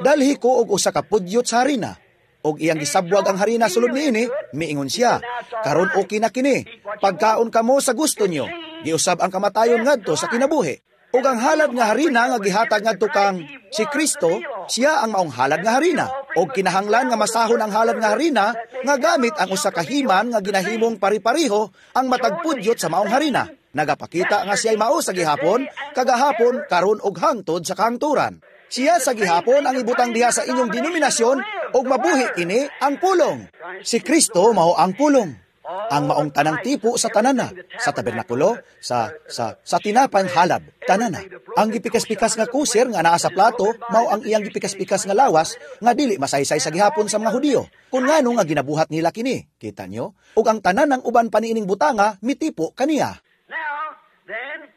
[SPEAKER 1] "Dalhi ko og usa ka pudyot sa harina." Og iyang gisabwag ang harina sulod niini, miingon siya, "Karon okay na kini, pagkaon kamo sa gusto nyo." Giusab ang kamatayon ngadto sa kinabuhi. Ug ang halad nga harina nga gihatag ngadto kang si Kristo, siya ang maong halad nga harina. Og kinahanglan nga masahon ang halad nga harina nga gamit ang usa ka himan nga ginahimong pari-pariho ang matag pudyot sa maong harina. Nagapakita nga siya'y mao sa gihapon, kagahapon, karon og hangtod sa kahangturan. Siya sa gihapon ang ibutang diha sa inyong denominasyon og mabuhi kini ang pulong. Si Kristo mao ang pulong. Ang maong tanang tipo sa tanana, sa tabernakulo, sa sa sa tinapang halad, tanana. Ang gipikas-pikas nga kuser nga naa sa plato, mao ang iyang gipikas-pikas nga lawas nga dili masaysay sa gihapon sa mga Hudiyo. Kung ngano nga ginabuhat nila kini, kita nyo? Ug ang tanan ng uban pa niining butanga mitipo kaniya.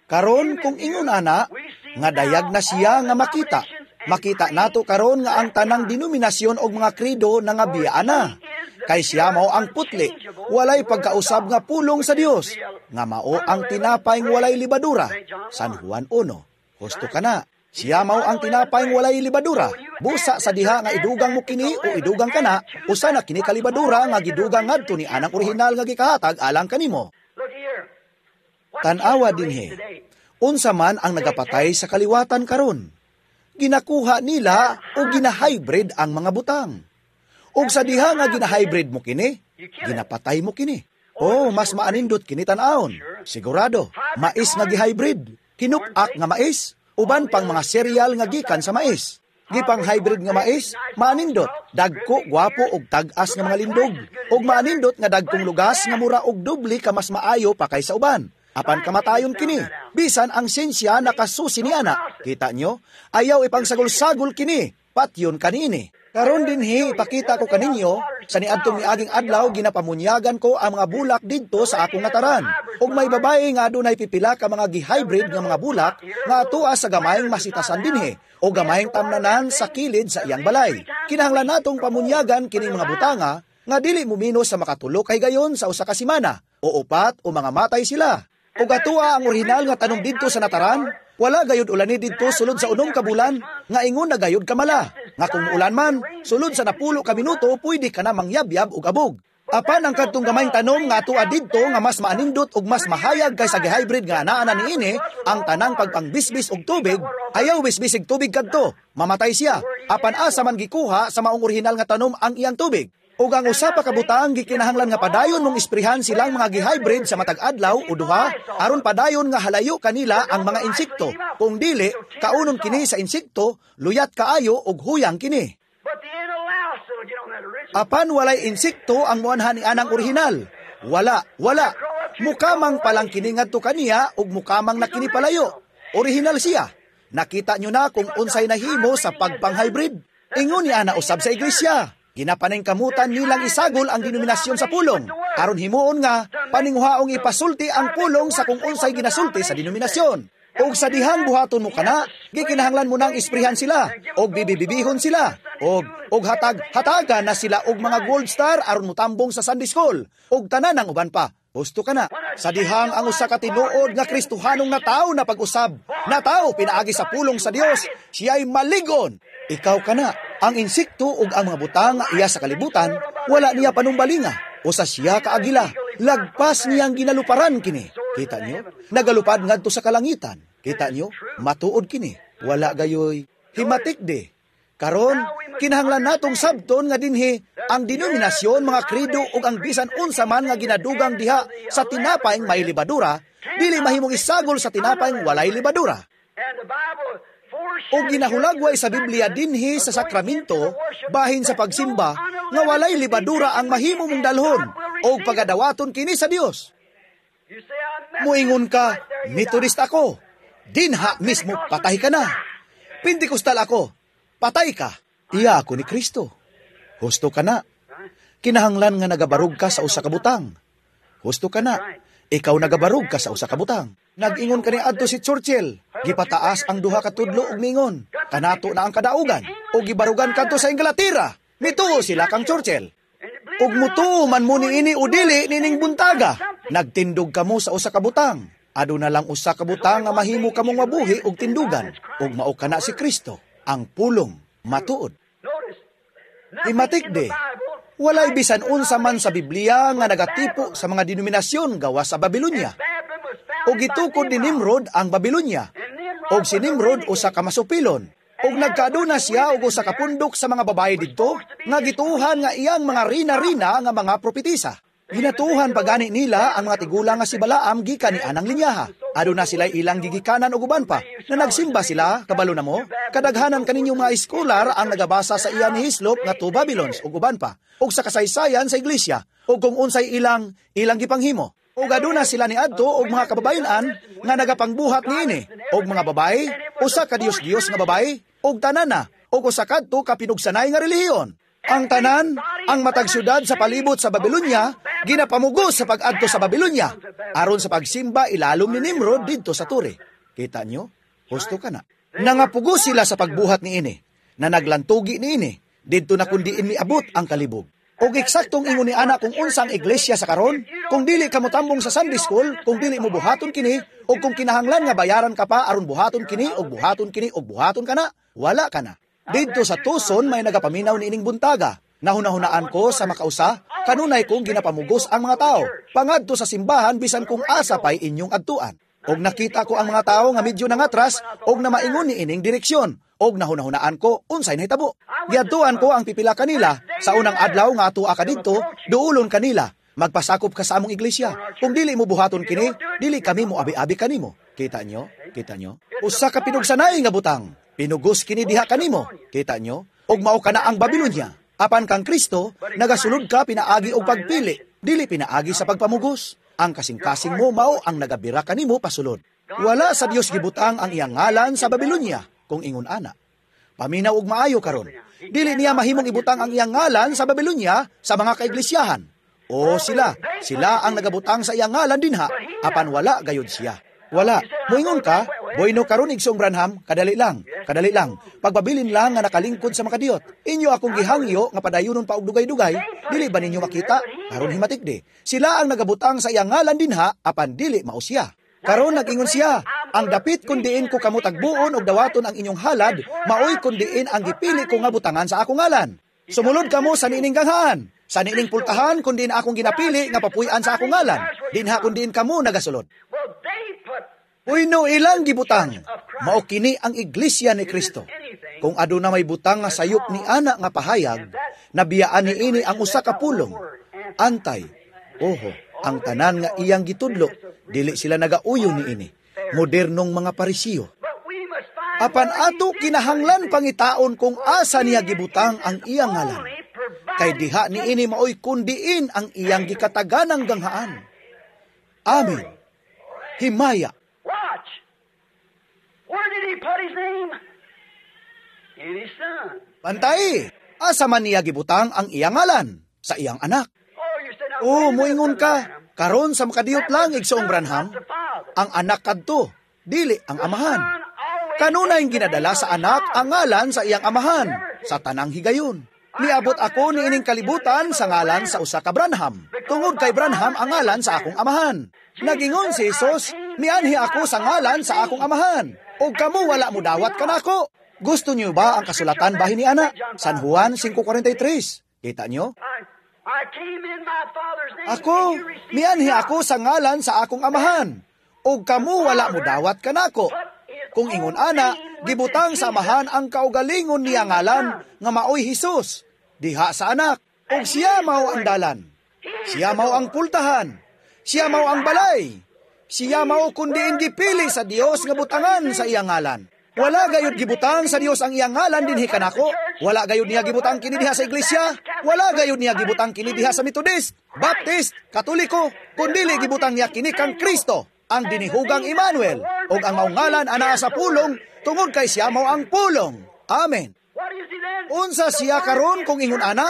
[SPEAKER 1] Karon kung ingon ana, nga dayag na siya nga makita. Makita nato karon nga ang tanang denominasyon og mga kredo na nga biyaan na. Kay siya mao ang putli, walay pagkausab nga pulong sa Dios, nga mao ang tinapay nga walay libadura. San Juan one. Husto ka na. Siya mao ang tinapay nga walay libadura. Busa sa diha nga idugang mo kini o idugang kana, usa na kini kalibadura nga gidugang ngadto ni anang orihinal nga gikahatag alang kanimo. Tan-awa dinhi. Unsa man ang nagapatay sa kaliwatan karon? Ginakuha nila o gina-hybrid ang mga butang. Og sa diha nga gina-hybrid mo kini, ginapatay mo kini. Oh, mas maanindot kini tan-awon. Sigurado, mais nga gi-hybrid, kinupak nga mais, uban pang mga cereal nga gikan sa mais. Gipang hybrid nga mais, maanindot, dagko, gwapo og tag-as nga mga lindog, og maanindot nga dagkong lugas nga mura og doble ka mas maayo pa kaysa uban. Apan kamatayon kini, bisan ang siyensya nakasusi ni ana. Kita nyo? Ayaw ipangsagol-sagol kini, patyon kanini. Karon dinhi ipakita ko kaninyo sa niadtong miaging adlaw ginapamunyagan ko ang mga bulak didto sa akong nataran. Ug may babae nga adunay pipila ka mga gi-hybrid nga mga bulak nga atoa sa gamayng masitasan dinhi o gamayng tamnanan sa kilid sa iyang balay. Kinahanglan natong pamunyagan kining mga butanga nga dili mumino sa makatulo kay gayon sa usa ka semana o upat o mga matay sila. Ug atoa ang orihinal nga tanom didto sa nataran, wala gayud ulani didto sulod sa unom ka bulan, nga ingon na gayud kamala. Nga kung ulan man, sulod sa napulo ka minuto, pwede ka na mangyabyab og abog. Apan ang kadtong gamayng tanom nga atoa didto nga mas maanindot ug mas mahayag kaysa gi-hybrid nga anaa na niini ang tanang pagpangbisbis og tubig, ayaw bisbisig tubig kadto, mamatay siya. Apan asa man gikuha sa maong orihinal nga tanom ang iyang tubig? Ug ang usa pa ka butang gikinahanglan nga padayon mong isprehan silang mga gi-hybrid sa matag adlaw o duha aron padayon nga halayo kanila ang mga insekto. Kung dili, kaunon kini sa insekto, luyat kaayo ug huyang kini.
[SPEAKER 2] But the ain't a louse that'll get on that original.
[SPEAKER 1] Apan walay insekto ang muanha ni anang orihinal. Wala, wala. Mukamang pa lang kini ngadto kaniya ug mukamang na kini palayo. Orihinal siya. Nakita nyo na kung unsay nahimo sa pagpang-hybrid. Ingon ni ana usab sa iglesia. Ginapaningkamutan nilang isagol ang denominasyon sa pulong. Aron himuon nga paninguhaong ipasulti ang pulong sa kung unsay ginasulti sa denominasyon. Og sa dihang buhaton mo kana, gikinahanglan mo nang isprihan sila, og bibibibihon sila, og og hatag hatagan na sila og mga gold star aron mutambong sa Sunday school, og tanan ang uban pa. Husto ka na. Sa dihang ang usa ka tinuod nga Kristohanong na tao na pag-usab, na tao pinaagi sa pulong sa Dios, siya'y maligon. Ikaw ka na. Ang insekto ug ang mga butang nga iya sa kalibutan, wala niya panumbalinga. Usa siya ka agila. Lagpas niyang ginaluparan kini. Kita niyo? Nagalupad ngadto sa kalangitan. Kita niyo? Matuod kini. Wala gayoy. Himatik di. Karon, kinahanglan natong sabton nga dinhi ang denominasyon, mga kredo ug ang bisan unsa man nga ginadugang diha sa tinapay may libadura, dili mahimong isagol sa tinapay walay libadura.
[SPEAKER 2] And the Bible
[SPEAKER 1] O ginahulagway sa Biblia dinhi sa sakramento, bahin sa pagsimba, nga walay libadura ang mahimo mong dalhon, o pagadawaton kini sa Dios.
[SPEAKER 2] You say, I'm
[SPEAKER 1] Muingon ka, Methodist ako. Dinha mismo patay ka na. Pentecostal ako. Patay ka. Iya ako ni Kristo. Husto ka na. Kinahanglan nga nagabarog ka sa usa ka butang. Husto ka na. Ikaw nagabarog ka sa usa ka butang. Nag-ingon kani adto si Churchill. Gipataas ang duha ka tudlo og mingon. Kanato na ang kadaugan. O gibarugan kadto sa Inglaterra. Mituo sila kang Churchill. Ug mutuo man mo niini o dili nining buntaga. Nagtindog kamo sa usa ka butang. Aduna lang usa ka butang nga mahimo kamong mabuhi og tindugan. Ug mao kana si Kristo, ang pulong matuod.
[SPEAKER 2] Notice,
[SPEAKER 1] Himatik di. Walay bisan unsa man sa Biblia nga nagatipo sa mga denominasyon gawas sa Babylonia. O gitukod ni Nimrod ang Babylonia. Og si Nimrod usa ka masupilon. Og nagkaaduna siya og usa ka pundok sa mga babae didto nga gituohan nga iyang mga rina-rina nga mga propetisa. Ginatuohan pagani nila ang mga tigulang nga si Balaam gikan ni anang linyaha. Aduna sila ilang gigikanan og uban pa. Na nagsimba sila, kabalo na mo, kadaghanan kaninyong mga eskolar ang nagabasa sa iya ni Hislop nga Two Babylons ug uban pa. Ug sa kasaysayan sa iglesia, ug kung unsay ilang ilang gipanghimo. Ug aduna sila ni adto og mga kababayen-an nga nagapangbuhat niini og mga babae, usa ka Dios-Dios nga babae, ug tanan na ug usa kadto ka pinugsanay nga relihiyon. Ang tanan, ang matag syudad sa palibot sa Babylonia, ginapamugos sa pag-adto sa Babylonia. Aron sa pagsimba ilalom ni Nimrod didto sa tore. Kita nyo? Husto ka na. Nangapugos sila sa pagbuhat niini, na naglantugi niini, didto na kundiin miabot ang kalibog. Og eksaktong ingon ni ana kung unsang iglesia sa karon, kung dili ka motambong sa Sunday school, kung dili mo buhaton kini, og kung kinahanglan nga bayaran ka pa aron buhaton kini, og buhaton kini, og buhaton kana, wala ka na. Didto sa Tucson may nagapaminaw niining buntaga. Nahunahunaan ko sa makausa, kanunay kong ginapamugos ang mga tao. Pangadto sa simbahan bisan kung asa pa'y inyong adtuan. Og nakita ko ang mga tao nga medyo nangatras og namaingon ni ining direksyon. Og nahunahunaan ko unsay nahitabo. Giadtuan ko ang pipila kanila sa unang adlaw nga atua ka didto, duulon kanila. Magpasakop ka sa among iglesia. Kung dili mo buhaton kini, dili kami mo abi-abi kanimo. Kita nyo? Kita nyo? Usa ka pinugsanay nga butang. Pinugos kini diha kanimo. Kita nyo? Og mao kana ang Babylonia. Apan kang Kristo, nagasulod ka pinaagi og pagpili, dili pinaagi sa pagpamugos. Ang kasing-kasing mo mao ang nagabira kanimo pasulod. Wala sa Dios gibutang ang iyang ngalan sa Babylonia, kung ingon ana. Paminaw og maayo karon. Dili niya mahimong ibutang ang iyang ngalan sa Babylonia sa mga kaiglesyahan. O sila, sila ang nagabutang sa iyang ngalan dinha, apan wala gayud siya. Wala. Moingon ka, Bueno karon Igsoong Branham, kadali lang, kadali lang. Pagpabilin lang nga nakalingkod sa makadiyot. Inyo akong gihangyo nga padayunon pa og dugay-dugay, dili ba ninyo makita? Karon himatik di. Sila ang nagabutang sa iyang ngalan dinha, apan dili mao siya. Karon nag-ingon siya, ang dapit kun diin ko kamo tagbuon og dawaton ang inyong halad, maoy kun diin ang gipili ko nga butangan sa akong ngalan. Sumulod kamo sa niining ganghaan. Sa niining pultahan kun diin akong ginapili nga papuy-an sa akong ngalan, dinha kun diin kamo nagasulod.
[SPEAKER 2] Well, they put
[SPEAKER 1] Uyno ilang gibutang, mao kini ang iglesia ni Kristo. Kung aduna may butang nga sayop ni ana nga pahayag, nabiyaan ni ini ang usa ka pulong. Antay, oho, ang tanan nga iyang gitudlo, dili sila nagauyon ni ini. Modernong mga Parisiyo.
[SPEAKER 2] But we must find
[SPEAKER 1] Apan
[SPEAKER 2] where he
[SPEAKER 1] ato
[SPEAKER 2] did
[SPEAKER 1] kinahanglan
[SPEAKER 2] put his name.
[SPEAKER 1] Pangitaon kung asa niya gibutang ang iyang ngalan.
[SPEAKER 2] Only provided
[SPEAKER 1] Kay diha ni ini maoy kundiin ang iyang gikataganang ganghaan. Amen. Himaya.
[SPEAKER 2] Watch. Where did he put his name? In his son.
[SPEAKER 1] Pantay, asa man niya gibutang ang iyang ngalan? Sa iyang anak.
[SPEAKER 2] Oh, you say, now,
[SPEAKER 1] Oh,
[SPEAKER 2] wait a minute,
[SPEAKER 1] moingon
[SPEAKER 2] Brother
[SPEAKER 1] ka,
[SPEAKER 2] Branham.
[SPEAKER 1] Karon sa makadiyot lang, igsoong Branham,
[SPEAKER 2] Not the father.
[SPEAKER 1] Ang anak kadto, dili ang amahan.
[SPEAKER 2] Son always
[SPEAKER 1] Kanunay ginadala sa anak ang ngalan sa iyang amahan, sa tanang higayon. Niabot ako niining kalibutan sa ngalan sa usa ka Branham. Tungod kay Branham ang ngalan sa akong amahan. Nagingon si Jesus, "Mianhi ako sa ngalan sa akong amahan. Ug kamo wala mo dawat kanako." Gusto niyo ba ang kasulatan bahin ni ana? San Juan five forty-three. Kita niyo?
[SPEAKER 2] I, I came in my father's name,
[SPEAKER 1] Ako,
[SPEAKER 2] and you received
[SPEAKER 1] mianhi
[SPEAKER 2] me not.
[SPEAKER 1] Ako sa ngalan sa akong amahan. Ug kamo wala mo dawat kanako. Kung ingon ana, gibutang sa amahan ang kaugalingon niya ngalan nga maoy Hesus. Diha sa anak, ug siya mao ang dalan. Siya mao ang pultahan. Siya mao ang balay. Siya mao kundiin gipili sa Dios nga butangan sa iyang ngalan. Wala gayud gibutang sa Dios ang iyang ngalan dinhi kanako. Wala gayud niya gibutang kini diha sa iglesia. Wala gayud niya gibutang kini diha sa Methodist, Baptist, Katoliko, kundili gibutang niya kini kang Kristo, ang dinihugang Emmanuel, ug ang maong ngalan anaa sa pulong tungod kay siya mao ang pulong. Amen.
[SPEAKER 2] What is he then?
[SPEAKER 1] Unsa siya karon kung ingon ana?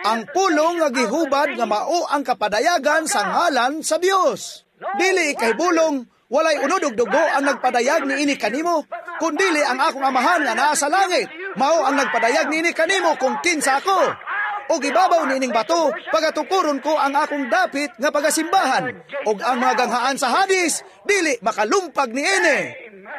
[SPEAKER 1] Ang pulong nga gihubad nga mao ang kapadayagan sa ngalan sa Dios. Dili ikahibulong walay unod og dugo ang nagpadayag niini kanimo, kundili ang akong Amahan nga naa sa langit. Mao ang nagpadayag niini kanimo kung kinsa ako. Ug ibabaw niining bato, pagatukuron ko ang akong dapit nga pagasimbahan. Ug ang mga ganghaan sa Hadis, dili makalumpag niini.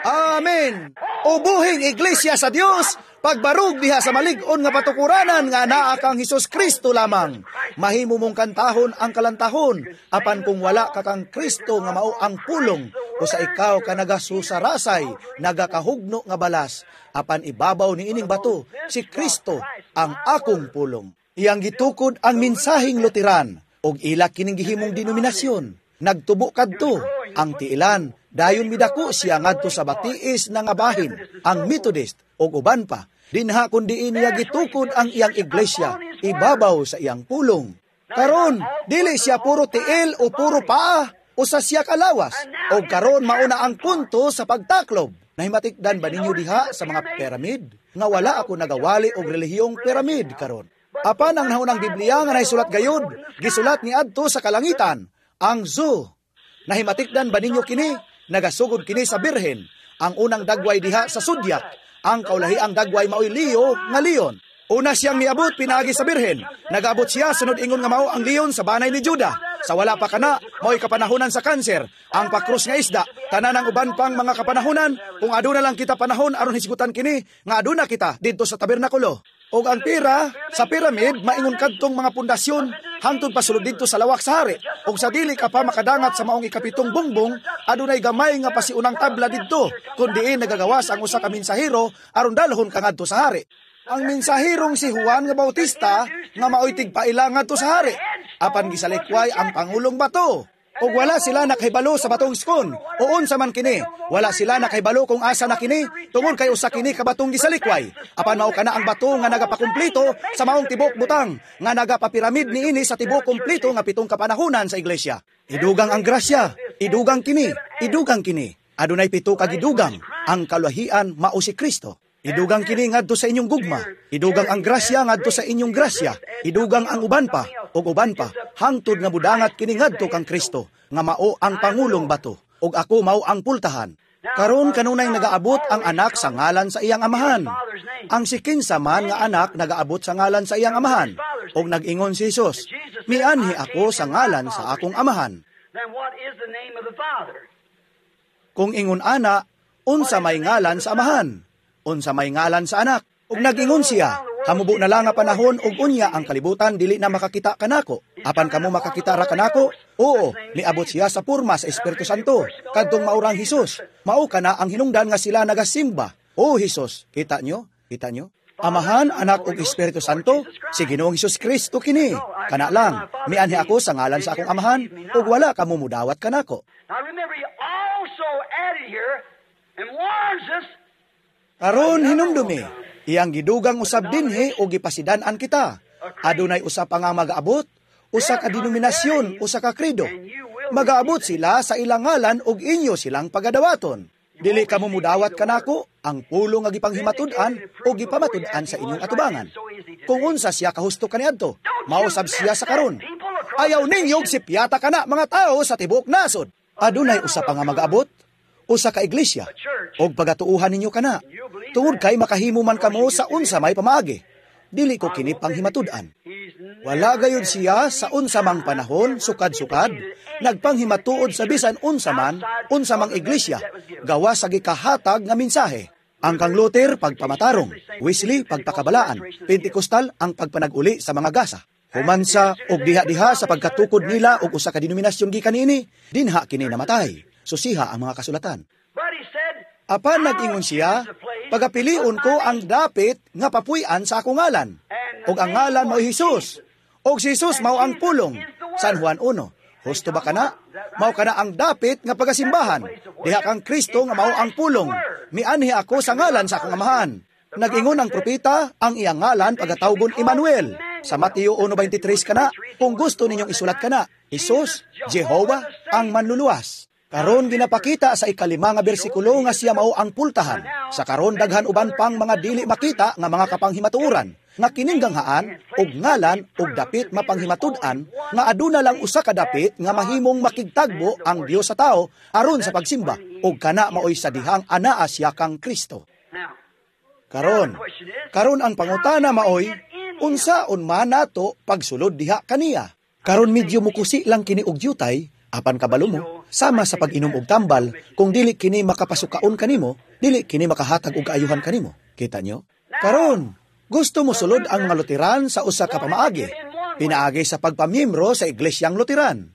[SPEAKER 1] Amen. Ubuhing iglesia sa Dios, pagbarug diha sa malig-on nga patukuranan nga naa kang Hesus Kristo lamang. Mahimo mong kantahon ang kalantahon, apan kung wala ka kang Kristo nga mao ang pulong, usa ikaw ka nagasusarasay, nagakahugno nga balas, apan ibabaw ni ining bato, si Kristo ang akong pulong. Iyang gitukod ang mensaheng Lutheran ug ila kining gihimong denominasyon. Nagtubo kadto ang tiilan, dayon midako siya ngadto sa batiis na nga bahin, ang Methodist ug uban pa. Dinha kun diin niya gitukod ang iyang iglesia, ibabaw sa iyang pulong. Karon, dili siya puro tiil o puro paa, usa siya kalawas. O karon mauna ang punto sa pagtaklob. Nahimatikdan ba ninyo diha sa mga pyramid? Nga wala ako nagawali og relihiyong pyramid karon. Apan ang naunang Biblia nga naisulat gayud, gisulat ni adto sa kalangitan, ang Zoo. Nahimatikdan ba ninyo kini? Nagasugod kini sa Birhen. Ang unang dagway diha sa Zodiac. Ang kaulahiang dagway maoy Leo nga leon. Una siyang miabot pinaagi sa Birhen. Nagabot siya sunod ingon nga mao ang leon sa banay ni Juda. Sa wala pa kana, mao'y kapanahonan sa kanser, ang pakrus nga isda, tanan ang uban pang mga kapanahonan, kung aduna lang kita panahon aron hisgutan kini, nga aduna kita didto sa tabernakulo. Og ang pira sa pyramid maingon kadtong mga pundasyon hangtod pasulod didto sa lawak sa hari. Og sa dili ka pa makadangat sa maong ikapitong bungbong, adunay gamay nga pasiunang tabla didto kun diin nagagawas ang usa ka mensahero aron dalhon ka ngadto sa hari. Ang mensahirong si Juan nga Bautista nga maoy tigpaila ngadto sa hari. Apan gisalikway ang pangulong bato. Og wala sila nakahibalo sa batong skon. O unsa man kini, wala sila nakahibalo kung asa na kini tungod kay usa kini ka batong gisalikway. Apan mao kana ang bato nga nagapakumplito sa maong tibok butang nga nagapapiramid niini sa tibok kumpleto nga pitong kapanahunan sa iglesia. Idugang ang grasya, idugang kini, idugang kini. Adunay pito ka gidugang, ang kaulahian mao si Kristo. Idugang kini ngadto sa inyong gugma. Idugang ang grasya ngadto sa inyong grasya. Idugang ang uban pa ug uban pa hangtod nga budangat kini ngadto kang Kristo nga mao ang pangulong bato ug ako mao ang pultahan. Karon kanunay nagaabot ang anak sa ngalan sa iyang amahan. Ang si kinsa man nga anak nagaabot sa ngalan sa iyang amahan. Ug nag-ingon si Jesus, "Mianhi ako sa ngalan sa akong amahan."
[SPEAKER 2] Then what is the name of the Father?
[SPEAKER 1] Kung ingon ana, unsa may ngalan sa amahan? Unsa may ngalan sa anak? Ug nag-ingon siya, Hamubo na lang nga panahon ug unya ang kalibutan dili na makakita kanako. Apan kamo makakita ra kanako? Oo, niabot siya sa porma sa Espiritu Santo, kadtong maurang Hesus. Mao kana ang hinungdan nga sila nagasimba. O Hesus, kita nyo? Kita nyo? Amahan, Anak ug Espiritu Santo, si Ginoong Hesus Kristo kini. Kana lang, mianhi ako sa ngalan sa akong amahan ug wala kamo mudawat kanako.
[SPEAKER 2] Now remember, he also added here and warns us
[SPEAKER 1] Karon hinumdumi, iyang gidugang usab dinhi ug gipasidan-an kita. Adunay usa pa nga magaabot, usa ka denominasyon, usa ka kredo. Magaabot sila sa ilang ngalan ug inyo silang pagadawaton. Dili kamo mudawat kanako ang pulong nga gipanghimatud-an o gipamatud-an sa inyong atubangan. Kung unsa siya kahusto kaniadto, mausab siya sa karon. Ayaw ninyog sipyata kana mga tao sa tibuok nasod. Adunay usa pa nga magaabot, usa ka iglesia, og pagatuuhan ninyo kana. Tungod kay makahimo man kamo sa unsa may pamaagi. Dili ko kini panghimatud-an. Wala gayud siya sa unsa mang panahon, sukad-sukad, nagpanghimatuod sa bisan unsa man, unsa mang iglesia, gawa sa gikahatag nga mensahe. Ang kang Luther, pagpamatarong, Wesley, pagpakabalaan, Pentecostal, ang pagpanag-uli sa mga gasa. Humansa og diha-diha sa pagkatukod nila og usa ka denominasyon gikan niini, dinha kini namatay. Susiha ang mga kasulatan.
[SPEAKER 2] But he said,
[SPEAKER 1] Apan nag-ingon siya, pagapilion ko ang dapit nga papuy-an sa akong ngalan. Og ang ngalan mao Hesus. Og si Hesus mao ang pulong. San Juan one. Husto ba kana? Mao kana ang dapit nga pagasimbahan. Diha kang Kristo nga mao ang pulong. Mianhi ako sa ngalan sa akong amahan. Nag-ingon ang propeta, ang iyang ngalan pagatawgon Emmanuel. Sa Mateo one twenty-three kana, kung gusto ninyong isulat kana, Hesus, Jehovah, ang manluluwas. Karon ginapakita sa ikalima nga bersikulo nga siya mao ang pultahan. Sa karon daghan uban pang mga dili makita nga mga kapanghimatuoran, nga kining ganghaan og ngalan og dapit mapanghimatud-an nga aduna lang usa ka dapit nga mahimong makigtagbo ang Dios sa tao aron sa pagsimba, og kana maoy sa dihang anaa siya kang Kristo. Karon, karon ang pangutana maoy unsaon man nato pagsulod diha kaniya. Karon medyo mukusi lang kini og jutay, apan kabalo mo, sama sa pag-inom og tambal, kung dili kini makapasukaon kanimo, dili kini makahatag og kaayuhan kanimo. Kita nyo? Karon, gusto mo sulod ang mga Luteran sa usa ka pamaagi, pinaagi sa pagpamiyembro sa Iglesyang Luteran.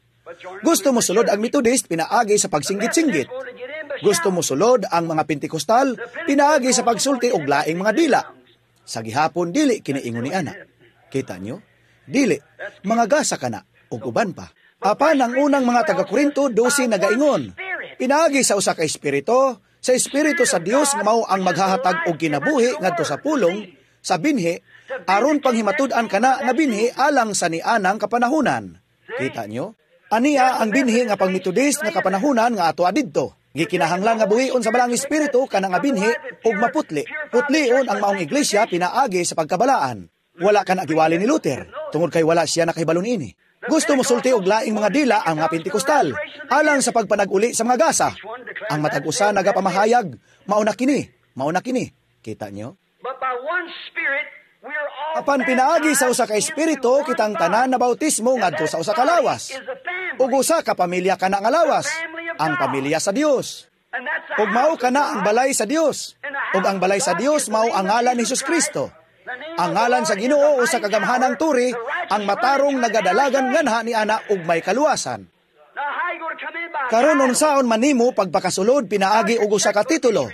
[SPEAKER 1] Gusto mo sulod ang Methodist, pinaagi sa pagsinggit-singgit. Gusto mo sulod ang mga Pentecostal, pinaagi sa pagsulti og laing mga dila. Sa gihapon dili kini ingon ni ana. Kita nyo? Dili, mga gasa kana ug uban pa. Apan ang unang mga taga-Korinto dose nagaingon, pinaagi sa usa ka espiritu, sa espiritu sa Dios nga mao ang maghahatag og kinabuhi ngadto sa pulong, sa binhi, aron panghimatud-an kana nga binhi alang sa nianang kapanahunan. Kita nyo? Ania ang binhi nga pang-Methodist nga kapanahunan nga ato adidto. Gikinahanglan nga buhion sa balang espiritu kana nga binhi ug maputli. Putlion ang maong iglesia pinaagi sa pagkabalaan. Wala kana giwali ni Luther tungod kay wala siya nakahibalo niini. Gusto mo sulti og laing mga dila ang mga Pentecostal alang sa pagpanag-uli sa mga gasa. Ang matag usa nagapamahayag, mao na kini, mao na kini. Kita nyo? Apan pinaagi sa usa ka espiritu kitang tanan na bautismo ngadto sa usa ka lawas. Ug usa ka pamilya kana nga lawas, ang pamilya sa Dios. Ug mao kana ang balay sa Dios. Ug ang balay sa Dios mao ang ngalan ni Hesus Kristo. Ang ngalan sa Ginoo usa ka gamhanang turi, ang matarong nagadalagan nganha ni ana ug may kaluwasan. Karon unsaon man nimo pagpakasulod pinaagi og usa ka titulo?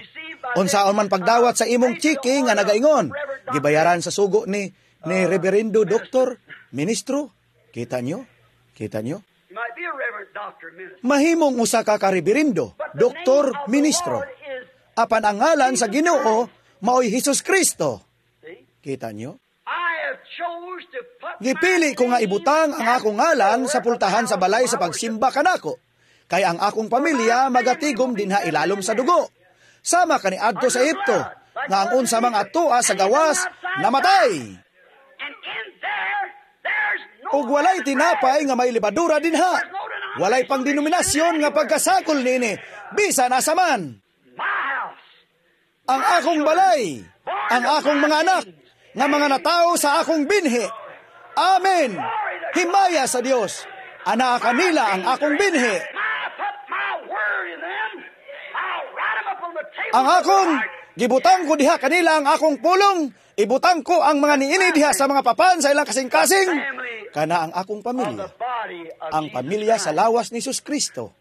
[SPEAKER 1] Unsaon man pagdawat sa imong chiki nga nagaingon, gibayaran sa sugo ni ni Reverendo Doktor, Ministro? Kita nyo? Kita nyo? Mahimong usa ka ka-reverendo, doktor, ministro. Apan ang ngalan sa Ginoo maoy Hesus Kristo. Kita nyo? Gipili ko nga ibutang ang akong ngalan sa pultahan sa balay sa pagsimba kanako. Kay ang akong pamilya magatigom dinha ilalom sa dugo. Sama kaniadto sa Ehipto, nga ang unsa mga atoa sa gawas namatay. Ug walay tinapay nga may libadura dinha. Walay pang denominasyon nga pagkasakol niini, bisan asa man. Ang akong balay, ang akong mga anak, nga mga natao sa akong binhi. Amen. Himaya sa Dios. Anaa kanila ang akong binhi. Ang akong gibutang ko diha kanila ang akong pulong, Ibutang ko ang mga niini diha sa mga papan sa ilang kasing-kasing. Kana ang akong pamilya. Ang pamilya sa lawas ni Jesus Kristo.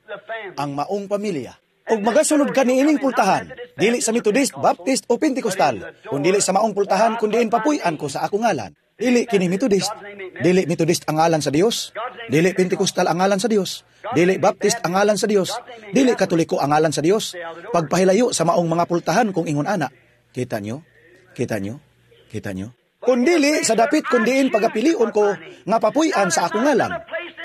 [SPEAKER 1] Ang maong pamilya. Og magasulod ka niining pultahan, dili sa Methodist, Baptist o Pentecostal, kun dili sa maong pultahan kun diin papuy-an ko sa akong ngalan. Dili kini Methodist, dili Methodist ang ngalan sa Dios, dili Pentecostal ang ngalan sa Dios, dili Baptist ang ngalan sa Dios, dili Katoliko ang ngalan sa Dios. Pagpahilayo sa maong mga pultahan kung ingon ana. Kita nyo? Kita nyo? Kita nyo? Kun dili sa dapit kun diin pagapilion ko nga papuy-an sa akong ngalan.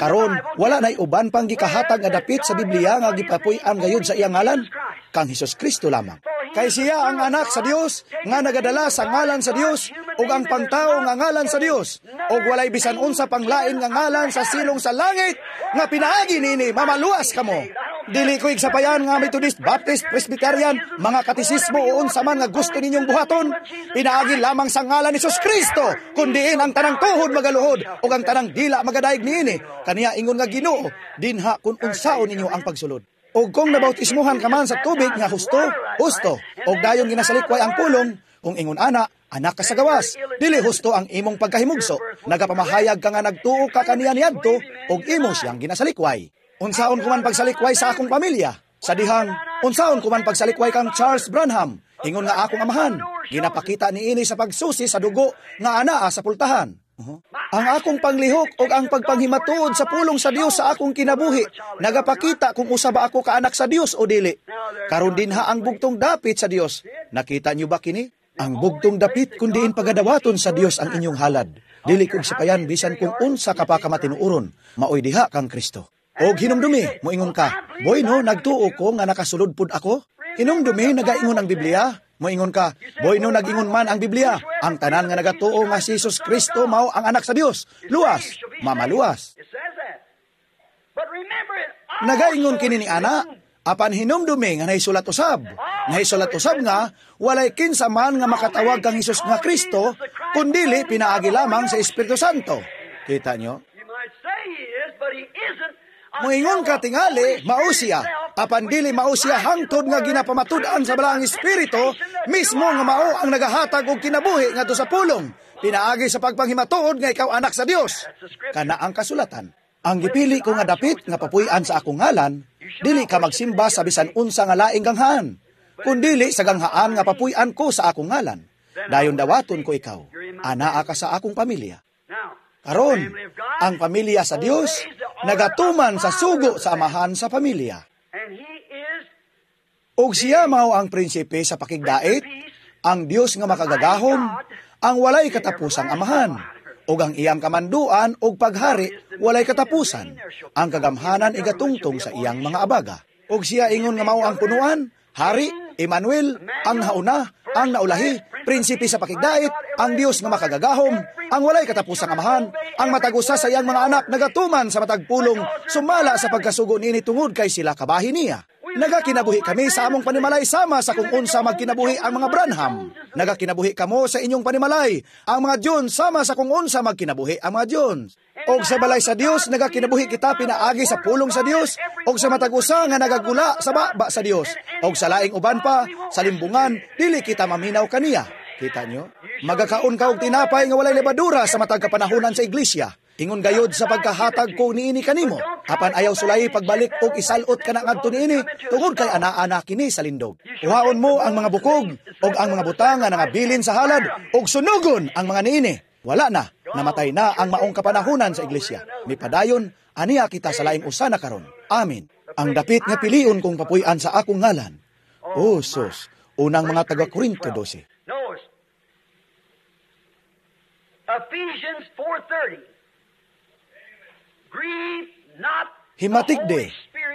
[SPEAKER 1] Karon wala nay uban pang gikahatag nga dapit sa Biblia nga gipapuy-an gayud sa iyang ngalan, kang Hesus Kristo lamang. Kay siya ang anak sa Dios nga nagadala sa ngalan sa Dios ug ang pangtao nga ngalan sa Dios ug walay bisan unsa pang lain nga ngalan sa silong sa langit nga pinaagi niini mamaluwas kamo. Dili ko igsapayan nga Methodist, Baptist, Presbyterian, mga katisismo o unsa man nga gusto ninyong buhaton. Pinaagi lamang sa ngalan ni Jesus Kristo, kun diin ang tanang tuhod magaluhod ug ang tanang dila magadayeg niini. Kaniya ingon nga Ginoo, dinha kun unsaon ninyo ang pagsulod. Og kung nabautismuhan ka man sa tubig nga husto, husto, og dayon ginasalikway ang pulong, kung ingon ana, anak ka sa gawas, dili husto ang imong pagkahimugso. Nagapamahayag ka nga nagtuo ka kaniya niadto, og imo siyang ginasalikway. Unsaon ko man pagsalikway sa akong pamilya? Sa dihang, unsaon ko man pagsalikway kang Charles Branham? Ingon nga akong amahan, ginapakita niini sa pagsusi sa dugo nga anaa sa pultahan. Uh-huh. Ang akong panglihok o ang pagpanghimatuod sa pulong sa Dios sa akong kinabuhi, nagapakita kung usa ba ako kaanak sa Dios o dili. Karon dinha ang bugtong dapit sa Dios. Nakita niyo ba kini? Ang bugtong dapit kun diin pagadawaton sa Dios ang inyong halad. Dili kog sapayan bisan kung unsa ka pa ka matinuoron, maoy diha kang Kristo. Og hinumdumi, moingon ka, boy no, nagtuo ko nga nakasulod pud ako. Hinumdumi, nagaingon ang Biblia. Moingon ka, boy no, nag-ingon man ang Biblia. Ang tanan nga nagatuo nga si Jesus Kristo mao ang anak sa Dios. Luwas, mamaluwas. Nagaingon kini ni ana, apan hinumdumi nga nahisulat usab. Nahisulat usab nga, walay kinsa man nga makatawag kang Hesus nga Kristo, kundili pinaagi lamang sa Espiritu Santo. Kita nyo? Moingon ka tingali, mao siya. Apan dili mao siya hangtod nga ginapamatud-an sa Balaang Espiritu, mismo nga mao ang nagahatag og kinabuhi ngadto sa pulong. Pinaagi sa pagpanghimatuod nga ikaw anak sa Dios. Kana ang kasulatan. Ang gipili ko nga dapit nga papuy-an sa akong ngalan, dili ka magsimba sa bisan unsa nga laing ganghaan, kundili sa ganghaan nga papuy-an ko sa akong ngalan. Dayon dawaton ko ikaw, anaa ka sa akong pamilya. Karon, ang pamilya sa Dios nagatuman sa sugo sa amahan sa pamilya. Og siya mao ang prinsipe sa pakigdait, ang Dios nga makagagahom, ang walay katapusang amahan, ug ang iyang kamanduan og paghari walay katapusan. Ang kagamhanan igatungtong sa iyang mga abaga. Og siya ingon nga mao ang punuan, hari, Emmanuel, ang hauna, ang naulahi, prinsipe sa pakigdait, ang Dios nga makagagahom, ang walay katapusang amahan, ang matag usa sa iyang mga anak nagatuman sa matag pulong, sumala sa pagkasugo niini tungod kay sila kabahin niya. Nagakinabuhi kami sa among panimalay sama sa kung unsa magkinabuhi ang mga Branham. Nagakinabuhi kamo sa inyong panimalay, ang mga Jones sama sa kung unsa magkinabuhi ang mga Jones. Og sa balay sa Dios nagakinabuhi kita pinaagi sa pulong sa Dios, og sa matag usa nga nagagula sa baba sa Dios, og sa laing uban pa sa limbungan dili kita maminaw kaniya. Kita nyo? Magakaon ka og tinapay nga walay lebadura sa matag kapanahonan sa iglesia. Ingon gayod sa pagkahatag ko niini kanimo. Apan ayaw sulayi pagbalik og isalot ka na ngadto niini tungod kay ana-ana kini sa lindog. Kuhaon mo ang mga bukog og ang mga butang nga nangabilin sa halad og sunugon ang mga niini. Wala na, namatay na ang maong kapanahonan sa iglesia. Mipadayon, aniya kita sa laing usa na karon. Amen. Ang dapit nga pilion kong papuy-an sa akong ngalan. O sus, unang mga taga Korinto dose.
[SPEAKER 2] Ephesians four thirty. Grieve not
[SPEAKER 1] Himatik de,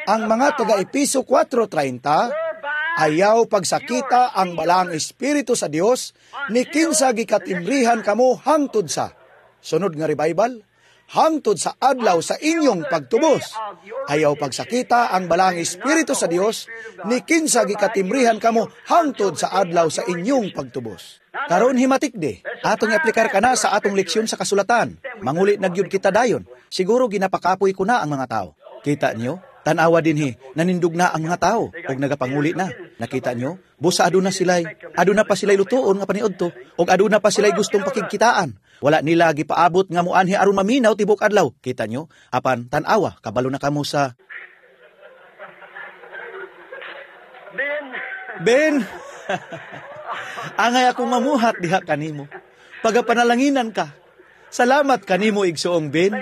[SPEAKER 1] ang mga taga-Episo four treinta, ayaw pagsakita ang Balaang Espiritu sa Dios, ni kinsa gikatimbrihan kamo hangtod sa, sunod nga revival, hangtod sa adlaw sa inyong pagtubos. Ayaw pagsakita ang Balaang Espiritu sa Dios, ni kinsa gikatimbrihan kamo hangtod sa adlaw sa inyong pagtubos. Karon himatik de, atong i-aplikar ka na sa atong leksyon sa kasulatan. Manguli na gyud kita dayon. Siguro ginapakapoy ko na ang mga tao. Kita niyo? Tanawa dinhi, nanindog na ang mga tao ug nagapanguli na. Nakita nyo? Busa aduna sila'y, aduna pa sila'y lutuon nga paniudto, ug aduna pa sila'y gustong pakigkitaan. Wala nila gipaabot nga muanhi aron maminaw tibok adlaw. Kita nyo? Apan tan-awa, kabalo na kamo sa
[SPEAKER 2] Ben,
[SPEAKER 1] Ben, angay akong mamuhat diha kanimo. Pagapanalanginan ka. Salamat kanimo, igsuong Ben.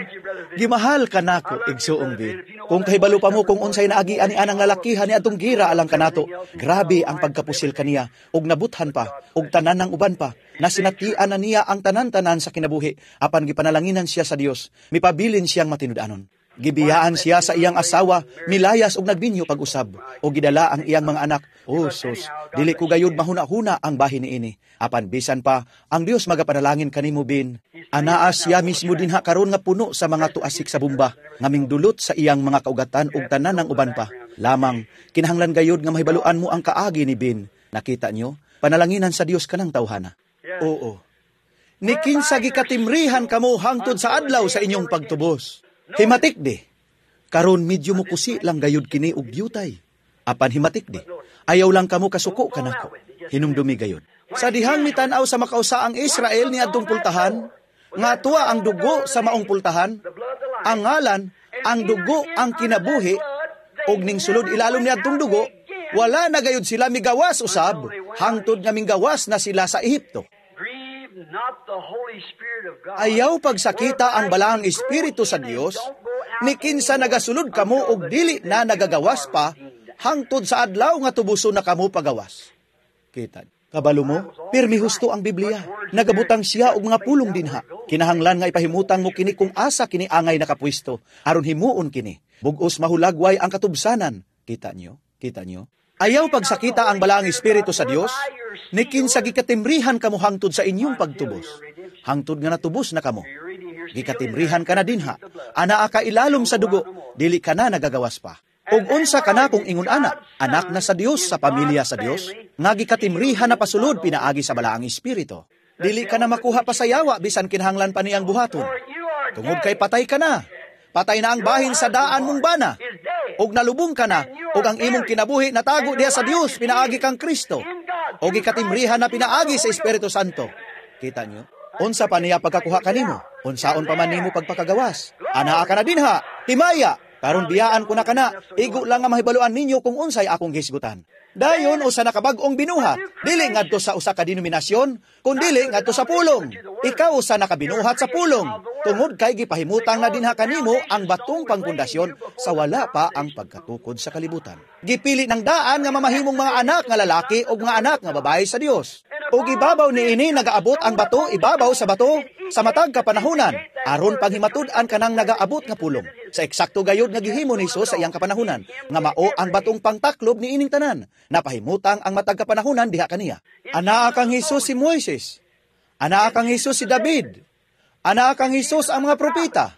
[SPEAKER 1] Gimahal ka nako, igsuong Ben. Kung kahibalo pa mo kung unsay naagi ani anang lalakihan ni atong gira alang kanato. Grabe ang pagkapusil kaniya ug nabuthan pa ug tanan ng uban pa. Nasinatian na niya ang tanan-tanan sa kinabuhi apan gipanalanginan siya sa Dios. Mipabilin siyang matinud-anon. Gibiyaan siya sa iyang asawa, milayas og nagbinyo pag-usab, o gidala ang iyang mga anak. O sus, dili ko gayud mahuna-huna ang bahin niini. Apan bisan pa, ang Dios magapanalangin kanimo, Bin. Anaa siya mismo dinha karon nga puno sa mga tuasik sa bumba, nga mingdulot sa iyang mga kaugatan ug tanan ng uban pa. Lamang, kinahanglan gayud nga mahibaluan mo ang kaagi ni Bin. Nakita nyo? Panalanginan sa Dios kanang tawhana. Oo. Ni kinsa gikatimrihan kamo hangtod sa adlaw sa inyong pagtubos. Himatik di. Karon medyo mukusi lang gayud kini og diyutay. Apan himatik di. Ayaw lang kamo kasuko kanako. Hinumdumi gayud. Sa dihang mitan-aw sa makausa ang Israel ni adtong pultahan, nga tuwa ang dugo sa maong pultahan, ang ngalan, ang dugo ang kinabuhi, og ning sulod ilalom ni adtong dugo, wala na gayud sila migawas usab, hangtod nga minggawas na sila sa Ehipto.
[SPEAKER 2] Grieve not the Holy Spirit of God.
[SPEAKER 1] Ayaw pagsakita ang balaang espiritu sa Dios, ni kinsa nagasulod kamo og dili na nagagawas pa, hangtod sa adlaw nga tubuso na kamo pagawas. Kita. Kabalo mo, pirmi husto ang Biblia. Nagabutang siya og mga pulong dinha. Kinahanglan nga ipahimutang mo kini kung asa kini angay nakapwisto, aron himuon kini. Bugos mahulagway ang katubsanan. Kita nyo? Kita nyo? Ayaw pagsakita ang balaang espiritu sa Dios, ni kinsa gikatimrihan kamo hangtod sa inyong pagtubos. Hangtod nga natubos na kamo. Gikatimrihan ka na dinha. Anaa ka ilalom sa dugo, dili ka na nagagawas pa. Ug unsa ka na kung ingon ana, anak na sa Dios sa pamilya sa Dios, nga gikatimrihan na pasulod pinaagi sa balaang espiritu. Dili ka na makuha pa sa yawa bisan kinahanglan pa niyang buhaton.
[SPEAKER 2] You are
[SPEAKER 1] Tungod kay patay ka na. Patay na ang bahin sa daan mong bana.
[SPEAKER 2] is dead.
[SPEAKER 1] Og nalubong ka na, og ang imong kinabuhi natago diha sa Dios pinaagi kang Kristo. Og gikatimrihan na pinaagi sa Espiritu Santo. Kita nyo? Unsa pa niya pagkakuha kanimo? Unsaon pa man nimo pagpakagawas? Anaa ka na dinha, himaya. Karon biyaan ko na kana, igo lang nga mahibaluan ninyo kung unsay akong hisgutan. Dayon usa na kabag-ong binuhat, dili ngadto sa usa ka denominasyon, kundili ngadto sa pulong. Ikaw usa na kabinuhat sa pulong, tungod kay gipahimutang na dinha kanimo ang batong pangpundasyon sa wala pa ang pagkatukod sa kalibutan. Gipili ng daan nga mamahimong mga anak nga lalaki o mga anak nga babae sa Dios. Ug ibabaw niini nagaabot ang bato ibabaw sa bato sa matag kapanahunan, aron panghimatud-an kanang nagaabot nga pulong. Sa eksakto gayud nga gihimo ni Hesus sa iyang kapanahunan, nga mao ang batong pangtaklob niining tanan. Napahimutang ang matag kapanahunan diha kaniya. Anaa kang Hesus si Moises. Anaa kang Hesus si David. Anaa kang Hesus ang mga propeta.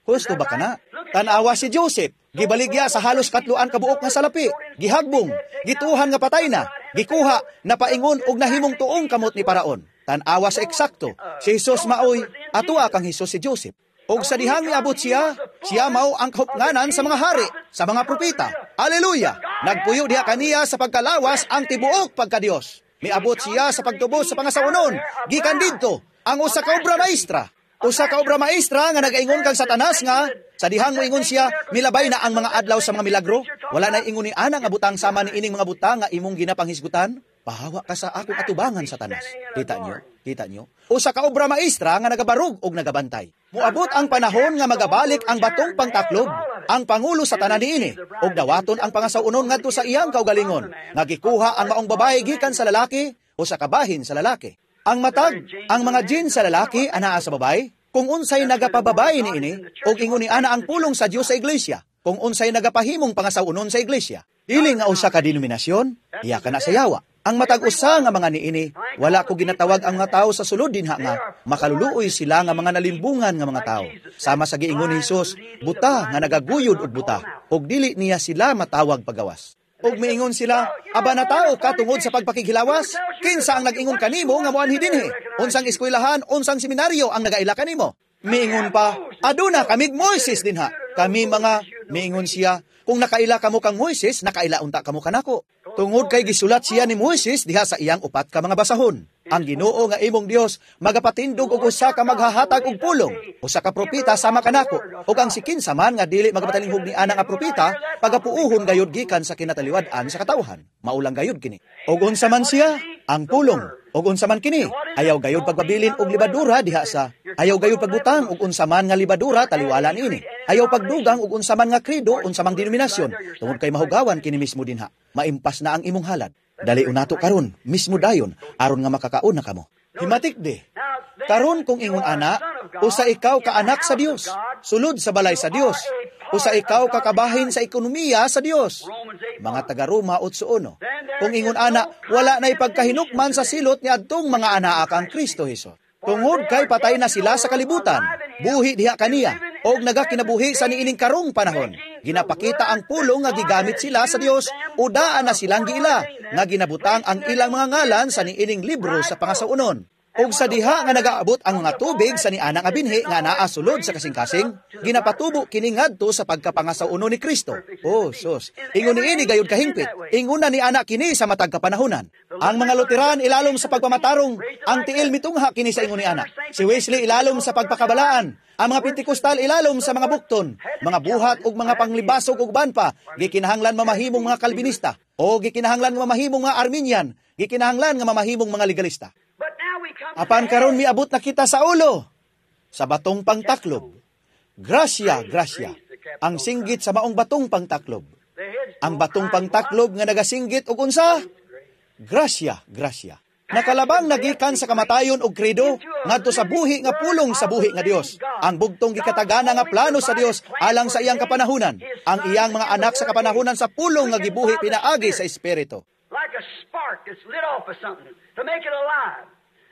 [SPEAKER 1] Husto ba kana? Tan-awa si Joseph. Gibaligya sa halos katluan kabuok nga salapi. Gihagbong, gituhan nga patay na, gikuha, napaingon og nahimong tuong kamot ni Paraon. Tan-awa sa eksakto, si Jesus maoy, atua kang Hesus si Joseph. Og sa dihang miabot siya, siya mao ang kahupnganan sa mga hari, sa mga propeta. Aleluya! Nagpuyo diha kaniya sa pagkalawas ang tibuok pagkadiyos. Miabot siya sa pagtubos sa pangasawnon, gikan didto ang usa ka obra maestra. Usa ka obra maestra nga nagaingon kang Satanas nga sa dihang moingon siya, milabay na ang mga adlaw sa mga milagro. Wala na ingon ni ana nga butang sama ni ining mga butang nga imong ginapanghisgutan. Pahawa ka sa akong atubangan, Satanas. Kita nyo? Kita nyo? Usa ka obra maestra nga nagabarug og nagabantay. Muabot ang panahon nga magabalik ang batong pangtaklob, ang pangulo sa tanan niini, og dawaton ang pangasawunon ngadto sa iyang kaugalingon, nga gikuha ang maong babae gikan sa lalaki o sa kabahin sa lalaki. Ang matag, ang mga jin sa lalaki anaa sa babae, kung unsay nagapababay niini, og ingon ni ana ang pulong sa Dios sa iglesia, kung unsay nagapahimong pangasawunon sa iglesia. Dili nga usa ka denominasyon, iya ka na sa yawa. Ang matag usa nga mga niini, wala ko ginatawag ang mga tao sa sulod dinha nga makaluluoy sila nga mga nalimbungan nga mga tao. Sama sa giingon ni Hesus, buta nga nagaguyod og buta, og dili niya sila matawag pagawas. Og miingon sila, aba na tao ka tungod sa pagpakighilawas? Kinsa ang nag-ingon kanimo nga moanhi dinhi? Unsang eskwelahan, unsang seminaryo ang nagaila kanimo? Miingon pa, aduna kamig Moises dinha. Kami mga, miingon siya, kung nakaila kamo kang Moises, nakaila unta kamo kanako. Tungod kay gisulat siya ni Moises diha sa iyang upat ka mga basahon. Ang Ginoo nga imong Dios magapatindog og usa ka maghahatag og pulong, usa ka propeta sama kanako. Ug ang si kinsa man nga dili magapatalinghog ni ana nga propeta, pagapuuhon gayud gikan sa kinataliwad-an sa katawhan. Maulang gayud kini. Og unsa man siya? Ang pulong. Og unsa man kini? Ayaw gayud pagpabilin og libadura diha sa ayaw gayud pagbutang og unsa man nga libadura taliwala niini. Ayaw pagdugang og unsa man nga kredo, unsa mang denominasyon, tungod kay mahugawan kini mismo dinha. Maimpas na ang imong halad. Dali unato karon, mismo dayon, aron nga makakaon na kamo. Himatik di. Karon kung ingon ana, usa ikaw ka anak sa Dios, sulod sa balay sa Dios. Usa ikaw kakabahin sa ekonomiya sa Dios. Mga taga Roma otso uno. Kung ingon ana, wala na'y pagkahinukman sa silot ni adtong mga anaa kang Kristo Hesus. Tungod kay patay na sila sa kalibutan, buhi diha kaniya, og nagakinabuhi sa niining karong panahon. Ginapakita ang pulong nga gigamit sila sa Dios, udaan na silang giila, nga ginabutang ang ilang mga ngalan sa niining libro sa pangasaunon. Og sa diha nga nagaabot ang mga tubig sa niana nga binhi nga naa sulod sa kasing-kasing, ginapatubo kini ngadto sa pagkapangasaunon ni Kristo. Oh, sus. Ingon niini gayud kahingpit. Ingon na ni ana kini sa matag kapanahonan. Ang mga Lutheran ilalom sa pagpamatarong, ang tiil mitungha kini sa ingon ni ana. Si Wesley ilalom sa pagpakabalaan. Ang mga Pentecostal ilalom sa mga bukton, mga buhat ug mga panglibasog ug uban pa, gikinahanglan mamahimong mga Calvinista o gikinahanglan mamahimong mga Arminian, gikinahanglan nga mamahimong mga legalista. Apan karon miabot na kita sa ulo, sa batong pangtaklob. Grasya, grasya, ang singgit sa maong batong pangtaklob. Ang batong pangtaklob nga nagasinggit og unsa? Grasya, grasya. Nakalabang nagikan sa kamatayon og kredo ngadto sa buhi nga pulong sa buhi nga Dios. Ang bugtong gikatagana nga plano sa Dios alang sa iyang kapanahunan. Ang iyang mga anak sa kapanahunan sa pulong nga gibuhi pinaagi sa Espiritu.
[SPEAKER 2] Like a spark that's lit off of something to make it alive.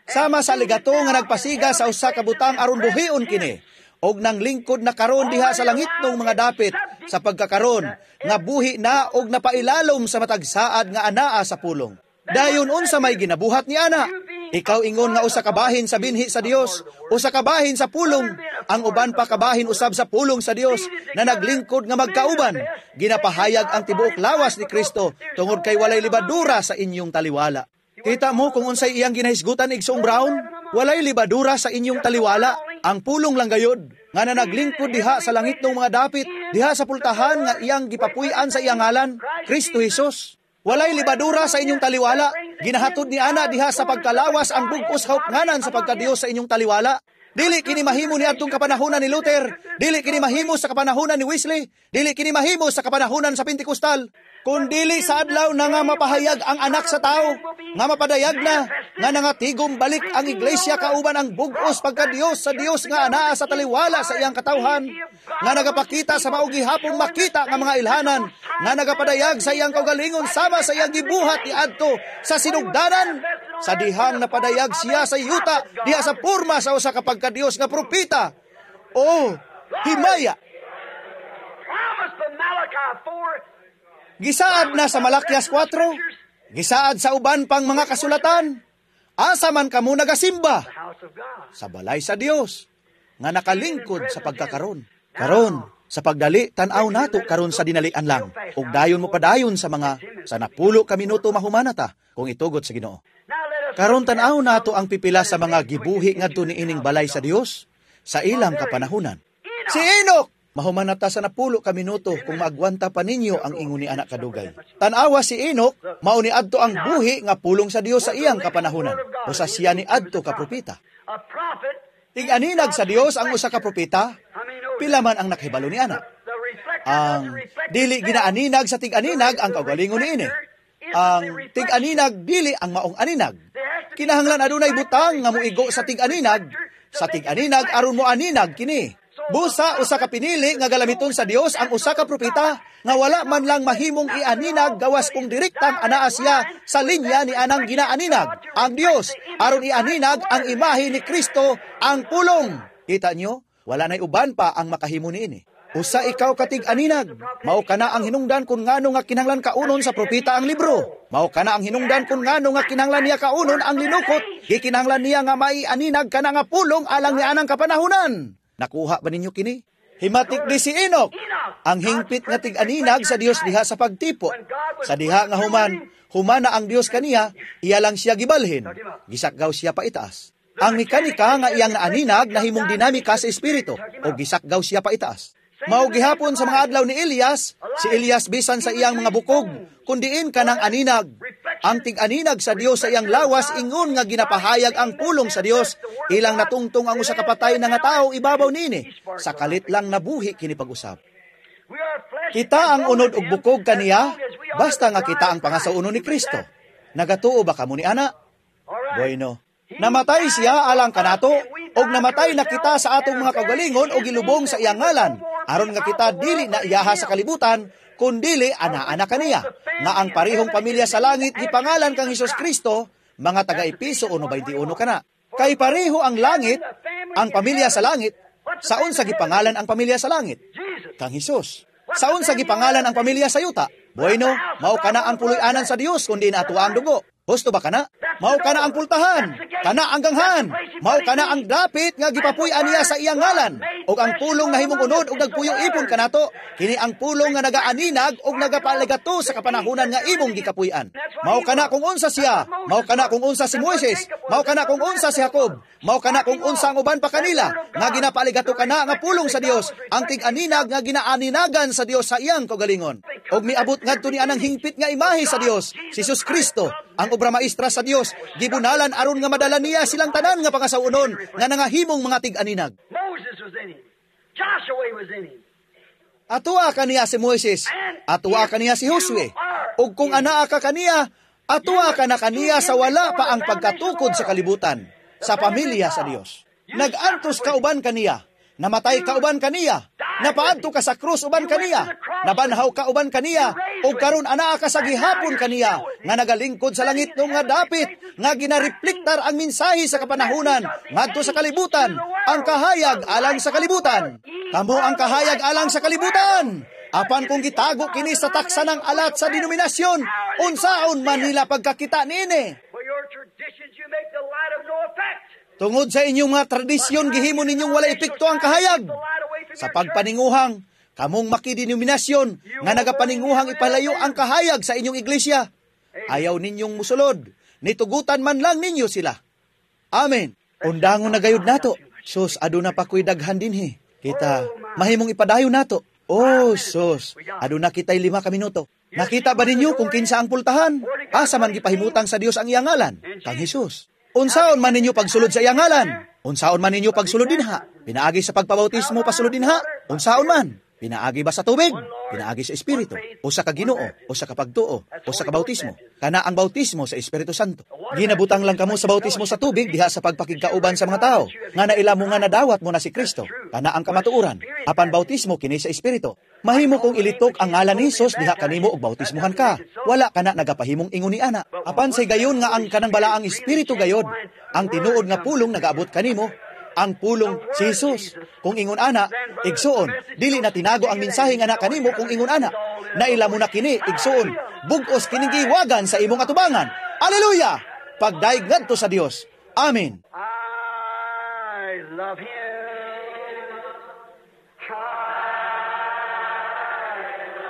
[SPEAKER 1] Sama sa ligato nga nagpasiga sa usa ka butang aron buhion kini, og nang lingkod na karon diha sa langitnong mga dapit sa pagkakaron nga buhi na og napailalom sa matag saad nga anaa sa pulong. Dayon unsa may ginabuhat ni ana? Ikaw ingon nga usa ka bahin sa binhi sa Dios, usa ka bahin sa pulong, ang uban pa kabahin usab sa pulong sa Dios na naglingkod nga magkauban. Ginapahayag ang tibuok lawas ni Kristo tungod kay walay libadura sa inyong taliwala. Kita mo kung unsay iyang ginahisgutan, Igsoong Brown? Walay libadura sa inyong taliwala. Ang pulong lang gayod nga na naglingkod diha sa langit ng mga dapit, diha sa pultahan nga iyang gipapuy-an sa iyang ngalan, Kristo Jesus. Walay libadura sa inyong taliwala. Ginahatod ni ana diha sa pagkalawas ang bug-os kaupnganan sa pagkadiyos sa inyong taliwala. Dili kini mahimo ni adtong kapanahonan ni Luther, dili kini mahimo sa kapanahonan ni Wesley, dili kini mahimo sa kapanahonan sa Pentecostal. Kun dili sa adlaw na nga mapahayag ang anak sa tao, nga mapadayag na, nga nangatigom balik ang iglesia kauban ang bug-os pagkadiyos sa Dios nga anaa sa taliwala sa iyang katawhan, nga nagapakita sa mao gihapong makita nga mga ilhanan, nga nagapadayag sa iyang kaugalingon sama sa iyang gibuhat ni adto sa sinugdanan, sa dihang napadayag siya sa yuta, diha sa porma sa usa ka pagkadiyos nga propeta. Oh, himaya!
[SPEAKER 2] Promised by Malachi four.
[SPEAKER 1] Gisaad na sa Malakias kwatro, gisaad sa uban pang mga kasulatan. Asa man kamo nagasimba?
[SPEAKER 2] The house of God.
[SPEAKER 1] Sa balay sa Dios, nga nakalingkod sa pagkakaron. Karon, sa pagdali, tan-aw nato karon sa dinalian lang. Ug dayon mo padayon sa mga sa napulo ka minuto mahumana ta kung itugot sa Ginoo.
[SPEAKER 2] Now let us
[SPEAKER 1] Karon tan-aw nato ang pipila sa mga gibuhi ngadto niining balay sa Dios sa ilang kapanahunan. Si Enoch! Mahuman na ta sa napulo ka minuto kung maagwanta pa ninyo ang ingon ni anak kadugay. Tan-awa si Enoch, mao ni adto ang buhi nga pulong sa Dios sa iyang kapanahunan. Usa siya ni adto ka propeta.
[SPEAKER 2] A prophet.
[SPEAKER 1] Tig-aninag sa Dios ang usa ka propeta,
[SPEAKER 2] How many know
[SPEAKER 1] pila man ang nakahibalo ni ana.
[SPEAKER 2] the reflector
[SPEAKER 1] Ang
[SPEAKER 2] doesn't reflect
[SPEAKER 1] dili
[SPEAKER 2] itself.
[SPEAKER 1] ginaaninag sa tig-aninag ang kaugalingon niini. Ang tig-aninag dili ang maong aninag. Kinahanglan adunay butang nga moigo sa tig-aninag, sa tig-aninag aron mo aninag kini. Busa usa ka pinili nga galamiton sa Dios ang usa ka propeta nga wala man lang mahimong ianinag gawas kung direktang anaa siya sa linya ni anang ginaaninag ang Dios aron ianinag ang imahe ni Kristo ang pulong. Kita nyo? Wala na'y uban pa ang makahimo niini. Usa ikaw katig aninag, mao kana ang hinungdan kung ngano nga kinahanglan kaunon sa propeta ang libro. Mao kana ang hinungdan kung ngano nga kinahanglan niya kaunon ang linukot. Gikinahanglan niya nga maianinag kana nga pulong alang ni anang kapanahunan. Nakuha ba ninyo kini? Himatik di si Enoch, ang hingpit nga tig-aninag sa Dios diha sa pagtipo. Sa diha nga human, humana ang Dios kaniya, iya lang siya gibalhin. Gisakgaw siya pa itaas. Ang mekanika nga iyang naaninag nahimong dinamika sa espiritu o gisakgaw siya pa itaas. Mao gihapon sa mga adlaw ni Elias, si Elias bisan sa iyang mga bukog, kundiin kanang aninag. Ang tig-aninag sa Dios sa iyang lawas ingon nga ginapahayag ang pulong sa Dios, ilang natungtong ang usa ka patay na nga tawo ibabaw niini. Sa kalit lang nabuhi kini pag-usab. Kita ang unod og bukog kaniya, basta nga kita ang pangasaunon ni Kristo. Nagatuo ba kamo ni ana? Bueno. Namatay siya alang kanato, og namatay na kita sa atong mga kagalingon og gilubong sa iyang ngalan, aron nga kita dili na iyaha sa kalibutan, kundili ana-ana kaniya, nga ang parihong pamilya sa langit gipangalan kang Hesus Kristo, mga taga-Epeso one twenty-one kana. Kay pareho ang langit, ang pamilya sa langit, saon sa gipangalan ang pamilya sa langit? Kang Hesus. Saon sa gipangalan ang pamilya sa yuta? Bueno, mao kana ang puloy-anan sa Dios kundi na ato ang dugo. Husto ba kana? Mao kana ang pultahan, kana ang ganghan, mao kana ang dapit nga gipapuy-an niya sa iyang ngalan. Og ang pulong nahimong unod og nagpuyo ipon kanato, kini ang pulong nga nagaaninag og nagapaligato sa kapanahunan nga imong gikapuy-an. Mao kana kung unsa siya, mao kana kung unsa si Moises, mao kana kung unsa si Jacob, mao kana kung unsa ang uban pa kanila nga ginapaligato kana nga pulong sa Dios, ang tig-aninag nga ginaaninagan sa Dios sa iyang kaugalingon. Og miabot ngadto ni anang hingpit nga imahe sa Dios, si Jesus Kristo, ang obra maestra sa Dios, gibunalan aron nga madala niya silang tanan nga pangasaunon nga nangahimong mga tig-aninag.
[SPEAKER 2] Moses was in him. Joshua was in him.
[SPEAKER 1] Atuwa kaniya si Moises, atuwa kaniya si Josue. Ug kung anaa ka kaniya, atuwa ka na kaniya sa wala pa ang pagkatukod sa kalibutan, sa pamilya sa Dios. Nag-antos ka uban kaniya, namatay ka uban kaniya, napaadto ka sa krus uban kaniya, nabanhaw ka uban kaniya, ug karon anaa ka sa gihapon kaniya, nga nagalingkod sa langit nung nga dapit, nga ginareflektar ang mensahe sa kapanahunan ngadto sa kalibutan, ang kahayag alang sa kalibutan. Kamo ang kahayag alang sa kalibutan. Apan kung gitago kini sa taksa ng alat sa denominasyon, unsaon man nila pagkakita niini? Tungod sa inyong mga tradisyon, gihimo ninyong wala epekto ang kahayag. Sa pagpaninguhang, kamong makidenominasyon nga nagapaninguhang ipalayo ang kahayag sa inyong iglesia. Ayaw ninyong musulod, nitugutan man lang ninyo sila. Amen. Undangon na gayud nato. Sus, aduna pa ko'y daghan dinhi. Kita, mahimong ipadayon nato. Oh, sus, aduna kita'y lima ka minuto. Nakita ba ninyo kung kinsa ang pultahan? Asa man gipahimutang sa Dios ang iyang ngalan? Kang Hesus. Unsaon man ninyo pagsulod sa iyang ngalan? Unsaon man ninyo pagsulod dinha? Pinaagi sa pagpabautismo pasulod dinha? Unsaon man? Pinaagi ba sa tubig? Pinaagi sa Espiritu? O sa kaginoo? O sa kapagtuo? O sa kabautismo? Kana ang bautismo sa Espiritu Santo. Ginabutang lang kamo sa bautismo sa tubig diha sa pagpakigkauban sa mga tao. Nga naila mo nga nadawat mo na si Kristo. Kana ang kamatuoran. Apan bautismo kini sa Espiritu. Mahimo kong ilitok ang ngalan ni Hesus diha kanimo og bautismohan ka. Wala kana nagapahimong ingon ni ana. Apan say gayon nga ang kanang balaang Espiritu gayod, ang tinuod nga pulong nagaabot kanimo, ang pulong si Jesus. Kung ingon ana, igsuon, dili na tinago ang mensahe nga na kanimo kung ingon ana. Naila mo na kini, igsuon, bug-os kining giwagan sa imong atubangan. Aleluya! Pagdaig ngadto sa Dios. Amen.
[SPEAKER 2] I love him. I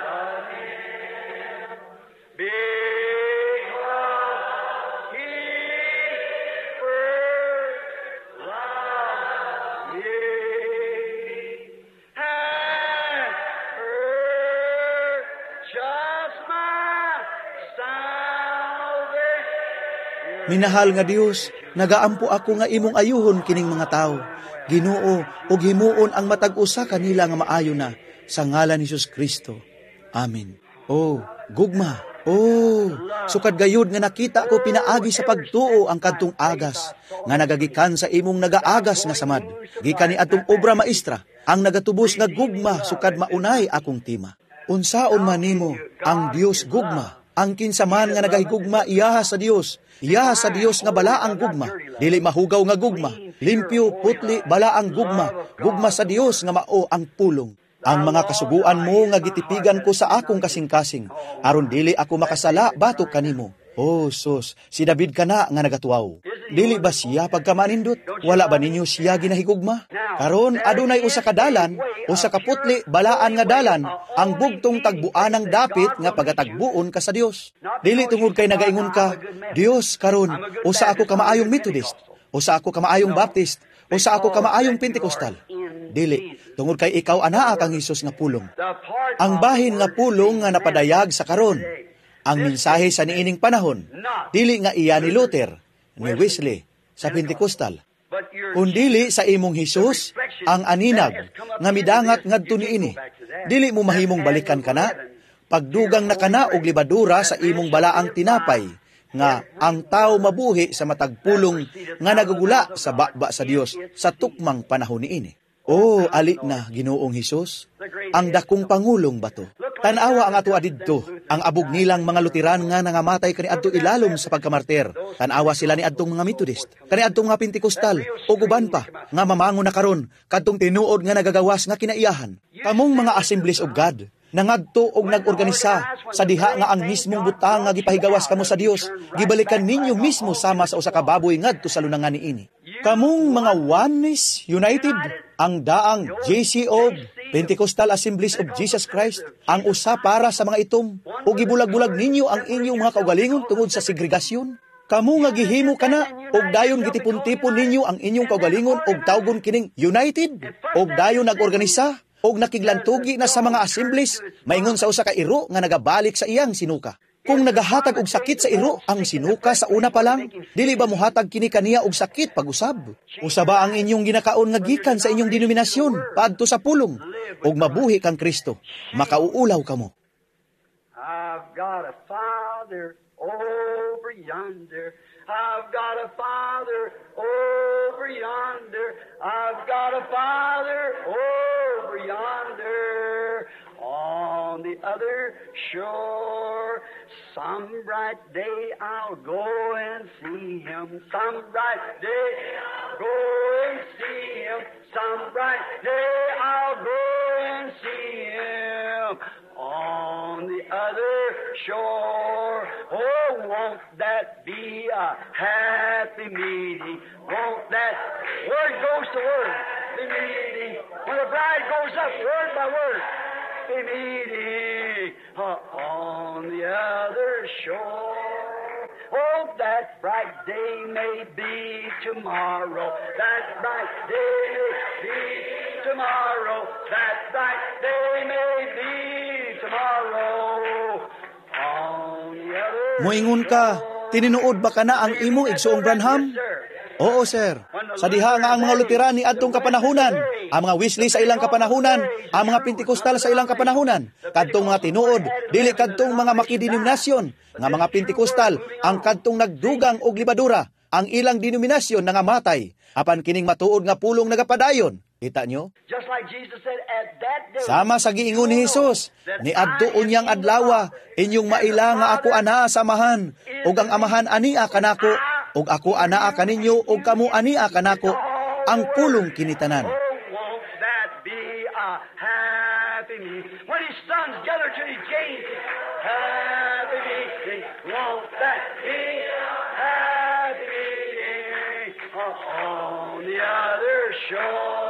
[SPEAKER 2] love him. Because he first loved me and purchased my salvation.
[SPEAKER 1] Minahal nga Dios, nagaampo ako nga imong ayuhon kining mga tao. Ginoo, ug himuon ang matag usa kanila nga maayo na sa ngalan ni Hesus Kristo. Amen. Oh, gugma. Oh, sukad gayud nga nakita ko pinaagi sa pagtuo ang kadtong agas nga nagagikan sa imong nagaagas nga samad. Gikan ni atong obra maestra, ang nagatubos nga gugma sukad maunay akong tima. Unsaon man nimo ang Dios gugma? Ang kinsaman nga nagahigugma iyaha sa Dios. Iyaha sa Dios nga bala ang gugma. Dili mahugaw nga gugma. Limpyo, putli, bala ang gugma. Gugma sa Dios nga mao ang pulong. Ang mga kasuguan mo nga gitipigan ko sa akong kasing-kasing, aron dili ako makasala batok kanimo. Oh, sus, si David kana nga nagatuaw. Dili ba siya pagkamanindot? Wala ba ninyo siya ginahigugma? Karon adunay usa ka dalan, usa ka putli balaan nga dalan, ang bugtong tagbuanang dapit nga pagatagbuon ka sa Dios. Dili tungod kay nagaingon ka, Dios karon usa ako ka maayong Methodist, usa ako ka maayong Baptist, usa ako ka maayong Pentecostal. Dili, tungod kay ikaw anaa kang Hesus nga pulong. Ang bahin nga pulong nga napadayag sa karon, ang mensahe sa niining panahon, dili nga iya ni Luther, ni Wesley, sa Pentecostal, kundili sa imong Hesus, ang aninag, nga midangat ngadto niini. Dili mo mahimong balikan kana, pagdugang na kana og libadura sa imong balaang tinapay, nga ang tao mabuhi sa matag pulong nga nagugula sa baba sa Dios sa tukmang panahon niini. Oh, ali na, Ginoong Hesus, ang dakong pangulong bato. Tanawa ang ato adidto, ang abog nilang mga Luteran nga nangamatay kaniadto ilalom sa pagkamartir. Tanawa sila ni adtong mga Methodist, kaniadtong mga Pentecostal, o guban pa, nga mamangon na karon, kadtong tinuod nga nagagawas nga kinaiyahan. Kamong mga Assemblies of God, nangadto og nagorganisa sa diha nga ang mismong butang nga gipahigawas kamo sa Dios, gibalikan ninyo mismo sama sa usa ka baboy ngadto sa lunangan niini. Kamong mga Oneness United, ang daang J C O, Pentecostal Assemblies of Jesus Christ, ang usa para sa mga itom, o gibulag-bulag ninyo ang inyong mga kaugalingon tungod sa segregasyon. Kamo nga gihimo kana, og dayon gitipon-tipon ninyo ang inyong kaugalingon og tawgon kining United, og dayon nagorganisa, og nakiglantugi na sa mga assemblies, maingon sa usa ka iro nga nagabalik sa iyang sinuka. Kung nagahatag og sakit sa iro ang sinuka sa una pa lang, dili ba mohatag kini kaniya og sakit pag-usab? Usa ba ang inyong ginakaon nga gikan sa inyong denominasyon padto sa pulong og mabuhi kang Kristo, makauulaw kamo.
[SPEAKER 2] I've got a father over yonder. I've got a father over yonder. I've got a father over yonder. On the other shore, some bright day I'll go and see him. Some bright day I'll go and see him. Some bright day I'll go and see him. On the other shore. Oh, won't that be a happy meeting? Won't that word goes to word be meeting? When the bride goes up, word by word, be meeting on the other shore. Oh, that bright day may be tomorrow. That bright day may be tomorrow. That bright day may be tomorrow. On the other
[SPEAKER 1] Moingon ka, tininuod ba kana ang imong igsuong Branham? Oo, sir. Sa diha nga ang mga Luteran ni adtong kapanahunan, ang mga Wesley sa ilang kapanahunan, ang mga Pentecostal sa ilang kapanahunan, kadtong mga tinuod, dili kadtong mga makidenominasyon, nga mga Pentecostal, ang kadtong nagdugang og libadura, ang ilang denominasyon nangamatay, apan kining matuod nga pulong nagapadayon. Kita nyo?
[SPEAKER 2] Just like Jesus said, at that day,
[SPEAKER 1] Sama sa giingon ni Hesus, ni adto unyang adlawa, inyong maila nga ako anaa sa amahan, ug ang amahan ania kanako, ug ako anaa kaninyo, ug kamo ania kanako, ang pulong kinitanan.
[SPEAKER 2] Oh, won't that be a happy meeting? When his sons gather to his gate, happy meeting. Won't that be a happy meeting? On the other shore.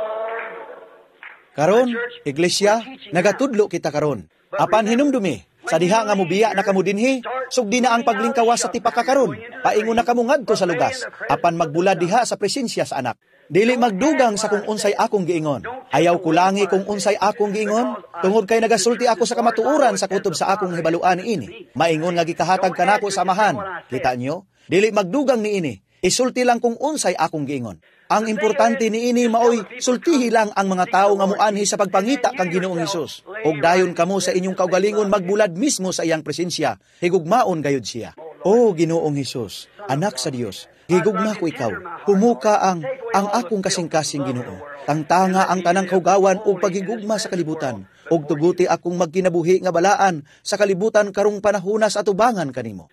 [SPEAKER 1] Karon, iglesia, nagatudlo kita karon. Apan hinumdumi, sa diha nga mubiya na kamo dinhi, sugdi na ang paglingkawas sa tipaka karon. Paingon na kamo ngadto sa lugas, apan magbulad diha sa presensya sa anak. Dili magdugang sa kung unsay akong giingon. Ayaw kulangi kung unsay akong giingon, tungod kay nagasulti ako sa kamatuoran sa kutob sa akong hibaluan niini. Maingon nga gikahatag kanako sa amahan. Kita nyo? Dili magdugang niini. Isulti lang kung unsay akong giingon. Ang importante niini maoy sultihi lang ang mga tawo nga muanhi sa pagpangita kang Ginoong Hesus. Og dayon kamo sa inyong kaugalingon magbulad mismo sa iyang presensya. Higugmaon gayud siya. O Ginoong Hesus, anak sa Dios, higugma ko ikaw. Humuka ang ang akong kasing-kasing Ginoo. Tangtanga ang tanang kaugawan ug paghigugma sa kalibutan. Ug tuguti akong magkinabuhi nga balaan sa kalibutan karong panahona sa atubangan kanimo.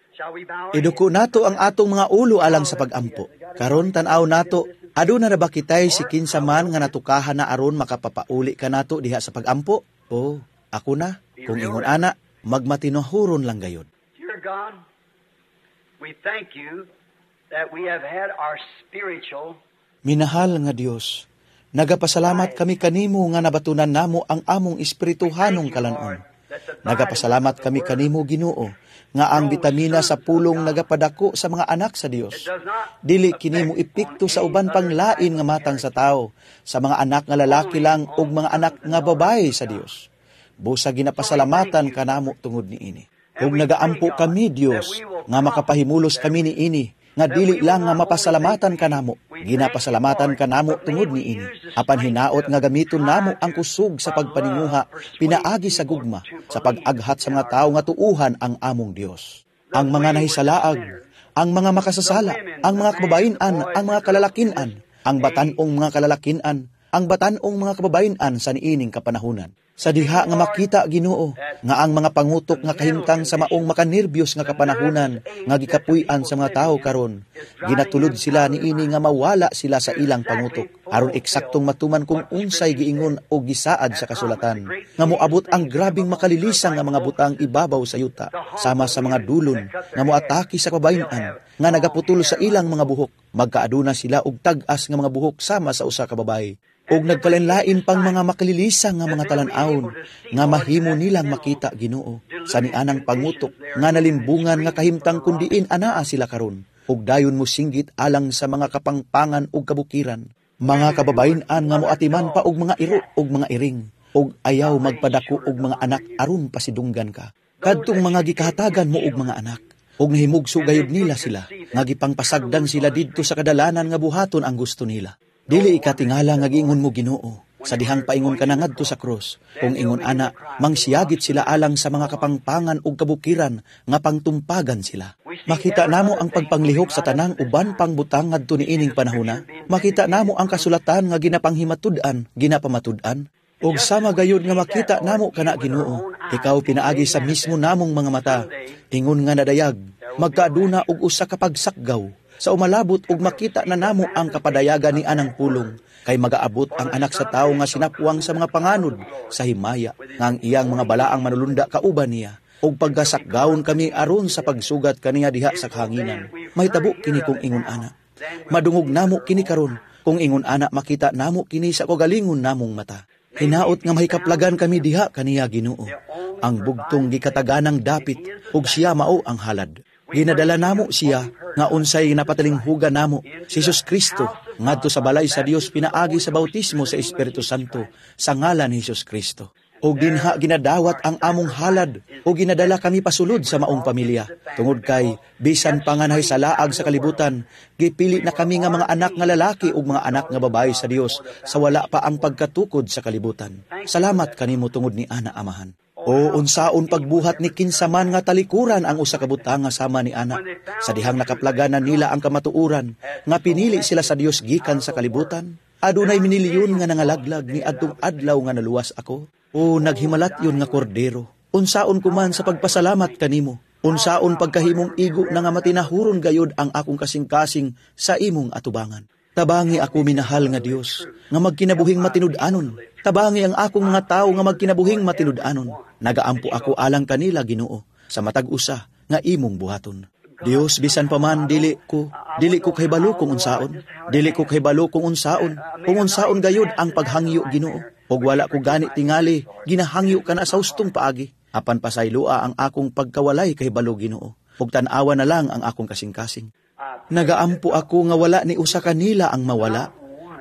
[SPEAKER 1] Iduko nato ang atong mga ulo alang sa pagampo. Karon tan-aw nato, aduna na ba kitay si kinsa man nga natukahan na aron makapapauli ka nato diha sa pagampo? Oh, ako na. Kung ingon ana, magmatinahuron lang gayod.
[SPEAKER 2] Dear God, we thank you that we have had our spiritual
[SPEAKER 1] Minahal nga Dios, nagapasalamat kami kanimo nga nabatunan namo ang among espirituhanong kalan-on. Nagapasalamat kami kanimo, Ginoo, nga ang bitamina sa pulong nagapadako sa mga anak sa Dios. Dili kini mo epekto sa uban pang lain nga matang sa tao, sa mga anak nga lalaki lang ug mga anak nga babae sa Dios. Busa ginapasalamatan kanamo tungod niini. Ug nagaampo kami, Dios, nga makapahimulos kami niini, nga dili lang nga mapasalamatan kanamo, ginapasalamatan kanamo tungod niini. Apan hinaot nga gamiton namo ang kusog sa pagpaninguha, pinaagi sa gugma, sa pag-aghat sa mga tawo nga tuuhan ang among Dios. Ang mga nahisalaag, ang mga makasasala, ang mga kababayen-an, ang mga kalalakinan, ang batan-ong mga kalalakinan, ang batan-ong mga kababayen-an sa niining kapanahunan. Sa diha nga makita, Ginoo, nga ang mga pangutok nga kahimtang sa maong makanerbiyos nga kapanahunan nga gikapuy-an sa mga tawo karon, ginatulod sila niini nga mawala sila sa ilang pangutok aron eksaktong matuman kung unsay giingon o gisaad sa kasulatan nga moabot ang grabing makalilisang nga mga butang ibabaw sa yuta sama sa mga dulon nga moatake sa kababayen-an nga nagaputol sa ilang mga buhok, magkaaduna sila og tag-as nga mga buhok sama sa usa ka babayi. Og nagkalain-lain pang mga makalilisang nga mga talan-awon nga mahimo nilang makita, Ginoo, sa nianang pangutok nga nalimbungan nga kahimtang kundiin anaa sila karon, ug dayon mo singgit alang sa mga kapangpangan ug kabukiran, mga kababayen-an nga moatiman pa og mga iro ug mga iring, ug ayaw magpadako og mga anak aron pasidunggan ka. Kadtong mga gikahatagan mo og mga anak, ug nahimugso gayud nila sila, nga gipangpasagdan sila didto sa kadalanan nga buhaton ang gusto nila. Dili ikatingala nga giingon mo, Ginoo, sa dihang paingon ka na ngadto sa krus. Kung ingon ana, mangsiyagit sila alang sa mga kapangpangan ug kabukiran nga pangtumpagan sila. Makita namo ang pagpanglihok sa tanang uban pang butang ngadto niining panahona. Makita namo ang kasulatan nga ginapanghimatud-an, ginapamatud-an. Ug sama gayud nga makita namo kana, Ginoo, ikaw pinaagi sa mismo namong mga mata. Ingon nga nadayag, magkaaduna og usa ka pagsakgaw sa umalabot ug makita na namo ang kapadayagan ni anang pulong, kay magaabot ang anak sa tawo nga sinapwang sa mga panganod sa himaya, nga ang iyang mga balaang manulunda kauban niya, ug pagkasakgawon kami aron sa pagsugat kaniya diha sa kahanginan. Mahitabo kini kung ingon ana. Madungog namo kini karon kung ingon ana, makita namo kini sa kagalingon namong mata. Hinaot nga mahikaplagan kami diha kaniya, Ginoo, ang bugtong gikataganang dapit, ug siya mao ang halad. Ginadala namo siya nga unsay napatalinghugan namo si Jesus Kristo ngadto sa balay sa Dios pinaagi sa bautismo sa Espiritu Santo sa ngalan ni Jesus Kristo. Og dinha ginadawat ang among halad o ginadala kami pasulod sa maong pamilya. Tungod kay bisan pa nga nahisalaag sa kalibutan, gipili na kami nga mga anak nga lalaki ug mga anak nga babayi sa Dios sa wala pa ang pagkatukod sa kalibutan. Salamat kanimo tungod ni ana, Amahan. O unsaon pagbuhat ni kinsaman nga talikuran ang usa ka butang nga sama ni ana, sa dihang nakaplaganan nila ang kamatuoran nga pinili sila sa Dios gikan sa kalibutan. Adunay minilyon nga nangalaglag ni adtong adlaw nga naluwas ako. O naghimalat yun nga kordero, unsaon ko man sa pagpasalamat kanimo, unsaon pagkahimong igo na nga matinahuron gayod ang akong kasing-kasing sa imong atubangan. Tabangi ako, minahal nga Dios, nga magkinabuhing matinud-anon. Tabangi ang akong mga tawo nga magkinabuhing matinud-anon. Nagaampo ako alang kanila, Ginoo, sa matag usa nga imong buhaton. Dios, bisan pa man dili ko, dili ko kahibalo kung unsaon. Dili ko kahibalo kung unsaon. Kung unsaon gayud ang paghangyo, Ginoo. Ug wala ko gani tingali, ginahangyo ka na sa hustong paagi. Apan pasayloa ang akong pagkawalay kahibalo, Ginoo. Ug tan-awa na lang ang akong kasing-kasing. Nagaampo ako nga wala ni usa kanila ang mawala,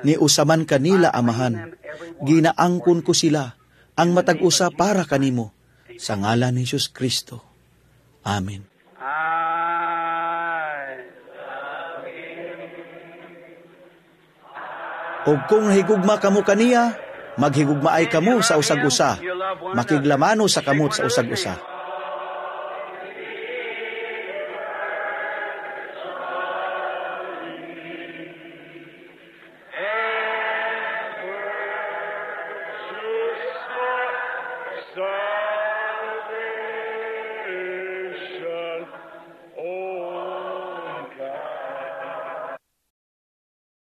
[SPEAKER 1] ni usa man kanila, Amahan. Ginaangkon ko sila, ang matag usa para kanimo, sa ngalan ni Jesus Kristo. Amen. Og kung higugma kamo kaniya, maghigugmaay kamo sa usag-usa, makiglamano sa kamot sa usag-usa.
[SPEAKER 3] So